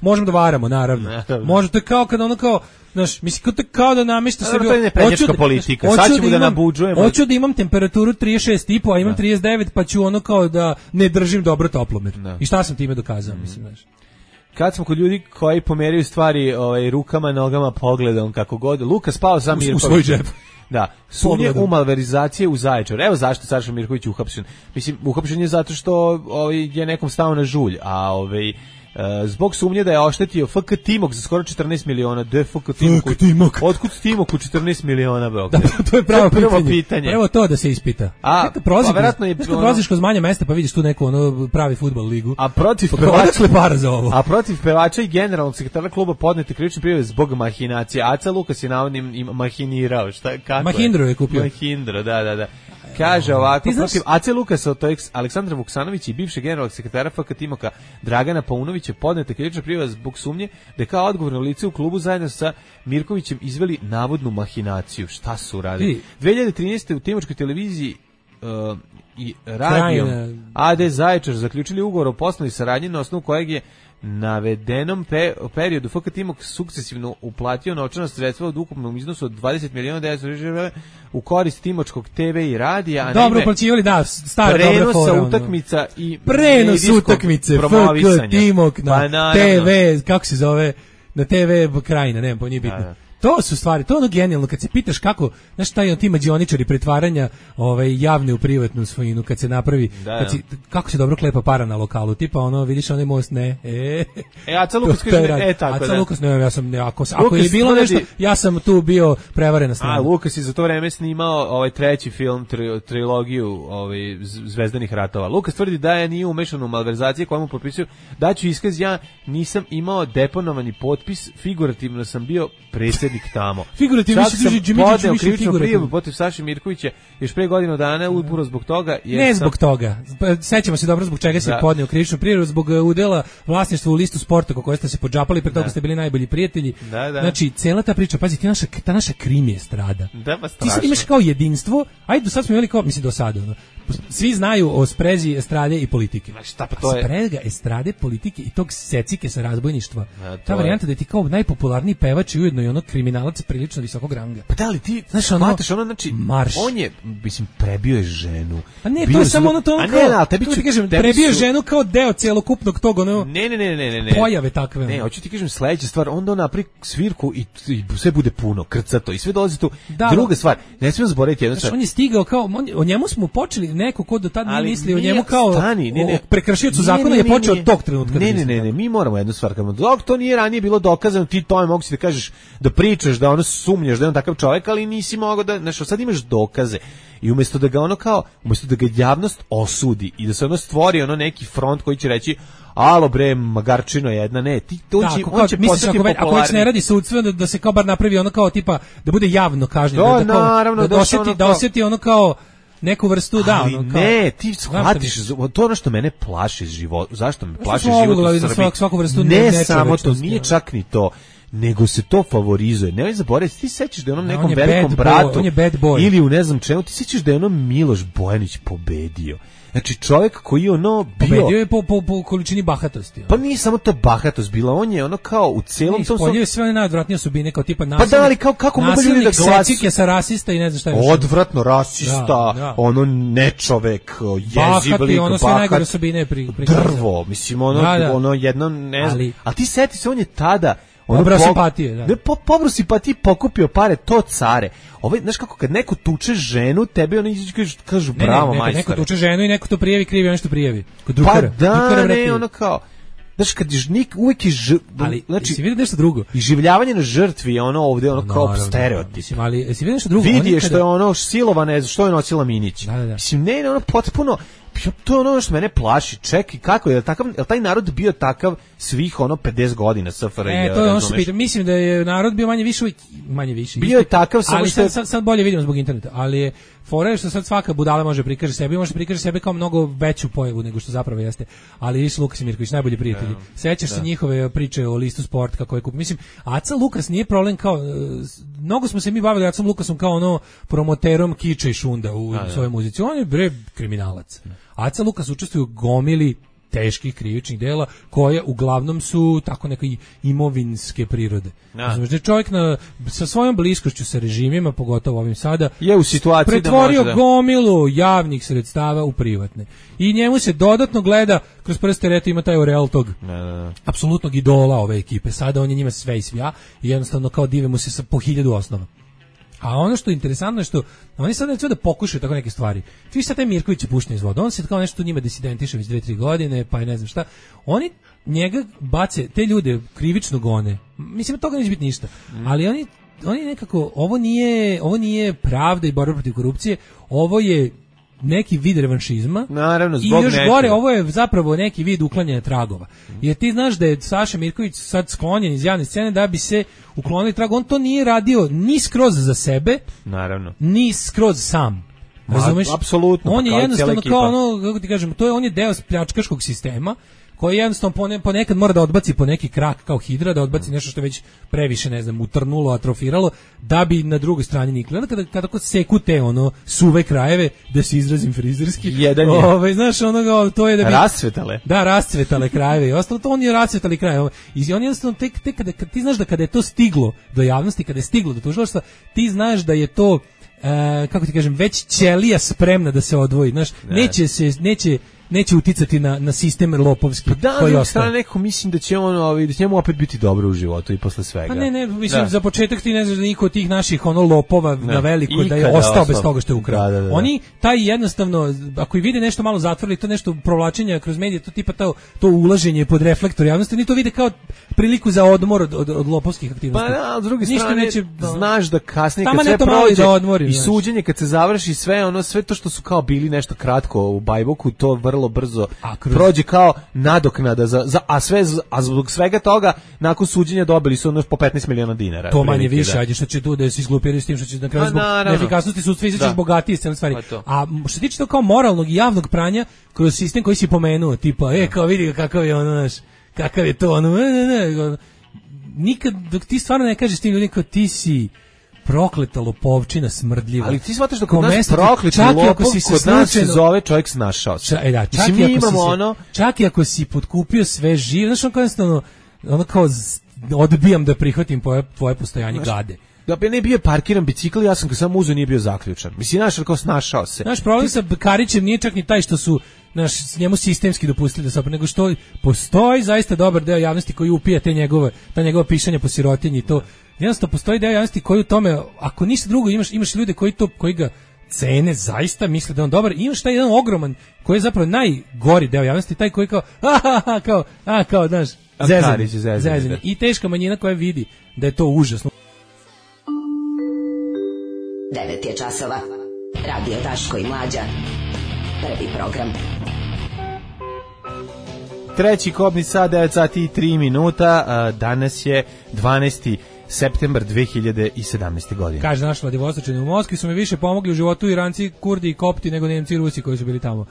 Speaker 6: možemo da varamo, naravno. Može, to je kao kada ono kao, znaš, mislim, kao da namješta sebi,
Speaker 5: to je neprednjačka politika, sad ćemo da nabuđujemo.
Speaker 6: Hoću da imam temperaturu 36,5, a imam 39, pa ću ono kao da ne držim dobro toplomer. I šta sam time dokazao, mislim, znaš.
Speaker 5: Kad smo kod ljudi koji pomeraju stvari rukama, nogama, pogledom, kako god. Luka spao za Mirković.
Speaker 6: U svoj džep.
Speaker 5: Da, sumnje u malverizacije u Zaječaru. Evo zašto Saša Mirković uhapšen. Mislim, uhapšen je zato što je nekom stao na žulj, a zbog sumnje da je oštetio FK Timok za skoro 14 miliona. Da je FK Timok? Otkud Timoku 14 miliona, bro?
Speaker 6: Da, to je pravo pitanje. Evo to da se ispita. Kad prolaziš kroz manje mesta pa vidiš tu neku pravi fudbal ligu.
Speaker 5: A protiv pevača i generalnog sekretara kluba podnete krivične prijave zbog mahinacije. Aca Lukas je navodno mahinirao.
Speaker 6: Mahindro je kupio.
Speaker 5: Mahindro, da. Kaže ovako, protiv AC Lukasa, to je Aleksandra Vuksanović i bivšeg generalnog sekretara FK Timoka Dragana Paunovića podneta krivična prijava zbog sumnje da je kao odgovorno lice u klubu zajedno sa Mirkovićem izveli navodnu mahinaciju. Šta su radili? 2013. u Timočkoj televiziji i radijom AD Zaječar zaključili ugovor o poslovnoj saradnji na osnovu kojeg je navedenom periodu FK Timok sukcesivno uplatio novčana sredstva od ukupnom iznosu od 20 miliona €900 u korist Timočkog TV i radija.
Speaker 6: Dobro uplaćivali, da, stara dobra fora.
Speaker 5: Prenosa utakmica i
Speaker 6: prenos utakmice FK Timok na TV, kako se zove, na TV Krajina, nema po njih bitno. To su stvari, to je ono genijalno kad se pitaš kako, znaš šta je ti mađioničari pretvaranja javne u privatnu svojinu kad se napravi, kako se dobro klepa para na lokalu, tipa ono vidiš onaj most,
Speaker 5: Aca Lukas kaže
Speaker 6: Aca Lukas, ja sam, ako je bilo nešto, ja sam tu bio prevarena strana.
Speaker 5: Lukas je za to vreme snimao treći film, trilogiju Zvezdanih ratova. Lukas tvrdi da je nije umešan u malverzacije koje mu potpisuju, da ću iskaz, ja nisam imao deponovani potpis, figurativno sam bio predsjednik tamo.
Speaker 6: Figurativno
Speaker 5: se kaže podneo krivičnu prijavu protiv Saše Mirkovića još pre godinu dana upravo zbog toga.
Speaker 6: Zbog toga. Sećamo se dobro zbog čega se podneo krivičnu prijavu, zbog udela vlasništva u listu Sporta koje ste se podžapali, pre toga ste bili najbolji prijatelji. Znači, cela ta priča, pazi, ta naša krim je strada. Ti sad imaš kao jedinstvo, ajde, do sad smo imali kao, mislim do sada, svi znaju o sprezi estrade i politike. Sprega estrade, politike i tog secike sa razbojništva. Ta varijanta da ti kao najpopularniji pevač i ujedno i ono kriminalac prilično visokog ranga.
Speaker 5: Pa da li ti shvataš znači, on je, mislim, prebio je ženu.
Speaker 6: A ne, to je samo ono to kao, prebio je ženu kao deo celokupnog tog,
Speaker 5: ne.
Speaker 6: Pojave takve.
Speaker 5: Ne, hoću ti kažem sledeća stvar, onda on napravi svirku i sve bude puno, krcato i sve dolazi tu. Druga stvar, ne smijem zaboraviti jednu stvar.
Speaker 6: On je stigao kao, o njemu smo počeli neko ko do tad nije mislio o njemu kao prekršiocu zakona je počeo od tog trenutka.
Speaker 5: Ne, mi moramo jednu stvar, dok to nije ranije bilo dokazano, ti tome mogu si da kažeš, da pričaš, da ono sumnjaš da je on takav čovjek, ali nisi mogao da, znači sad imaš dokaze i umjesto da ga javnost osudi i da se ono stvori ono neki front koji će reći alo bre, magarčino jedna, ne, ti to on će postati popularni.
Speaker 6: Ako već ne radi sudstvo, da se kao bar napravi ono kao tipa, da bude javno kažnjen, da osjeti ono kao neku vrstu
Speaker 5: ali ono kao, ne, ti shvatiš, to je ono što mene plaši život. Zašto me plaši život u Srbiji?
Speaker 6: Svaku vrstu
Speaker 5: ne samo to, nije čak ni to, nego se to favorizuje. Nemoj zaboraviti, ti sećaš da je onom nekom velikom bratu ili u ne znam čemu, ti sećaš da je ono Miloš Bojanić pobedio. Znači čovjek koji je ono bio...
Speaker 6: Pobedio je po količini bahatosti.
Speaker 5: Pa nije samo to bahatost bila, on je ono kao u celom tom...
Speaker 6: Ispoljio je sve one najodvratnije osobine, kao tipa nasilnik.
Speaker 5: Pa da, ali kako mogu ljudi da glasuju?
Speaker 6: Nasilnik, secike sa rasista i ne znam šta je.
Speaker 5: Odvratno rasista, ono nečovek, jeziv lik,
Speaker 6: ono sve najgore osobine
Speaker 5: drvo, mislim, ono jedno, ne znam. Ali ti seti se, on je tada...
Speaker 6: Pobro simpatije, da.
Speaker 5: Ne, pobro simpatije, pokupio pare, to care. Znaš kako, kad neko tuče ženu, tebe oni kažu bravo, majstore.
Speaker 6: Neko tuče ženu i neko to prijavi, krivi ono što prijavi.
Speaker 5: Pa da, ne, ono kao... Znaš, kad je uvijek je
Speaker 6: ali, znači, si vidio nešto drugo?
Speaker 5: Iživljavanje na žrtvi je ono ovdje, ono kao stereotip.
Speaker 6: Mislim, ali, si vidio nešto drugo?
Speaker 5: Vidi je što je ono silovane, što je nosila Minić.
Speaker 6: Da.
Speaker 5: Mislim, ne, ono potpuno... To je ono što mene plaši. Čekaj, kako je taj narod bio takav svih ono 50 godina SFRJ?
Speaker 6: To je ono što pitam. Mislim da je narod bio manje više.
Speaker 5: Bio je takav, samo
Speaker 6: ali
Speaker 5: što...
Speaker 6: sad bolje vidimo zbog interneta, ali je fora je što sad svaka budala može prikaže sebe, može prikaže sebe kao mnogo veću pojavu nego što zapravo jeste. Ali Iša Lukas i Mirković, najbolji prijatelji. Sećaš se njihove priče o listu Sport kako je kup. Mislim, Aca Lukas nije problem kao mnogo smo se mi bavili Acom Lukasom kao ono promoterom kiča i šunda u svojoj muzici. On je bre kriminalac. Aca Lukas učestvuje u gomili teških krivičnih dela koje uglavnom su tako neke imovinske prirode. Znači čovjek sa svojom bliskošću sa režimima, pogotovo ovim sada,
Speaker 5: je u situaciji
Speaker 6: pretvorio gomilu javnih sredstava u privatne. I njemu se dodatno gleda kroz prste, reto ima taj oreal tog apsolutnog idola ove ekipe. Sada on je njima sve i svija i jednostavno kao dive mu se sa po 1000 osnova. A ono što je interesantno je što oni sad neće da pokušaju tako neke stvari. Ti sad taj Mirković je pušten iz vode. On se kao nešto njima disidentiše već 2-3 godine, pa je ne znam šta. Oni njega bace, te ljude krivično gone. Mislim, toga neće biti ništa. Ali oni nekako, ovo nije pravda i borba protiv korupcije, ovo je neki vid revanšizma.
Speaker 5: Naravno,
Speaker 6: i još gore, ovo je zapravo neki vid uklanjanja tragova. Jer ti znaš da je Saša Mirković sad sklonjen iz javne scene da bi se uklonili trag. On to nije radio ni skroz za sebe,
Speaker 5: naravno,
Speaker 6: ni skroz sam. Razumeš?
Speaker 5: Apsolutno.
Speaker 6: On je jednostavno kao ono, kako ti kažem, on je deo pljačkaškog sistema koji jednostavno ponekad mora da odbaci po neki krak kao hidra, da odbaci nešto što je već previše, ne znam, utrnulo, atrofiralo, da bi na drugoj strani nikli. Onda kada seku te suve krajeve, da se izrazim frizerski,
Speaker 5: jedan je.
Speaker 6: Znaš, to je da bi...
Speaker 5: Rascvetale.
Speaker 6: Da, rascvetale krajeve i ostalo, to on je rascvetali krajeve. I on jednostavno, tek kada ti znaš da kada je to stiglo do javnosti, kada je stiglo do tužilaštva, ti znaš da je to, kako ti kažem, već ćelija spremna da se odvoji. Znaš, neće uticati na sistem lopovski koji ostaje.
Speaker 5: Neko mislim da će da će njemu opet biti dobro u životu i posle svega.
Speaker 6: Pa ne, mislim, za početak ti ne znaš da niko od tih naših lopova na veliko da je ostao bez toga što je ukrao. Oni taj jednostavno, ako i vide nešto malo zatvorili, to nešto provlačenja kroz medije, to tipa to ulaženje pod reflektor javnosti, oni to vide kao priliku za odmor od lopovskih aktivnosti.
Speaker 5: Pa da, s druge strane, znaš da kasnije kad sve prođe i suđenje kad se završi sve to što su kao bili nešto kratko u Bajboku, to vrlo brzo prođe kao nadoknada a zbog svega toga nakon suđenja dobili su po 15 miliona dinara.
Speaker 6: To manje više, ajde što će tu da se izglupiraju s tim što će na kraju zbog neefikasnosti sudstva izaći bogatiji s cele stvari. A što se tiče to kao moralnog i javnog pranja kroz sistem koji si pomenuo, tipa, kao vidi kakav je kakav je to, nikad dok ti stvarno ne kažeš tim ljudima kao ti si prokleta lopovčina smrdljiva.
Speaker 5: Ali ti shvataš da kod nas prokleti lopov, kod nas se zove čovjek snašao se.
Speaker 6: Čak i ako si potkupio sve živo, znaš ono kao odbijam da prihvatim tvoje postojanje gade.
Speaker 5: Da bi ne bio parkiran bicikl, ja sam ga samo uzeo, nije bio zaključan. Mislim, kao snašao se.
Speaker 6: Naš problem sa Karićem nije čak ni taj što su njemu sistemski dopustili da se nego što postoji zaista dobar deo javnosti koji upija ta njegova pišanja po sirotinji i to. Jednostavno postoji deo javnosti koji u tome, ako ništa drugo, imaš ljude koji ga cene, zaista misle da je on dobar, i imaš taj jedan ogroman koji je zapravo najgori deo javnosti, taj koji kao znaš, zezanje. I teška manjina koja vidi da je to užasno.
Speaker 9: 9 je časova. Radio Daško i Mlađa. Prvi program.
Speaker 5: treći kobni sat, 9 sati i 3 minuta. Danas je 12. septembar 2017. godine.
Speaker 6: Kaže naš Vladivostočani, u Moskvi su mi više pomogli u životu Iranci, Kurdi i Kopti nego Nemci i Rusi koji su bili tamo.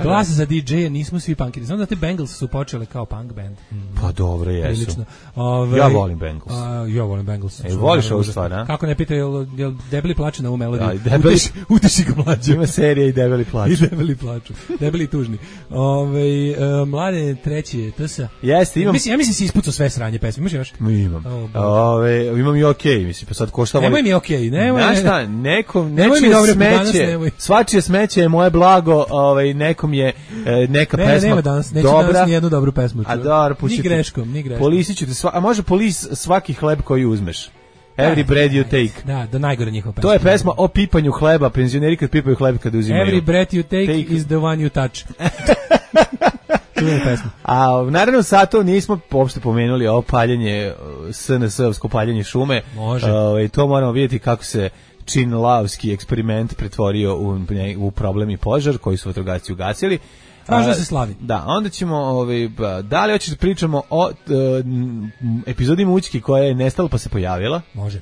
Speaker 6: Glas za DJ-a, nismo svi punkiri. Znam da te Bengals su počeli kao punk band.
Speaker 5: Pa dobro, jesu.
Speaker 6: Prilično.
Speaker 5: Ja volim Bengals.
Speaker 6: Ja volim Bengals.
Speaker 5: Voliš ovu stvar, a?
Speaker 6: Kako ne pita, jel debeli plače na ovu melodiju?
Speaker 5: Debeli...
Speaker 6: Utiši ga mlađe.
Speaker 5: Ima serija i debeli plaču.
Speaker 6: I debeli plaču. Debeli tužni. Mlade treći TSA.
Speaker 5: Jeste, imam...
Speaker 6: Ja mislim si ispucao sve sranje pesme. Imaš još?
Speaker 5: Imam. Imam i okej, mislim, pa sad ko šta voli...
Speaker 6: Nemoj mi okej, nemoj.
Speaker 5: Znaš šta, nečije smeće, svačije smeće je moje blago, nekom je neka pesma
Speaker 6: nema danas, neću
Speaker 5: dobra.
Speaker 6: Danas nijednu dobru pesmu.
Speaker 5: A dobro,
Speaker 6: ni greškom.
Speaker 5: Polisit ću te a može polis svaki hleb koji uzmeš. Every bread you take.
Speaker 6: Da najgore njihova pesma.
Speaker 5: To je pesma o pipanju hleba, penzioneri kad pipaju hleb kad uzimaju.
Speaker 6: Every breath you take is the one you touch. To je pesma.
Speaker 5: A naravno sato nismo uopšte pomenuli ovo paljenje, SNS-ovsko paljenje šume.
Speaker 6: Može.
Speaker 5: To moramo vidjeti kako se činlavski eksperiment pretvorio u problem i požar koji su vatrogasci ugasili.
Speaker 6: Važno se slavi.
Speaker 5: Da, onda ćemo, da li hoćeš da pričamo o epizodi Mućki koja je nestala pa se pojavila?
Speaker 6: Može.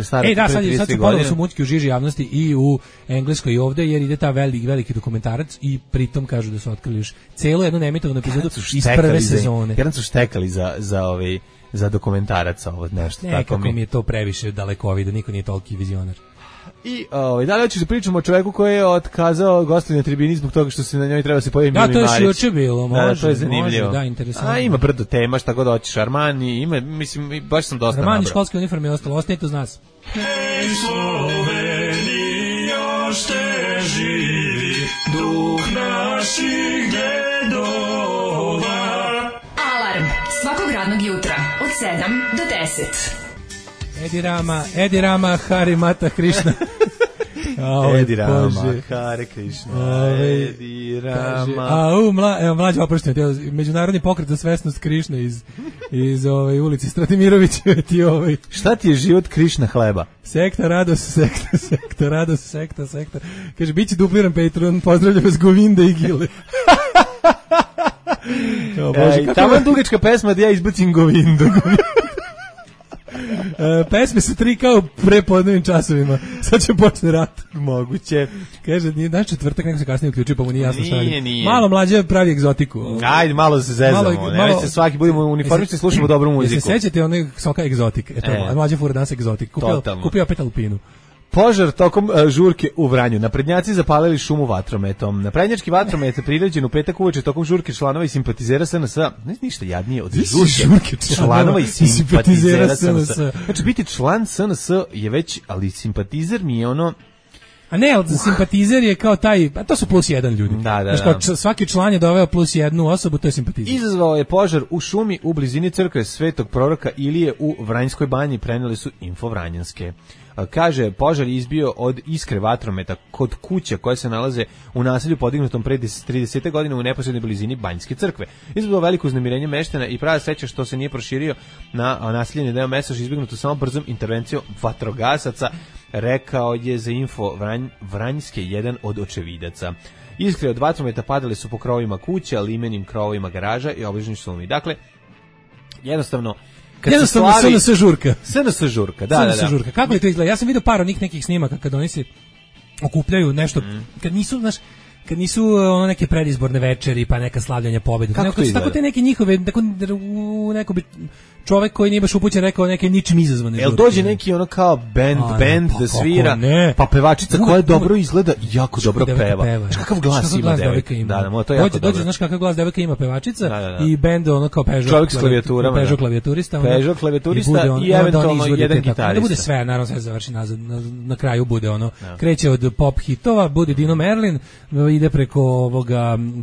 Speaker 5: Sad
Speaker 6: su ponovno su Mućki u žiži javnosti i u Engleskoj i ovde, jer ide ta veliki dokumentarac i pritom kažu da su otkrili još celu jednu neemitovanu epizodu iz prve sezone.
Speaker 5: Jedan su štekali za dokumentarac ovo nešto.
Speaker 6: Nekako mi je to previše dalekovi, da niko nije toliki vizionar.
Speaker 5: I da li hoćeš da pričamo o čoveku koji je otkazao gostovanje na tribini zbog toga što se na njoj treba se pojavi Mili Marić.
Speaker 6: Da, to je juče bilo, može.
Speaker 5: To je zanimljivo.
Speaker 6: Može, da, interesantno.
Speaker 5: A ima brdo tema, šta god hoćeš, Armani, ima, mislim, baš sam dosta nabrao.
Speaker 6: Armani, školske uniforme je ostalo, ostanite uz nas.
Speaker 10: Hej Sloveniji, još te živi, duh naših dedova.
Speaker 3: Alarm svakog radnog jutra od 7 do 10.
Speaker 6: Edi Rama, Hari Mata Krishna.
Speaker 5: Edi Rama, Hare Krishna. Edi Rama.
Speaker 6: Mlađe oprošteno, međunarodni pokret za svesnost Krishna iz ulici Stratimirovića.
Speaker 5: Šta ti je život Krishna hleba?
Speaker 6: Sekta, radost, sekta, radost, sekta. Kaže, bit će dupliran Patreon, pozdravljam vas Govinde i Gile.
Speaker 5: Tamo je dugačka pesma da ja izbacim Govindu.
Speaker 6: Pesme su 3 kao prepodnevnim časovima. Sad će počne rat.
Speaker 5: Moguće.
Speaker 6: Kaže, danas četvrtak, neko se kasnije uključio, pa mu nije jasno šta je.
Speaker 5: Nije.
Speaker 6: Malo mlađe pravi egzotiku.
Speaker 5: Ajde, malo da se zezamo. Nemoj se svaki, budemo uniformisti, slušamo dobru muziku.
Speaker 6: Jeste sećate onog soka egzotik? Mlađe fura danas egzotik. Kupio opet Alpinu.
Speaker 5: Požar tokom žurke u Vranju. Naprednjaci zapalili šumu vatrometom. Naprednjački vatromet je priređen u petak uveče tokom žurke članova i simpatizera SNS. Ne ništa jadnije od žurke članova i simpatizera SNS. Znači, biti član SNS je već, ali simpatizer mi je ono...
Speaker 6: A ne, ali simpatizer je kao taj, a to su plus jedan ljudi.
Speaker 5: Da.
Speaker 6: Znači, svaki član je doveo plus jednu osobu, to je simpatizer.
Speaker 5: Izazvao je požar u šumi u blizini crkve Svetog proroka Ilije u Vranjskoj banji, preneli su Info Vranjanske. Kaže, požar je izbio od iskre vatrometa kod kuća koje se nalaze u naselju podignutom pre 30 godina u neposrednoj blizini Banjske crkve. Izbilo veliko uznemirenje meštana i prava sreća što se nije proširio na naseljeni deo mesta, što je izbjegnuto samo brzom intervencijom vatrogasaca, rekao je za Info Vranjske jedan od očevidaca. Iskre od vatrometa padale su po krovovima kuća, limenim krovovima garaža i obližnjoj šumi. Dakle, jednostavno
Speaker 6: SNS žurka.
Speaker 5: SNS žurka, da.
Speaker 6: Žurka. Kako je to izgleda? Ja sam vidio par onih nekih snimaka kad oni se okupljaju nešto, kad nisu ono neke predizborne večeri pa neka slavljanja pobede. Tako te neke njihove, neko bi čovjek koji nije baš upućen rekao neke ničim izazvane.
Speaker 5: Jel dođe neki ono kao band da svira, pa pevačica koja dobro izgleda i jako dobro peva. Kakav glas ima devojka? Da, to je jako dobro.
Speaker 6: Dođe, znaš kakav glas devojka ima pevačica i band ono kao
Speaker 5: čovjek s klavijaturama.
Speaker 6: Peugeot klavijaturista.
Speaker 5: Peugeot klavijaturista i eventualno jedan gitarista.
Speaker 6: Da bude sve, naravno sve završi nazad, na kraju bude ono, kreće od pop hitova, bude Dino Merlin, ide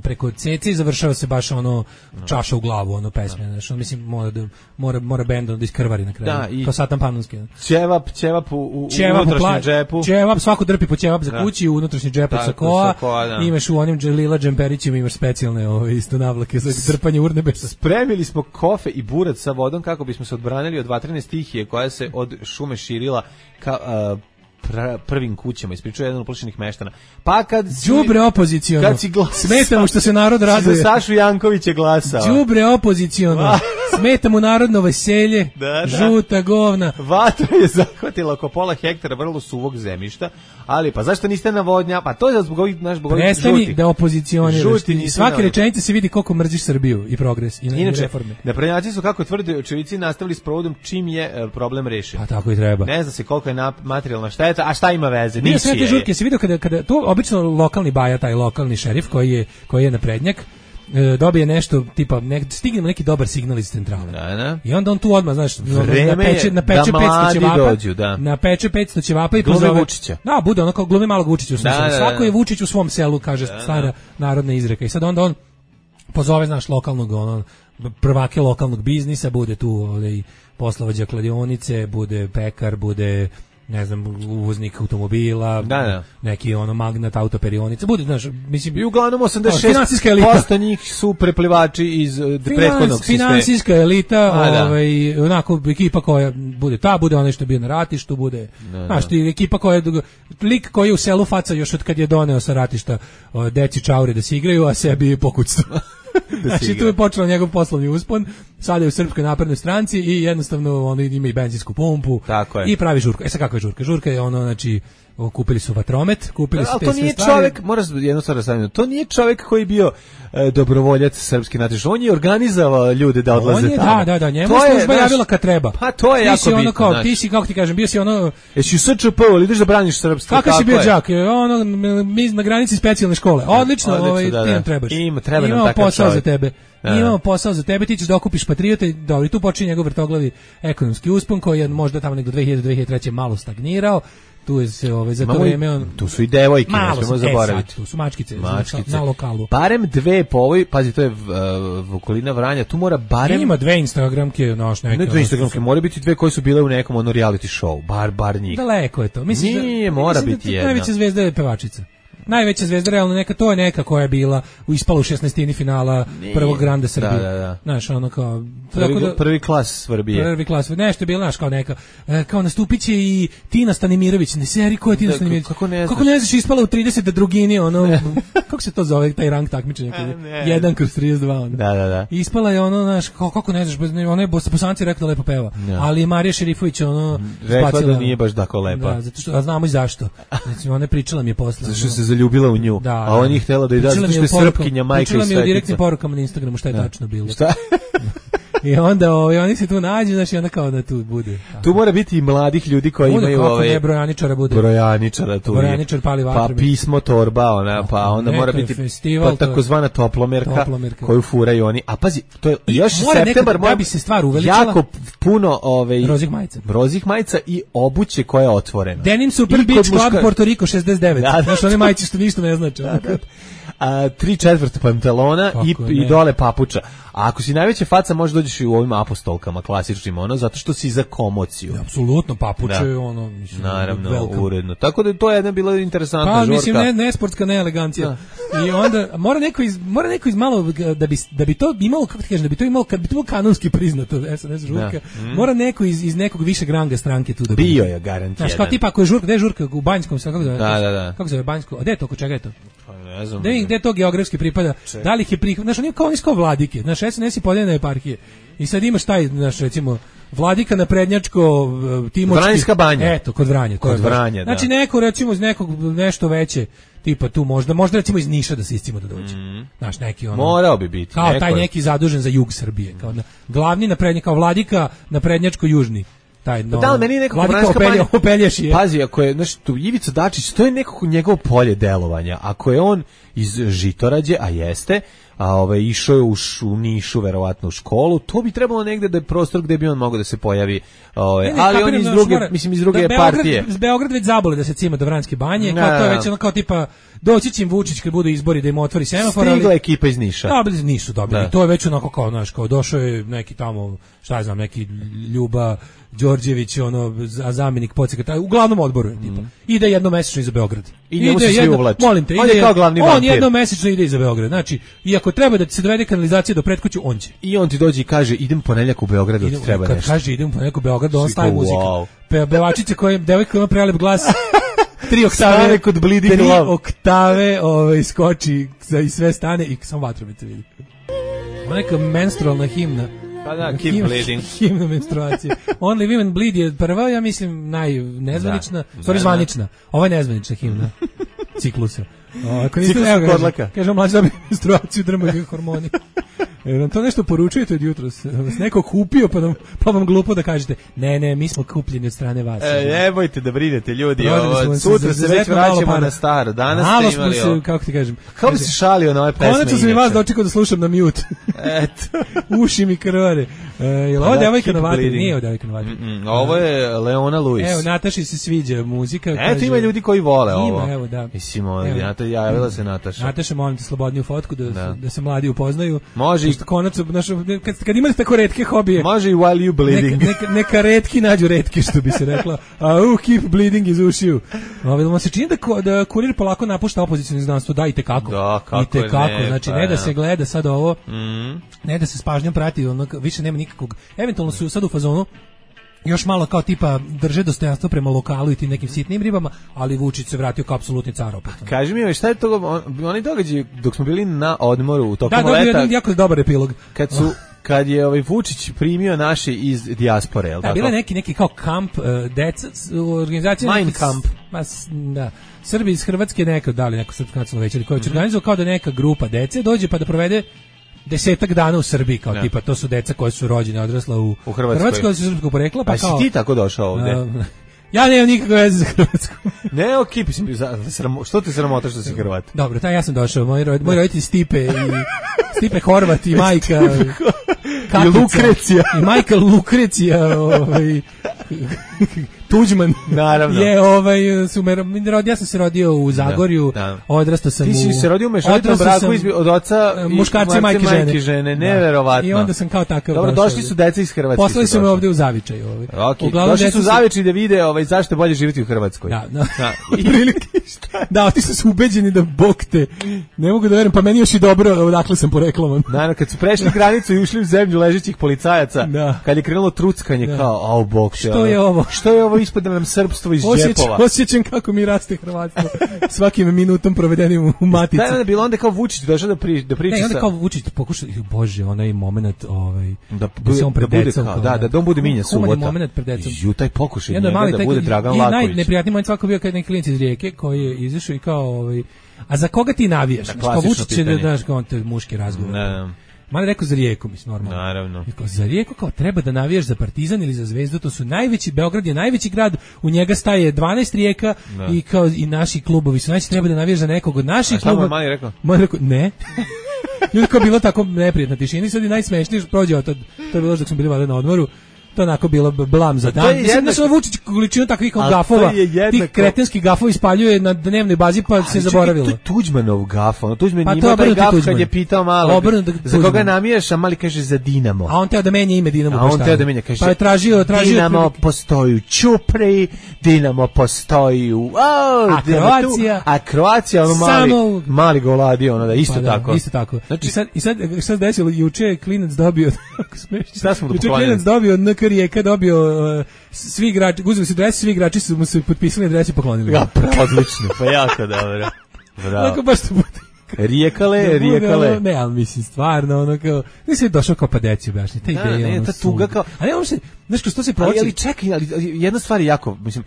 Speaker 6: preko cece i završava se baš ono čaša u glavu, ono pesme, znači mislim mora bend da iskrvari na kraju. To Satan Panonski.
Speaker 5: Ćevap u unutrašnjem džepu.
Speaker 6: Ćevap, svako drpi po ćevap za kući, u unutrašnji džep od sakoa. Imaš u onim lila džemperićima, imaš specijalne isto navlake za drpanje urnebesa.
Speaker 5: Spremili smo kofe i burac sa vodom kako bismo se odbranili od vatrene stihije koja se od šume širila prvim kućama, ispričao jedan od uplašenih meštana. Pa kad
Speaker 6: đubre opoziciono.
Speaker 5: Kad si glasao.
Speaker 6: Smeta mu što se narod raduje.
Speaker 5: Za Sašu Jankovića glasao.
Speaker 6: Đubre opoziciono. Smeta mu narodno veselje. Žuta govna.
Speaker 5: Vatra je zahvatila oko pola hektara vrlo suvog zemljišta, ali pa zašto niste navodnja? Pa to je zbog ovih naš bog ovih žutih.
Speaker 6: Prestani da opozicioniraš. Svake rečenice se vidi koliko mrziš Srbiju i progres i reforme.
Speaker 5: Naprednjaci su, kako tvrde očevici, nastavili s provodom čim je problem rešen.
Speaker 6: Pa tako i treba.
Speaker 5: Ne zna se koliko je materijalna šteta, a šta ima veze?
Speaker 6: Nije sve te žurke, se vidio kada to obično lokalni baja, taj lokalni šerif koji je naprednjak, dobije nešto tipa stigne neki dobar signal iz centrale.
Speaker 5: Da.
Speaker 6: I onda on tu odmah, znaš, napeče 500 ćevapa. Napeče 500 ćevapa i pozove
Speaker 5: Vučića.
Speaker 6: Da, bude ono kao glumi malog Vučića u svom selu. Svako je Vučić u svom selu, kaže stara narodna izreka. I sad onda on pozove, znaš, lokalnog prvake lokalnog biznisa, bude tu poslovođa kladionice, bude pekar, bude ne znam, uvoznik automobila, neki magnat autoperionica, bude, znaš, mislim,
Speaker 5: i uglavnom 86% njih su preplivači iz prethodnog sistema.
Speaker 6: Finansijska elita, onako, ekipa koja bude onaj što je bio na ratištu, bude, znaš, ekipa koja, lik koji je u selu faca još od kad je doneo sa ratišta deci čaure da se igraju, a sebi pokućstvo. Znači, tu je počeo njegov poslovni uspon, sada je u Srpskoj naprednoj stranci i jednostavno on ima i benzinsku pumpu i pravi žurku. Sad kako je žurka? Žurka je znači, kupili su vatromet, kupili su te sve stvari. Ali to nije čovjek,
Speaker 5: moraš jednu stvar da stavim, to nije čovjek koji je bio dobrovoljac srpski natješta, on je organizovao ljude da odlaze tamo.
Speaker 6: Da, njemu je služba javila kad treba.
Speaker 5: Pa to je jako bitno.
Speaker 6: Ti si, kako ti kažem, bio si
Speaker 5: jesi u SČP, ali ideš da braniš srpstvo.
Speaker 6: Kako si bio đak? Mi na granici specijalne škole. Odlično, ti nam trebaš. Imamo posao za tebe. Imamo posao za tebe, ti ćeš da okupiš patriote, dobro, tu počinje njegov vrtoglavi ekonomski uspon koji je možda tamo negdo 2000-2003 malo stagnirao. Tu je se za to vrijeme
Speaker 5: tu su i devojke, ne smemo zaboraviti.
Speaker 6: Tu su mačkice na lokalu.
Speaker 5: Barem dve po ovoj, pazi, to je okolina Vranja, tu mora barem...
Speaker 6: Ima dve Instagramke,
Speaker 5: ne dve Instagramke, mora biti dve koje su bile u nekom reality show, bar njih.
Speaker 6: Daleko je to.
Speaker 5: Nije, mora biti jedna.
Speaker 6: Najveća zvezda je pevačica. Najveća zvezda realno to je neka koja je bila ispala u 16. finala prvog Granda Srbije.
Speaker 5: Da.
Speaker 6: Znaš, ono kao
Speaker 5: prvi klas Srbije.
Speaker 6: Prvi klas, nešto je bilo, znaš, kao neka kao nastupiće i Tina Stanimirović, ne seri, ko je Tina Stanimirović? Kako ne znaš, ispala u 30 drugini, kako se to zove taj rang takmičenja? 1/32.
Speaker 5: Da.
Speaker 6: Ispala je znaš, kako ne znaš, ona je Bosanci rekla da lepo peva, ali Marija Šerifović
Speaker 5: rekla da nije baš tako lepa.
Speaker 6: Da, zato što, a znamo i zašto. Znači, ona pričala mi je posle.
Speaker 5: Zašto se zaljubila u nju, a on je htjela da i da, zato što je srpkinja, majka i svetica.
Speaker 6: Pričala mi u direktnim porukama na Instagramu šta je tačno bilo. Šta? I onda oni se tu nađu, znači onda kao da tu bude.
Speaker 5: Tu mora biti i mladih ljudi koji imaju
Speaker 6: brojaničara bude.
Speaker 5: Brojaničara tu.
Speaker 6: Brojaničar pali vatru.
Speaker 5: Pa pismo torba, pa onda mora biti takozvana toplomerka koju furaju oni. A pazi, to je još septembar,
Speaker 6: da bi se stvar uveličala.
Speaker 5: Jako puno
Speaker 6: rozih majica
Speaker 5: i obuće koja je otvorena.
Speaker 6: Denim Super Beach Club Puerto Rico 69. Znaš, one majice što ništa ne znači.
Speaker 5: 3/4 pantalona i dole papuča. A ako si najveća faca, možeš dođeš i u ovim apostolkama klasičnim, zato što si za komociju.
Speaker 6: Apsolutno, papuče, mislim,
Speaker 5: naravno, uredno. Tako da to je jedna bila interesantna žurka.
Speaker 6: Mislim, ne sportska, ne elegancija. I onda, mora neko iz malo, da bi to imalo, kako ti kažem, da bi to imalo, kad bi to bilo kanonski priznato, SNS žurka, mora neko iz nekog višeg ranga stranke tu da bi.
Speaker 5: Bio je garant jedan.
Speaker 6: Znaš, kao tipa, ako je žurka, gde je žurka? U Banjskom, kako zove?
Speaker 5: Da.
Speaker 6: Kako zove Banjsko? A gde je to, kod čega je to?
Speaker 5: Ne znam.
Speaker 6: Gde to geografski pripada? Da li ih je prihvat? Znaš, oni kao vladike. Znaš, SNS i podeljene eparhije. I sad imaš taj, znaš, recimo, vladika naprednjačko, Timočki.
Speaker 5: Vranjska banja.
Speaker 6: Eto, kod Vranja.
Speaker 5: Kod Vranja, da.
Speaker 6: Znači, neko, recimo, iz nekog nešto veće, tipa tu možda recimo iz Niša da se iscimo da dođe. Znaš, neki
Speaker 5: morao bi biti.
Speaker 6: Kao taj neki zadužen za jug Srbije. Kao glavni naprednjak, kao vladika naprednjačko-južni.
Speaker 5: Da li meni nekako pazi, ako je Ivica Dačić, to je nekako njegovo polje delovanja. Ako je on iz Žitorađe, a jeste, išao je u Nišu verovatno u školu, to bi trebalo negde da je prostor gde bi on mogao da se pojavi, ali on iz druge partije.
Speaker 6: Beograd već zabole da se cima do Vranjske banje, kao to je već kao tipa doći će im Vučić kad budu izbori da im otvori semafor.
Speaker 5: Stigla ekipa iz Niša.
Speaker 6: Nisu dobili. To je već onako kao, znaš, kao došao je neki tamo, šta ja znam, neki Ljuba Đorđević, a zamjenik podsekretara, uglavnom odboru tipa. Ide jednomesečno iza Beograd.
Speaker 5: I njemu se svi uvlači.
Speaker 6: Molim te,
Speaker 5: on je kao glavni vampir.
Speaker 6: On jednomesečno ide iza Beograd. Znači, i ako treba da se dovede kanalizacija do pretkuću, on će.
Speaker 5: I on ti dođe i kaže idem ponedeljak u Beograd, da treba nešto.
Speaker 6: Kad kaže idem ponedeljak u Beograd, on staje muziku. pevačice koja devojka ima prelep glas. 3 oktave
Speaker 5: Stane kod Bleeding Love.
Speaker 6: 3 oktave skoči i sve stane i samo vatromet vidi. Ovo neka menstrualna himna.
Speaker 5: Pa da, keep bleeding.
Speaker 6: Himna menstruacije. Only Women Bleed je prva, ja mislim, najnezvanična, stvari zvanična. Ovo je nezvanična himna ciklusa.
Speaker 5: Ciklus kodlaka.
Speaker 6: Kažem, mlađe dobije menstruaciju, drmaju hormoni. Nam to nešto poručujete od jutros? Vas neko kupio, pa vam glupo da kažete, ne, mi smo kupljeni od strane vas.
Speaker 5: Nemojte da brinete, ljudi. Sutra se već vraćamo na staro. Danas
Speaker 6: malo
Speaker 5: ste imali
Speaker 6: smo se, kako ti kažem.
Speaker 5: Kako bi se šalio na ove pesme?
Speaker 6: Konačno sam i vas dočekao da slušam na mute.
Speaker 5: Eto.
Speaker 6: Uši mi krvare. Jel ovo devojka na vatri? Nije ovo devojka na vatri.
Speaker 5: Ovo je Leona Lewis.
Speaker 6: Evo, Nataši se sviđa muzika.
Speaker 5: Eto, ima ljudi koji vole ovo.
Speaker 6: Ima, evo, da.
Speaker 5: Mislim, javila se Nataša.
Speaker 6: Nataša, molim te, slobodniju fotku da se mladi upoznaju.
Speaker 5: Može.
Speaker 6: Konačno, kad imate tako retke hobije.
Speaker 5: Može i while you bleeding.
Speaker 6: Neka retki nađu retke, što bi se rekla. Keep bleeding iz ušiju. Vam se čini da Kurir polako napušta opozicijno izdanstvo. Da, i tekako.
Speaker 5: Da, kako
Speaker 6: i tekako. Znači, ne da se gleda sad ovo, ne da se s pažnjom prati, više nema nikakvog. Eventualno su sad u fazonu još malo kao tipa drže dostojanstvo prema lokalu i tim nekim sitnim ribama, ali Vučić se vratio kao apsolutni car opet.
Speaker 5: Kaži mi, šta je to, oni događaji dok smo bili na odmoru tokom leta?
Speaker 6: Da, dobio jedan jako dobar epilog.
Speaker 5: Kad je Vučić primio naše iz dijaspore, jel tako?
Speaker 6: Bila neki kao kamp deca, organizacija
Speaker 5: Mein Kamp.
Speaker 6: Da. Srbi iz Hrvatske neko srpsko nacionalno veće, koji će organizovati kao da neka grupa dece dođe pa da provede 10 dana u Srbiji, kao tipa, to su deca koja su rođene, odrasla u Hrvatskoj, su srpskog porekla, pa kao...
Speaker 5: si ti tako došao ovde?
Speaker 6: Ja nemam nikakve veze za Hrvatsku.
Speaker 5: Ne, što te sramota što si Hrvat?
Speaker 6: Dobro, ja sam došao, moj roditelj Stipe Horvat i majka Katica,
Speaker 5: i Lukrecija.
Speaker 6: I majka Lukrecija, Tuđman.
Speaker 5: Naravno.
Speaker 6: Ja sam se rodio u Zagorju, odrastao sam
Speaker 5: Ti si se rodio u mešovitom braku od oca
Speaker 6: muškarca i majke žene.
Speaker 5: Neverovatno.
Speaker 6: I onda sam kao takav.
Speaker 5: Dobro, došli su deca iz Hrvatske.
Speaker 6: Poslali su me ovde u Zavičaj.
Speaker 5: Došli su u Zavičaj da vide zašto je bolje živjeti u Hrvatskoj.
Speaker 6: Da, otišli su ubeđeni da bog te. Ne mogu da verujem, pa meni još i dobro odakle sam poreklaman.
Speaker 5: Naravno, kad su prešli granicu i ušli u zemlju ležećih policajaca, kad je krenulo truckanje, kao, bog te.
Speaker 6: Što je ovo?
Speaker 5: Što je ovo? Ispada nam srpstvo iz džepova.
Speaker 6: Osjećam kako mi raste hrvatstvo svakim minutom provedenim u matici.
Speaker 5: Da je bilo onda kao Vučić došao da priča.
Speaker 6: Ne, onda kao Vučić pokuša, bože, onaj moment
Speaker 5: da se on pred decom. Da on bude Minja Subota.
Speaker 6: Moment pred decom.
Speaker 5: Taj pokušaj njega da bude Dragan Laković.
Speaker 6: I najneprijatniji moment svako bio kad neki klinac iz Rijeke koji je izašao i kao, a za koga ti navijaš? Kao Vučić će da daš kao te muški razgovor. Mali rekao za Rijeku, mislim, normalno.
Speaker 5: Naravno.
Speaker 6: Za Rijeku kao treba da navijaš za Partizan ili za Zvezdu, to su najveći, Beograd je najveći grad, u njega staje 12 Rijeka i kao i naši klubovi su najveći, treba da navijaš za nekog od naših klubova.
Speaker 5: A šta mu je rekao?
Speaker 6: Mali rekao, ne. Ljudi kao bilo tako neprijatna tišina i sad je najsmešnije prođe od to je bilo dok smo bili na odmoru. To onako bilo blam za dan. Mislim da su Vučić količinu takvih gafova, tih kretenskih gafova ispaljuje na dnevnoj bazi pa se zaboravilo.
Speaker 5: To je Tuđmanov gaf, Tuđman ima taj gaf kad je pitao malo za koga namijaš, a Mali kaže za Dinamo.
Speaker 6: A on teo da menja ime Dinamo.
Speaker 5: A on teo da menja, kaže,
Speaker 6: pa je tražio
Speaker 5: Dinamo postoji u Ćupri, Dinamo postoji u Kroacija, ono Mali ga oladio, da isto tako.
Speaker 6: Isto tako. I sad šta se desilo, juče je klinac dobio,
Speaker 5: šta smo dopoklonili?
Speaker 6: Rijeka dobio svi igrači, uzeli su dres, svi igrači su mu se potpisali adresi i poklonili.
Speaker 5: Ja, odlično, pa jako dobro. Bravo.
Speaker 6: Tako baš to bude.
Speaker 5: Rijekale.
Speaker 6: Ne, ali mislim, stvarno, ono kao, nisi je došao kao pa deci objašnji, ta ideja.
Speaker 5: Ne, ta tuga kao,
Speaker 6: ali on se, znaš, što se proći.
Speaker 5: Ali čekaj, jedna stvar je jako, mislim,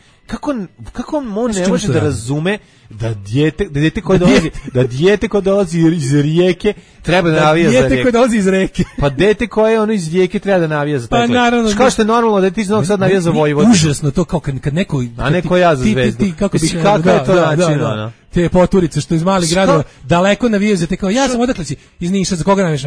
Speaker 5: kako on ne može da razume da dijete koje dolazi iz Rijeke treba da navija za Rijeku.
Speaker 6: Dijete koje dolazi iz Rijeke.
Speaker 5: Pa dete koje ono iz Rijeke treba da navija za taj klub. Kao što je normalno da ti iz Novog Sada navija za Vojvodinu.
Speaker 6: Užasno to kao kad neko...
Speaker 5: A neko ja za Zvezdu. Kako je to način, ono?
Speaker 6: Te poturice što iz malih gradova daleko navijaju za te kao ja sam odakle si iz Niša, za koga navijaš?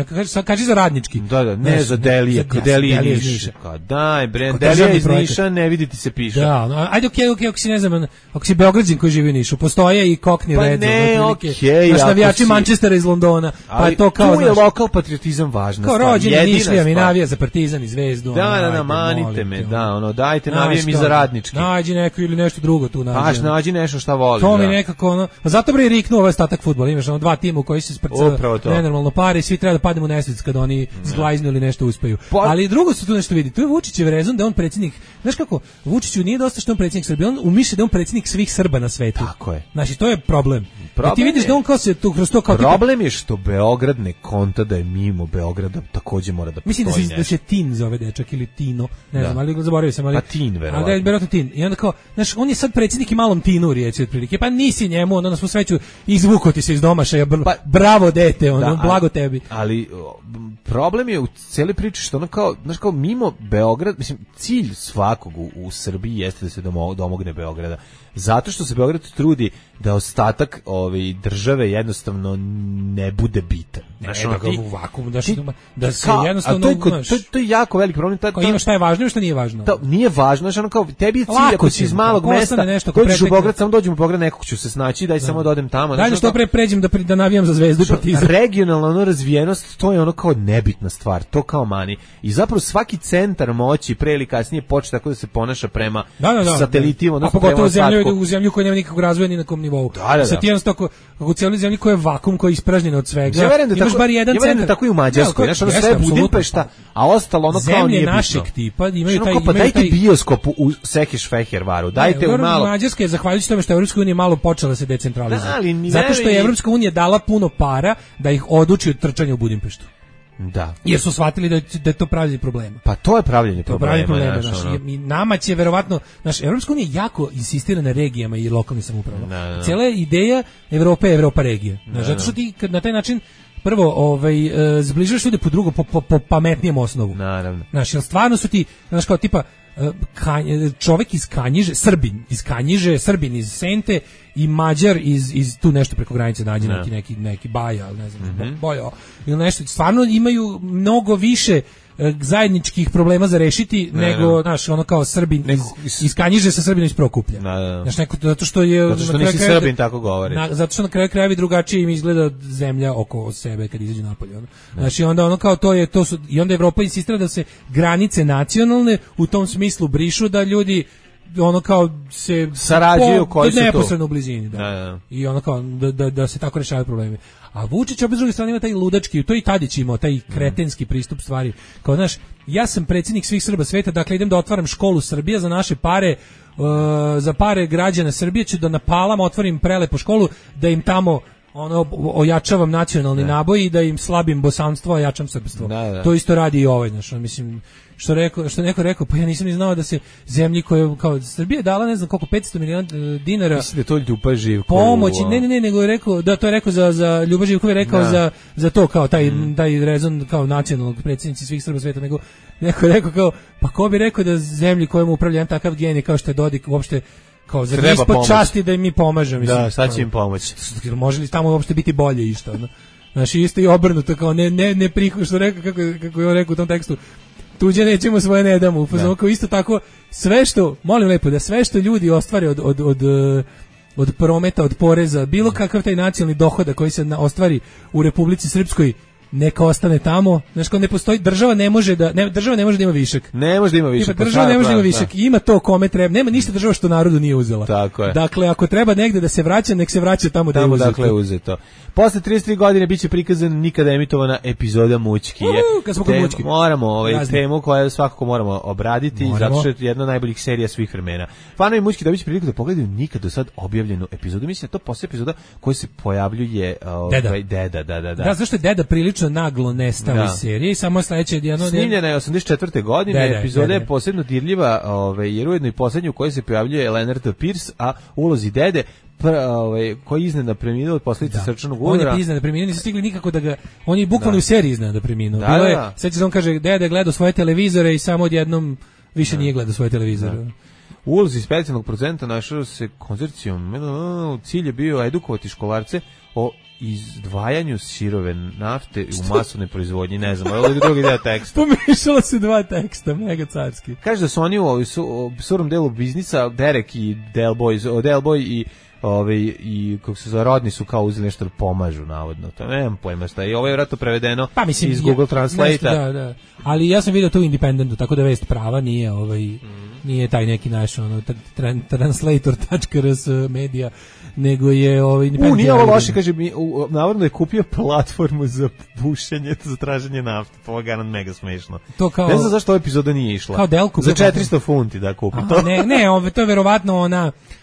Speaker 6: Kaži za Radnički.
Speaker 5: Da, ne za Delije, Delije iz Niša. Daj bre, Delije iz Niša, ne vidi ti se piše.
Speaker 6: Da, ajde okej, ako si ne znam, ako si Beograđan koji živi u Nišu, postoje i Cockney Reds, naš navijači Manchestera iz Londona, pa je to kao
Speaker 5: tu je lokal patriotizam važna stvar.
Speaker 6: Kao rođeni Nišlija mi navija za Partizan i Zvezdu.
Speaker 5: Da, manite me, dajte navijem i za Radnički.
Speaker 6: Nađi neko ili nešto drugo tu nađi.
Speaker 5: Nađi nešto šta voliš.
Speaker 6: To mi nekako ono, zato bre riknuo ovaj ostatak fudbala, imaš ono dva tima u koji se sprca nenormalno pare i svi treba da padnemo u nesvest kad oni zglajznu ili nešto uspeju. Ali drugo se tu nešto vidi, tu je Vučićev rezon da on predsjednik, znaš kako, Vučiću nije dosta što on predsjednik Srbije, on umišlja da on predsjednik svih Srba na svetu.
Speaker 5: Tako je.
Speaker 6: Znači, to je problem. I ti vidiš da on kao se tu kroz to kao
Speaker 5: problem je što Beograd ne konta da je mimo Beograda takođe mora da postoji.
Speaker 6: Mislim da se Tin zove dečak ili Tino, ne znam, ali zaboravio sam, ali
Speaker 5: pa Tin verovatno.
Speaker 6: Ali verovatno Tin. I onda kao, znaš, on je sad predsjednik i malom Tinu riječi otprilike. Pa nisi njemu, ono na svu sreću izvuko ti se iz domašaja. Bravo dete, ono, blago tebi.
Speaker 5: Ali problem je u cijeloj priči što ono kao, znaš, kao mimo Beograd, mislim, cilj svakog u Srbiji jeste da se domogne Beograda. Zato što se Beograd trudi da ostatak države jednostavno ne bude bitan.
Speaker 6: Znaš, da ga u vakuum, da se jednostavno...
Speaker 5: To je jako veliki problem.
Speaker 6: Ima šta je važno i šta nije važno.
Speaker 5: Nije važno, znaš, ono kao, tebi je cilj ako si iz malog mesta, dođeš u Beograd, samo dođem u Beograd, nekog ću se snaći, daj samo da odem tamo.
Speaker 6: Daj da što pre pređem da navijam za Zvezdu i Partizan.
Speaker 5: Regionalna razvijenost, to je ono kao nebitna stvar, to kao mani. I zapravo svaki centar moći pre ili kasnije počne tako da se ponaša prema satelitima,
Speaker 6: odnosno prema u zemlju koja nema nikakvog razvoja ni na kom nivou. Sad ti jednostavno, kako u cijeloj zemlji koja je vakum, koja je ispražnjena od svega, imaš bar jedan centar.
Speaker 5: Ja tako i u Mađarskoj, znaš, ono sve Budimpešta, a ostalo ono kao nije bitno.
Speaker 6: Zemlje našeg tipa imaju taj...
Speaker 5: Pa dajte bioskop u Sekeš Fehervaru, dajte u malo...
Speaker 6: Mađarska je, zahvaljujući tome što je Evropska unija malo počela da se decentralizuje. Zato što je Evropska unija dala puno para da ih oduči od trčanja u Budimpeštu.
Speaker 5: Da.
Speaker 6: Jer su shvatili da je to pravljenje problema.
Speaker 5: Pa to je pravljenje problema.
Speaker 6: I nama će verovatno, Evropska unija jako insistira na regijama i lokalnim samoupravama. Cijela ideja Evrope je Evropa regije. Zato što ti na taj način prvo zbližavaš ljude po drugo, po pametnijem osnovu.
Speaker 5: Naravno.
Speaker 6: Znaš, jer stvarno su ti, znaš, kao tipa čovjek iz Kanjiže, Srbin iz Kanjiže, Srbin iz Sente i Mađar iz tu nešto preko granice nađe neki Baja, ne znam, Bojo ili nešto, stvarno imaju mnogo više zajedničkih problema za rešiti nego, znaš, ono kao Srbin iz Kanjiže sa Srbinom iz Prokuplja. Znaš, zato što
Speaker 5: nisi Srbin, tako govori.
Speaker 6: Zato što na kraju krajevi drugačije im izgleda zemlja oko sebe kad izađu napolje. Znači, onda ono kao i onda Evropa insistira da se granice nacionalne u tom smislu brišu, da ljudi ono kao se
Speaker 5: sarađuju koji su
Speaker 6: neposredno u blizini, i ono kao da se tako rešavaju problemi. A Vučić opet s druge strane ima taj ludački, to i Tadić imao, taj kretenski pristup stvari. Kao, znaš, ja sam predsjednik svih Srba sveta, dakle idem da otvaram školu Srbija za naše pare, za pare građana Srbije ću da na Palama otvorim prelepu školu, da im tamo ojačavam nacionalni naboj i da im slabim bosanstvo, a jačam srpstvo. To isto radi i ovaj, znaš, mislim, što neko rekao, pa ja nisam ni znao da se zemlji koje, kao Srbija je dala, ne znam koliko, 500 miliona dinara.
Speaker 5: Mislim da je to Ljuba Živković.
Speaker 6: Pomoći, ne, nego je rekao, da to je rekao za Ljuba Živković, rekao za to, kao taj rezon, kao nacionalnog predsjednici svih Srba sveta, nego neko je rekao kao, pa ko bi rekao da zemlji kojemu upravlja jedan takav genij kao što je Dodik, uopšte kao za ispod časti da im mi pomažemo.
Speaker 5: Da, sad će im pomoći.
Speaker 6: Može li tamo uopšte biti bolje i što? Znači, isto i obrnuto, kao ne prihod, što rekao, kako je on rekao u tom tekstu, tuđe nećemo, svoje ne damo. Kao isto tako, sve što, molim lepo, da sve što ljudi ostvare od prometa, od poreza, bilo kakav taj nacionalni dohodak koji se ostvari u Republici Srpskoj, neka ostane tamo. Znači, kao ne postoji, država ne može da ima višak.
Speaker 5: Ne može da ima višak.
Speaker 6: Država ne može da ima višak. Ima to kome treba. Nema ništa država što narodu nije uzela.
Speaker 5: Tako je.
Speaker 6: Dakle, ako treba negde da se vraća, nek se vraća tamo da je uzeto.
Speaker 5: Dakle, uzeto. Posle 33 godine biće prikazan nikada emitovana epizoda Mućki.
Speaker 6: Kad smo kod Mućki.
Speaker 5: Moramo temu koju svakako moramo obraditi, zato što je jedna od najboljih serija svih vremena. Fanovi Mućki dobiće priliku da pogledaju nikad do sad objavljenu epizodu. Mislim da to posle epizoda koji se pojavljuje Deda.
Speaker 6: Da, zašto je Deda prilično naglo nestao iz serije i samo sledeće
Speaker 5: snimljena je 84. godine, epizoda je posebno dirljiva, jer ujedno i poslednju u kojoj se pojavljuje Leonard Pierce, a ulozi Dede koji iznenada preminuo od posljedica srčanog udara.
Speaker 6: On je iznenada preminuo, nisu stigli nikako da ga, on je bukvalno u seriji iznenada preminuo. Sećaš se, on kaže, Dede gledao svoje televizore i samo odjednom više nije gledao svoje televizore.
Speaker 5: U ulozi specijalnog producenta našao se konzorcijum, cilj je bio edukovati školarce o izdvajanju sirove nafte u masovnoj proizvodnji, ne znam, ovo je drugi deo teksta.
Speaker 6: Pomešalo se dva teksta, mega carski.
Speaker 5: Kaže da su oni u surom delu biznisa, Derek i Delboy i kako se zove, rodni su kao uzeli nešto da pomažu, navodno. To nemam pojma šta. I ovo je vjerojatno prevedeno iz Google Translate-a.
Speaker 6: Da. Ali ja sam vidio to u Independentu, tako da vest prava nije nije taj neki naš ono translator.rs media, nego je
Speaker 5: nije ovo loše, kaže navodno je kupio platformu za pušenje, za traženje nafte, to je mega smešno.
Speaker 6: To kao,
Speaker 5: ne znam zašto ova epizoda nije išla.
Speaker 6: Kao Delku
Speaker 5: za 400 funti da kupi to.
Speaker 6: To je verovatno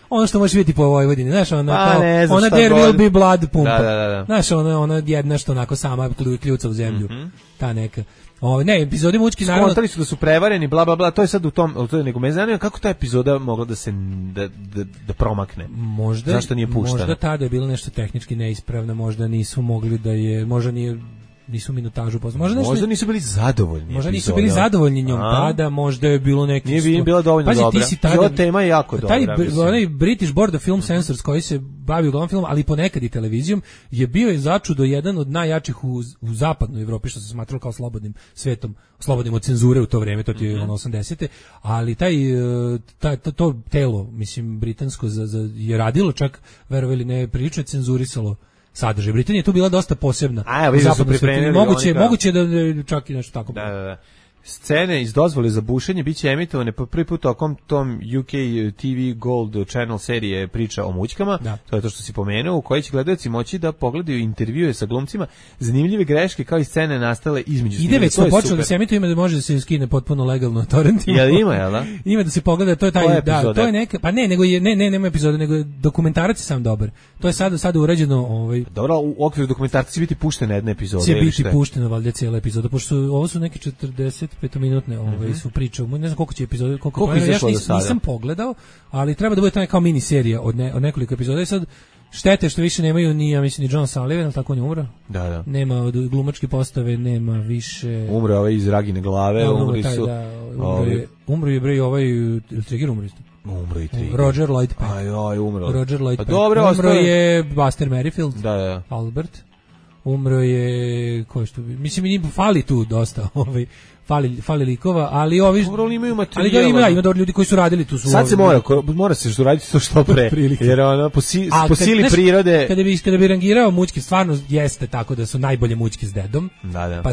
Speaker 6: ono što možeš vidjeti po Vojvodini, znaš, ona there
Speaker 5: god.
Speaker 6: will be blood pumpa.
Speaker 5: Da.
Speaker 6: Znaš, ona jedna što onako sama kljuca u zemlju, ta neka. Ne, epizode mučki naravno.
Speaker 5: Skontali su da su prevareni, bla bla bla, to je sad u tom, to je nego me zanima kako ta epizoda mogla da se da promakne.
Speaker 6: Možda
Speaker 5: zašto nije puštena?
Speaker 6: Možda tada je bilo nešto tehnički neispravno, možda nisu mogli da je, možda nisu minutažu poznali.
Speaker 5: Možda nisu bili zadovoljni.
Speaker 6: Možda nisu bili zadovoljni njom tada, možda je bilo neki...
Speaker 5: Nije im bila dovoljno dobra. Ova tema je jako dobra.
Speaker 6: Onaj British Board of Film Censors koji se bavi uglavnom filmom, ali ponekad i televizijom, je bio je začudo jedan od najjačih u zapadnoj Evropi, što se smatralo kao slobodnim svetom, slobodnim od cenzure u to vrijeme, to je 80-te, ali to telo, mislim, britansko je radilo čak, verovali ne, prilično cenzurisalo sadržaj. Britanija je tu bila dosta posebna. Moguće da čak i nešto tako.
Speaker 5: Da. Scene iz dozvole za bušenje biće emitovane po prvi put tokom tom UK TV Gold Channel serije Priča o mućkama, to je to što si pomenuo, u kojoj će gledaoci moći da pogledaju intervjue sa glumcima, zanimljive greške kao i scene nastale između snimanja.
Speaker 6: Ide već smo počeli da se emituje, ima da može da se skine potpuno legalno torrentima.
Speaker 5: Jel ima, jel da?
Speaker 6: Ima da se pogleda, to je taj, to je neka, pa ne, nego nema epizode, nego je dokumentarac je sam dobar. To je sada urađeno,
Speaker 5: Dobro, u okviru dokumentarca će biti puštena jedna epizoda.
Speaker 6: Će biti puštena valjda cijela epizoda, pošto ovo su neke 45-minutne su priče. Ne znam koliko će epizode, koliko ja nisam pogledao, ali treba da bude to kao mini serija od nekoliko epizoda. I sad štete što više nemaju ni, ja mislim, ni John Sullivan, ali tako on je umro.
Speaker 5: Da.
Speaker 6: Nema od glumačke postave, nema više.
Speaker 5: Umro iz Ragine glave, umri su.
Speaker 6: Umro je bre Trigger umro isto.
Speaker 5: Umro i Trigger.
Speaker 6: Roger Lloyd Peck.
Speaker 5: Umro.
Speaker 6: Roger Lloyd Peck.
Speaker 5: Umro
Speaker 6: je Buster Merrifield.
Speaker 5: Da.
Speaker 6: Albert. Umro je mislim i fali tu dosta, fali likova, ali ovi
Speaker 5: imaju materijal.
Speaker 6: Ima dobro ljudi koji su radili tu.
Speaker 5: Sad se mora se raditi to što pre. Jer ono po sili prirode.
Speaker 6: Kada bi rangirao mućke, stvarno jeste tako da su najbolje mućke s dedom.
Speaker 5: Da.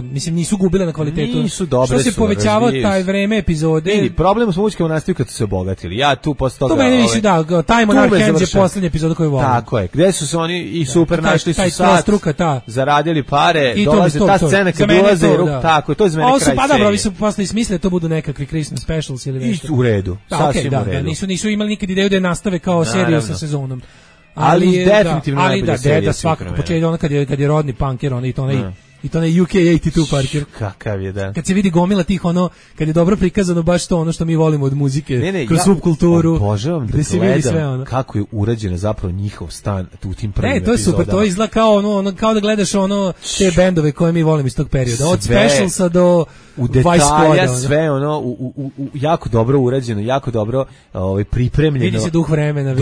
Speaker 6: Mislim nisu gubile na kvalitetu.
Speaker 5: Nisu dobre.
Speaker 6: Što se povećavao taj vreme epizode.
Speaker 5: Problem s mućkama nastaju kad su se obogatili. Ja tu posle toga.
Speaker 6: To meni više Time on Our Hands je poslednja epizoda koju volim.
Speaker 5: Tako je. Gde su se oni i super našli su sad. Zaradili pare, dolaze ta scena kad ulaze tako, to je za mene kraj serije.
Speaker 6: Pa dobro, vi su posle smislili to budu nekakvi Christmas specials ili nešto.
Speaker 5: U redu, sasvim u redu.
Speaker 6: Nisu imali nikad ideju da je nastave kao seriju sa sezonom.
Speaker 5: Ali definitivno najbolja serija.
Speaker 6: Da, svakako, počeo ono kad je rodni punker, i to onaj UK 82 Parker.
Speaker 5: Kakav je, da.
Speaker 6: Kad se vidi gomila tih kad je dobro prikazano baš to ono što mi volimo od muzike, kroz subkulturu.
Speaker 5: Obožavam da gledam kako je urađen zapravo njihov stan u tim prvim epizodama.
Speaker 6: To je super, to izgleda kao da gledaš te bendove koje mi volimo iz tog perioda. Od Specialsa do
Speaker 5: u detalja, sve u jako dobro urađeno, jako dobro pripremljeno.
Speaker 6: Vidi se duh vremena,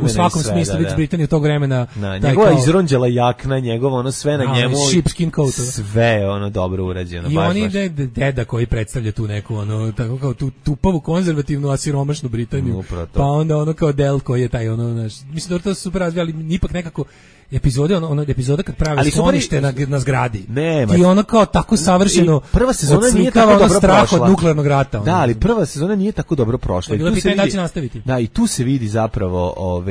Speaker 6: u svakom smislu vidi Britaniju tog vremena.
Speaker 5: Njegova izronđela jakna, njegovo sve na njemu.
Speaker 6: Sheepskin coat.
Speaker 5: Sve dobro urađeno.
Speaker 6: I oni deda koji predstavlja tu neku tako kao tu tupavu, konzervativnu, asiromašnu Britaniju. Pa onda kao Del koji je taj mislim da to su super razvijali, ipak nekako epizoda kad pravi sklonište na zgradi. I ono kao tako savršeno.
Speaker 5: Prva sezona nije tako dobro
Speaker 6: strah od nuklearnog rata.
Speaker 5: Da, ali prva sezona nije tako dobro prošla.
Speaker 6: Bilo pitanje da će nastaviti.
Speaker 5: Da, i tu se vidi zapravo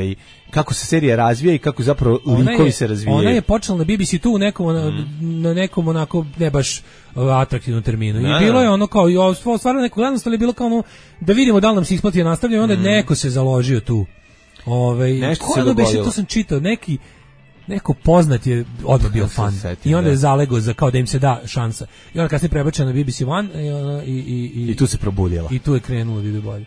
Speaker 5: kako se serija razvija i kako zapravo likovi se razvijaju.
Speaker 6: Ona je počela na BBC tu na nekom onako ne baš atraktivnom terminu. I bilo je kao stvarno neko gledanost, ali je bilo kao da vidimo da li nam se isplati nastavljaju, onda neko se založio tu.
Speaker 5: Nešto se dogodilo.
Speaker 6: To sam čitao, neko poznat je odmah bio fan i onda je zalego za kao da im se da šansa. I onda kasnije prebačena na BBC One
Speaker 5: i tu se probudila.
Speaker 6: I tu je krenulo da ide bolje.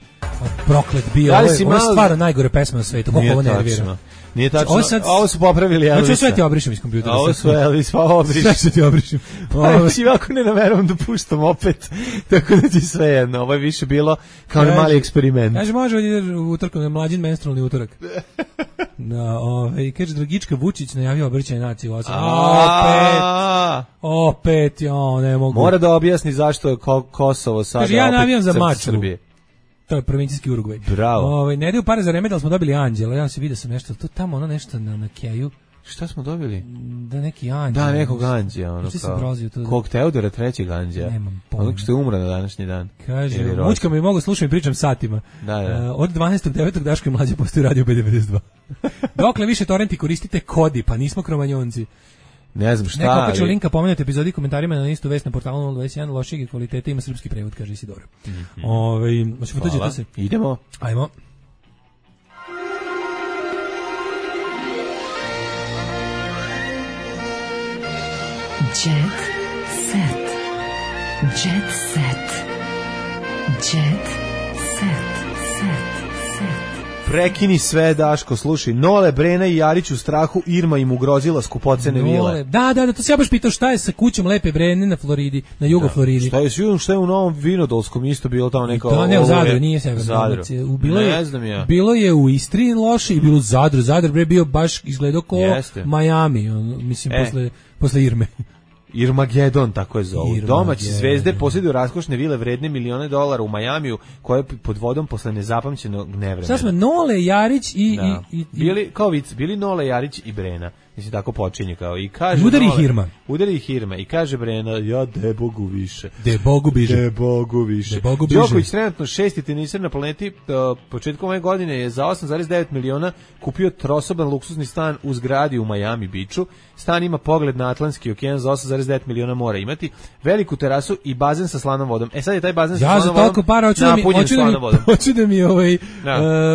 Speaker 6: Proklet bio, ovo je stvarno najgore pesma na svetu, koliko ovo nervira.
Speaker 5: Nije tačno, ovo su popravili Elvisa.
Speaker 6: Znači sve ti obrišem iz kompjutera.
Speaker 5: Ovo su Elvis, pa obriš.
Speaker 6: Sve ti obrišem.
Speaker 5: Znači, ovako ne nameravam da puštam opet, tako da ti sve jedno. Ovo je više bilo kao mali eksperiment.
Speaker 6: Kaže, može ovdje utorkom, na mlađin menstrualni utorak. Kaže, Dragička Vučić najavio obraćanje naciji. Opet, ne mogu.
Speaker 5: Mora da objasni zašto je Kosovo sada
Speaker 6: opet ja navijam za Mačvu. To je provincijski Urugvaj.
Speaker 5: Bravo.
Speaker 6: Ne daju pare za Remedal, smo dobili Anđela. Ja se vidio sam nešto, tu tamo nešto na Keju.
Speaker 5: Šta smo dobili?
Speaker 6: Da neki anđeo.
Speaker 5: Da, nekog anđea, ono kao. Kog Teodora trećeg anđea.
Speaker 6: Nemam pojma.
Speaker 5: Onog što je umro na današnji dan.
Speaker 6: Kaže, mučka mi mogu slušati i pričam satima.
Speaker 5: Da.
Speaker 6: Od 12.9. Daško i Mlađa postoji radio B92. Dokle više torrenti koristite kodi, pa nismo kromanjonci.
Speaker 5: Ne znam šta.
Speaker 6: Neko ću linka pomenuti epizodi i komentarima na istu vest na portalu 021, lošeg kvaliteta, ima srpski prevod, kaže Isidora. Hoćemo tuđete se?
Speaker 5: Idemo.
Speaker 6: Ajmo.
Speaker 3: Jet set. Jet set. Jet set.
Speaker 5: Prekini sve, Daško, slušaj. Nole, Brena i Jarić u strahu, Irma im ugrozila skupocene vile.
Speaker 6: Da, to se ja baš pitao šta je sa kućom Lepe Brene na Floridi, na jugo Floridi.
Speaker 5: Šta je u Novom Vinodolskom isto bilo tamo neko...
Speaker 6: Da, ne, u Zadru, nije severno.
Speaker 5: Ne znam ja.
Speaker 6: Bilo je u Istri loše i bilo u Zadru. Zadar bre bio baš izgledao kao Miami, mislim, posle Irme.
Speaker 5: Irmagedon, tako je zovu.
Speaker 6: Irmagedon.
Speaker 5: Domaći zvezde posjeduju raskošne vile vredne $milione u Majamiju, koje pod vodom posle nezapamćenog nevremena.
Speaker 6: Sad smo Nole, Jarić i
Speaker 5: bili kao vic, bili Nole, Jarić i Brena. Mislim, tako počinje kao i kaže
Speaker 6: udari ih Irma.
Speaker 5: Udari ih Irma i kaže Brena, ja de Bogu više.
Speaker 6: De Bogu biže.
Speaker 5: De Bogu više. Đoković trenutno 6. teniser na planeti, početkom ove godine je za 8,9 miliona kupio trosoban luksuzni stan u zgradi u Miami Beachu. Stan ima pogled na Atlantski okean, za 8,9 miliona mora imati, veliku terasu i bazen sa slanom vodom. Sad je taj bazen sa slanom vodom.
Speaker 6: Ja za toliko para hoću da mi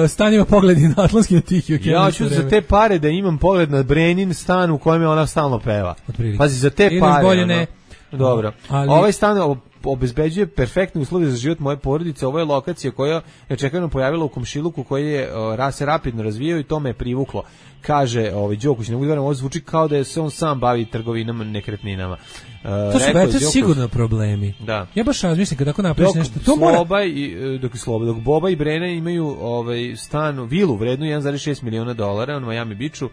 Speaker 6: stan ima pogled na Atlantski na Tihi okean.
Speaker 5: Ja hoću za te pare da imam pogled na Brenin stan u kojem je ona stalno peva. Pazi, za te pare. Ne. Dobro. Ovaj stan obezbeđuje perfektne uslove za život moje porodice. Ovo je lokacija koja je čekano pojavila u komšiluku koji je se rapidno razvijao i to me je privuklo. Kaže Đoković, ne budem, ovo zvuči kao da se on sam bavi trgovinama nekretninama.
Speaker 6: To su već sigurno problemi.
Speaker 5: Da.
Speaker 6: Ja baš razmišljam kada tako napraviš nešto. To
Speaker 5: dok Boba i Brena imaju stan, vilu vrednu $1,6 miliona u Miami Beachu,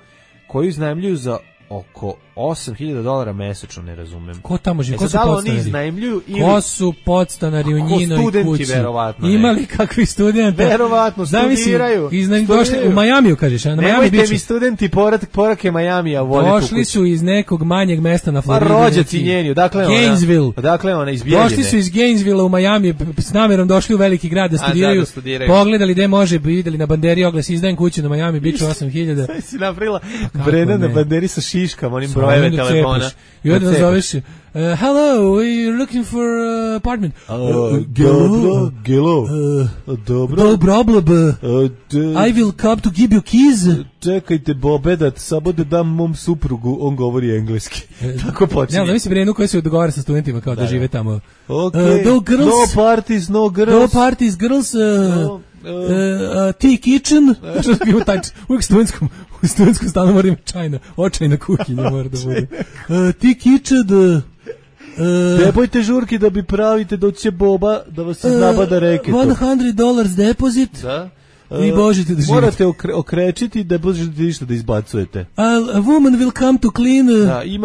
Speaker 5: koju iznajmljuju za oko $8.000 mesečno, ne razumem.
Speaker 6: Ko tamo živi?
Speaker 5: Ko su podstanari?
Speaker 6: Ko su podstanari u njinoj kući?
Speaker 5: Verovatno.
Speaker 6: Imali kakvi studenti?
Speaker 5: Verovatno, studiraju.
Speaker 6: Došli u Majamiju, kažeš.
Speaker 5: Nemojte mi studenti porake Majamija voliti u kući.
Speaker 6: Došli su iz nekog manjeg mesta na Floridi.
Speaker 5: Rođaci njeni, odakle ona?
Speaker 6: Gainesville.
Speaker 5: Odakle ona, iz Bijeljine.
Speaker 6: Došli su iz Gainesville u Majami, s namjerom došli u veliki grad da studiraju. Pogledali gde može, videli na banderi oglas, izdajem kuću na Miami Beachu 8.000.
Speaker 5: Sve si napravila Brena na banderi sa šiškama, onim brojeve telefona.
Speaker 6: I onda nas zoveš, hello, we're looking for apartment.
Speaker 5: Gelo. Dobro.
Speaker 6: I will come to give you keys.
Speaker 5: Čekajte, Bobe, samo da dam mom suprugu, on govori engleski. Tako počinje.
Speaker 6: Ja, da mislim Brenu koji se dogovara sa studentima kao da žive tamo.
Speaker 5: No parties, no girls.
Speaker 6: No parties, girls. Tea kitchen. Uvijek u studentskom stanu mora ima očajna kuhinja mora da bude. Tea kitchen.
Speaker 5: Debojte žurki da bi pravite, doće Boba da vas iznabada reketu.
Speaker 6: $100 deposit.
Speaker 5: Da.
Speaker 6: I možete da živite.
Speaker 5: Morate okrečiti da možete ništa da izbacujete.
Speaker 6: A woman will come to clean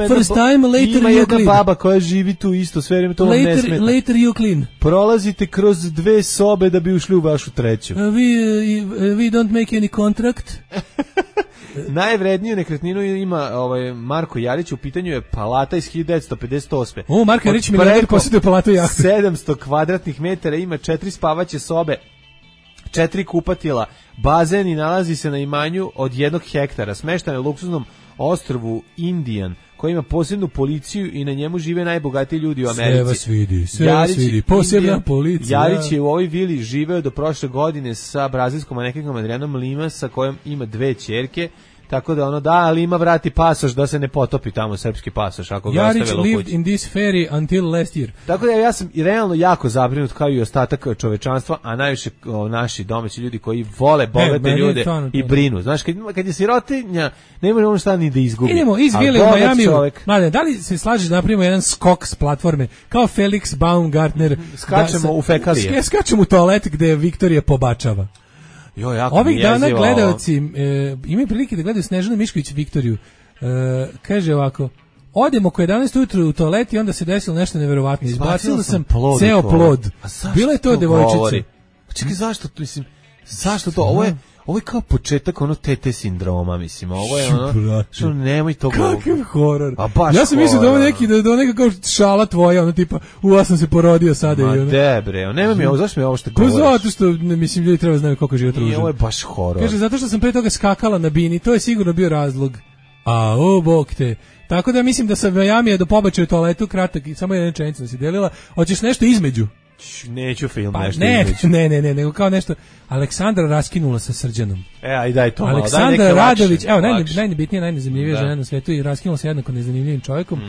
Speaker 6: first time, later you clean.
Speaker 5: Ima jedna baba koja živi tu isto, sve vreme to vam ne smeta.
Speaker 6: Later you clean.
Speaker 5: Prolazite kroz 2 sobe da bi ušli u vašu treću.
Speaker 6: We don't make any contract.
Speaker 5: Najvredniju nekretninu ima Marko Jarić, u pitanju je palata iz 1958.
Speaker 6: Marko Jarić milioner posjeduje palatu jahtu.
Speaker 5: 700 kvadratnih metara, ima 4 spavaće sobe, 4 kupatila, bazen i nalazi se na imanju od 1 hektara, smešten je luksuznom ostrvu Indian, koji ima posebnu policiju i na njemu žive najbogatiji ljudi u Americi.
Speaker 6: Sve vas vidi, posebna policija.
Speaker 5: Jarić je u ovoj vili živeo do prošle godine sa brazilskom manekenkom Adrianom Lima, sa kojom ima 2 ćerke. Tako da ali ima vrati pasoš da se ne potopi tamo srpski pasoš ako ga ostavilo kući.
Speaker 6: Jarić lived in this ferry until last year.
Speaker 5: Tako da ja sam realno jako zabrinut kao i ostatak čovečanstva, a najviše naši domaći ljudi koji vole bogate ljude i brinu. Znaš, kad je sirotinja, ne može ono šta ni da izgubi.
Speaker 6: Idemo iz vile u Majamiju. Mladen, da li se slažeš da napravimo jedan skok s platforme, kao Felix Baumgartner?
Speaker 5: Skačemo u fekalije.
Speaker 6: Skačemo u toalet gde Viktorija pobačava. Ovih dana gledalci imaju prilike da gledaju Snežanu Mišković Viktoriju. Kaže ovako: odemo oko 11 ujutru u toalet i onda se desilo nešto neverovatno. Izbacila sam ceo plod. Bila je to devojčica.
Speaker 5: Čekaj, zašto? Mislim, Zašto to? Ovo je kao početak ono TT sindroma, mislim. Ovo je ono, što nemoj to govoriti.
Speaker 6: Kakav horor.
Speaker 5: A baš
Speaker 6: ja sam mislio da ovo neki, da neka kao šala tvoja, ono tipa, ja sam se porodio sada.
Speaker 5: Ma debre, nema mi ovo, zašto mi ovo što govoriš?
Speaker 6: Pa zato što, mislim, ljudi treba znaju koliko je život ružan.
Speaker 5: I ovo je baš horor.
Speaker 6: Kaže, zato što sam pre toga skakala na bini, to je sigurno bio razlog. A, bog te. Tako da mislim da sam Miami do pobačaja u toaletu kratak i samo jedan rečenica da si delila. Hoćeš nešto između?
Speaker 5: Neću film
Speaker 6: pa,
Speaker 5: nešto između.
Speaker 6: Ne, nego kao nešto. Aleksandra raskinula sa Srđanom.
Speaker 5: Aj daj to malo.
Speaker 6: Aleksandra Radović, evo, najnebitnija, najnezanimljivija žena na svetu i raskinula se jednako nezanimljivim čovjekom.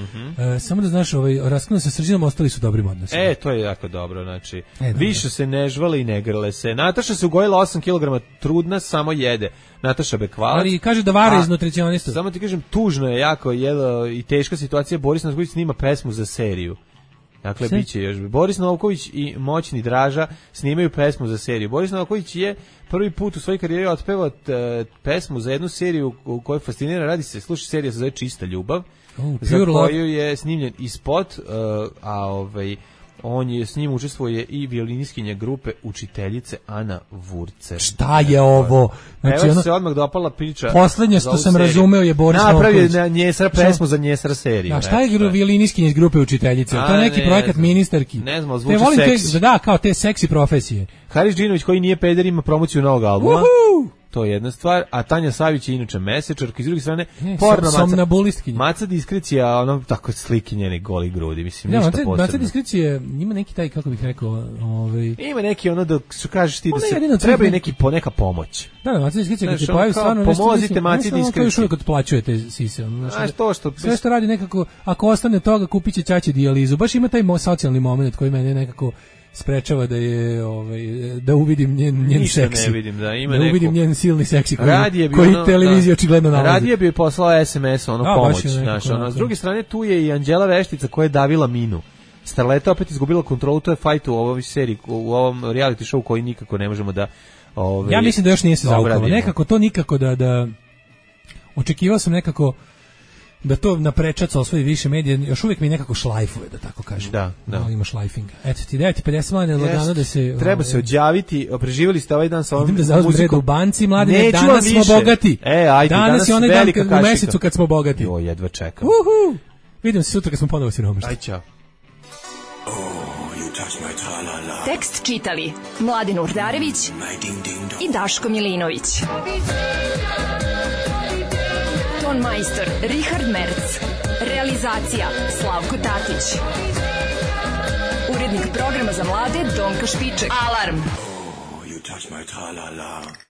Speaker 6: Samo da znaš, raskinula se sa Srđanom, ostali su dobrim odnosima.
Speaker 5: To je jako dobro, znači. Više se ne žvale i ne grle se. Nataša se ugojila 8 kg, trudna, samo jede. Nataša Bekvalac.
Speaker 6: Ali kaže da vara iz nutricionista.
Speaker 5: Samo ti kažem, tužno je jako i teška situacija. Boris Novković snima pesmu za seriju. Dakle, biće još. Boris Novković i Moćni Draža snimaju pesmu za seriju. Boris Novković je prvi put u svojoj karijeri otpevao pesmu za jednu seriju u kojoj fascinira, radi se, sluša, serija se zove Čista ljubav, za koju je snimljen i spot, on je s njim učestvuje i violiniskinja grupe učiteljice Ana Vurcer.
Speaker 6: Šta je ovo?
Speaker 5: Znači, se odmah dopala priča.
Speaker 6: Poslednje što sam razumeo je Boris
Speaker 5: Novković. Napravio Njesra pesmu za Njesra seriju.
Speaker 6: A šta je violiniskinja iz grupe učiteljice? To je neki projekat ministarki.
Speaker 5: Ne znam, zvuči seksi.
Speaker 6: Da, kao te seksi profesije.
Speaker 5: Haris Džinović, koji nije peder, ima promociju novog albuma. To je jedna stvar, a Tanja Savić je inače mesečarka, iz druge strane porno Maca Diskrecija, ono tako slike njene goli grudi, mislim, ništa posebno. Maca
Speaker 6: Diskrecija ima neki taj, kako bih rekao,
Speaker 5: ima neki ono da što kažeš ti da se treba i neka pomoć.
Speaker 6: Da, Maca Diskrecija kad se pojavi stvarno nešto,
Speaker 5: pomozite Maci Diskreciji.
Speaker 6: Još uvijek otplaćujete sise. Sve što radi nekako, ako ostane toga, kupit će ćaći dijalizu. Baš ima taj socijalni moment koji mene nekako sprečava da je da uvidim njen seksi.
Speaker 5: Ne vidim, da
Speaker 6: uvidim njen silni seksi koji televizija očigledno nalazi.
Speaker 5: Radije bi poslao SMS pomoć, s druge strane tu je i Anđela Veštica koja je davila minu. Starleta opet izgubila kontrolu, to je fight u ovoj seriji, u ovom reality show koji nikako ne možemo da
Speaker 6: ja mislim da još nije se zaukalo. Nekako to nikako da očekivao sam nekako da to naprečaca osvoji više medija, još uvijek mi nekako šlajfuje, da tako kažem.
Speaker 5: Da.
Speaker 6: Ima šlajfinga. Eto ti, 9:50 mlade lagano da se...
Speaker 5: Treba se odjaviti, preživjeli ste ovaj dan sa ovom muzikom.
Speaker 6: Idem da zauzmem red u banci, mlade, danas smo bogati.
Speaker 5: Ajde,
Speaker 6: danas je onaj dan u mesecu kad smo bogati.
Speaker 5: Jo, jedva čekam.
Speaker 6: Vidimo se sutra kad smo ponovo siromašni.
Speaker 5: Aj, čao.
Speaker 3: Tekst čitali Mladin Urdarević i Daško Milinović. Ton majstor Richard Merc. Realizacija Slavko Tatić. Urednik programa za mlade Donka Špiček. Alarm! You touch my tra-la-la.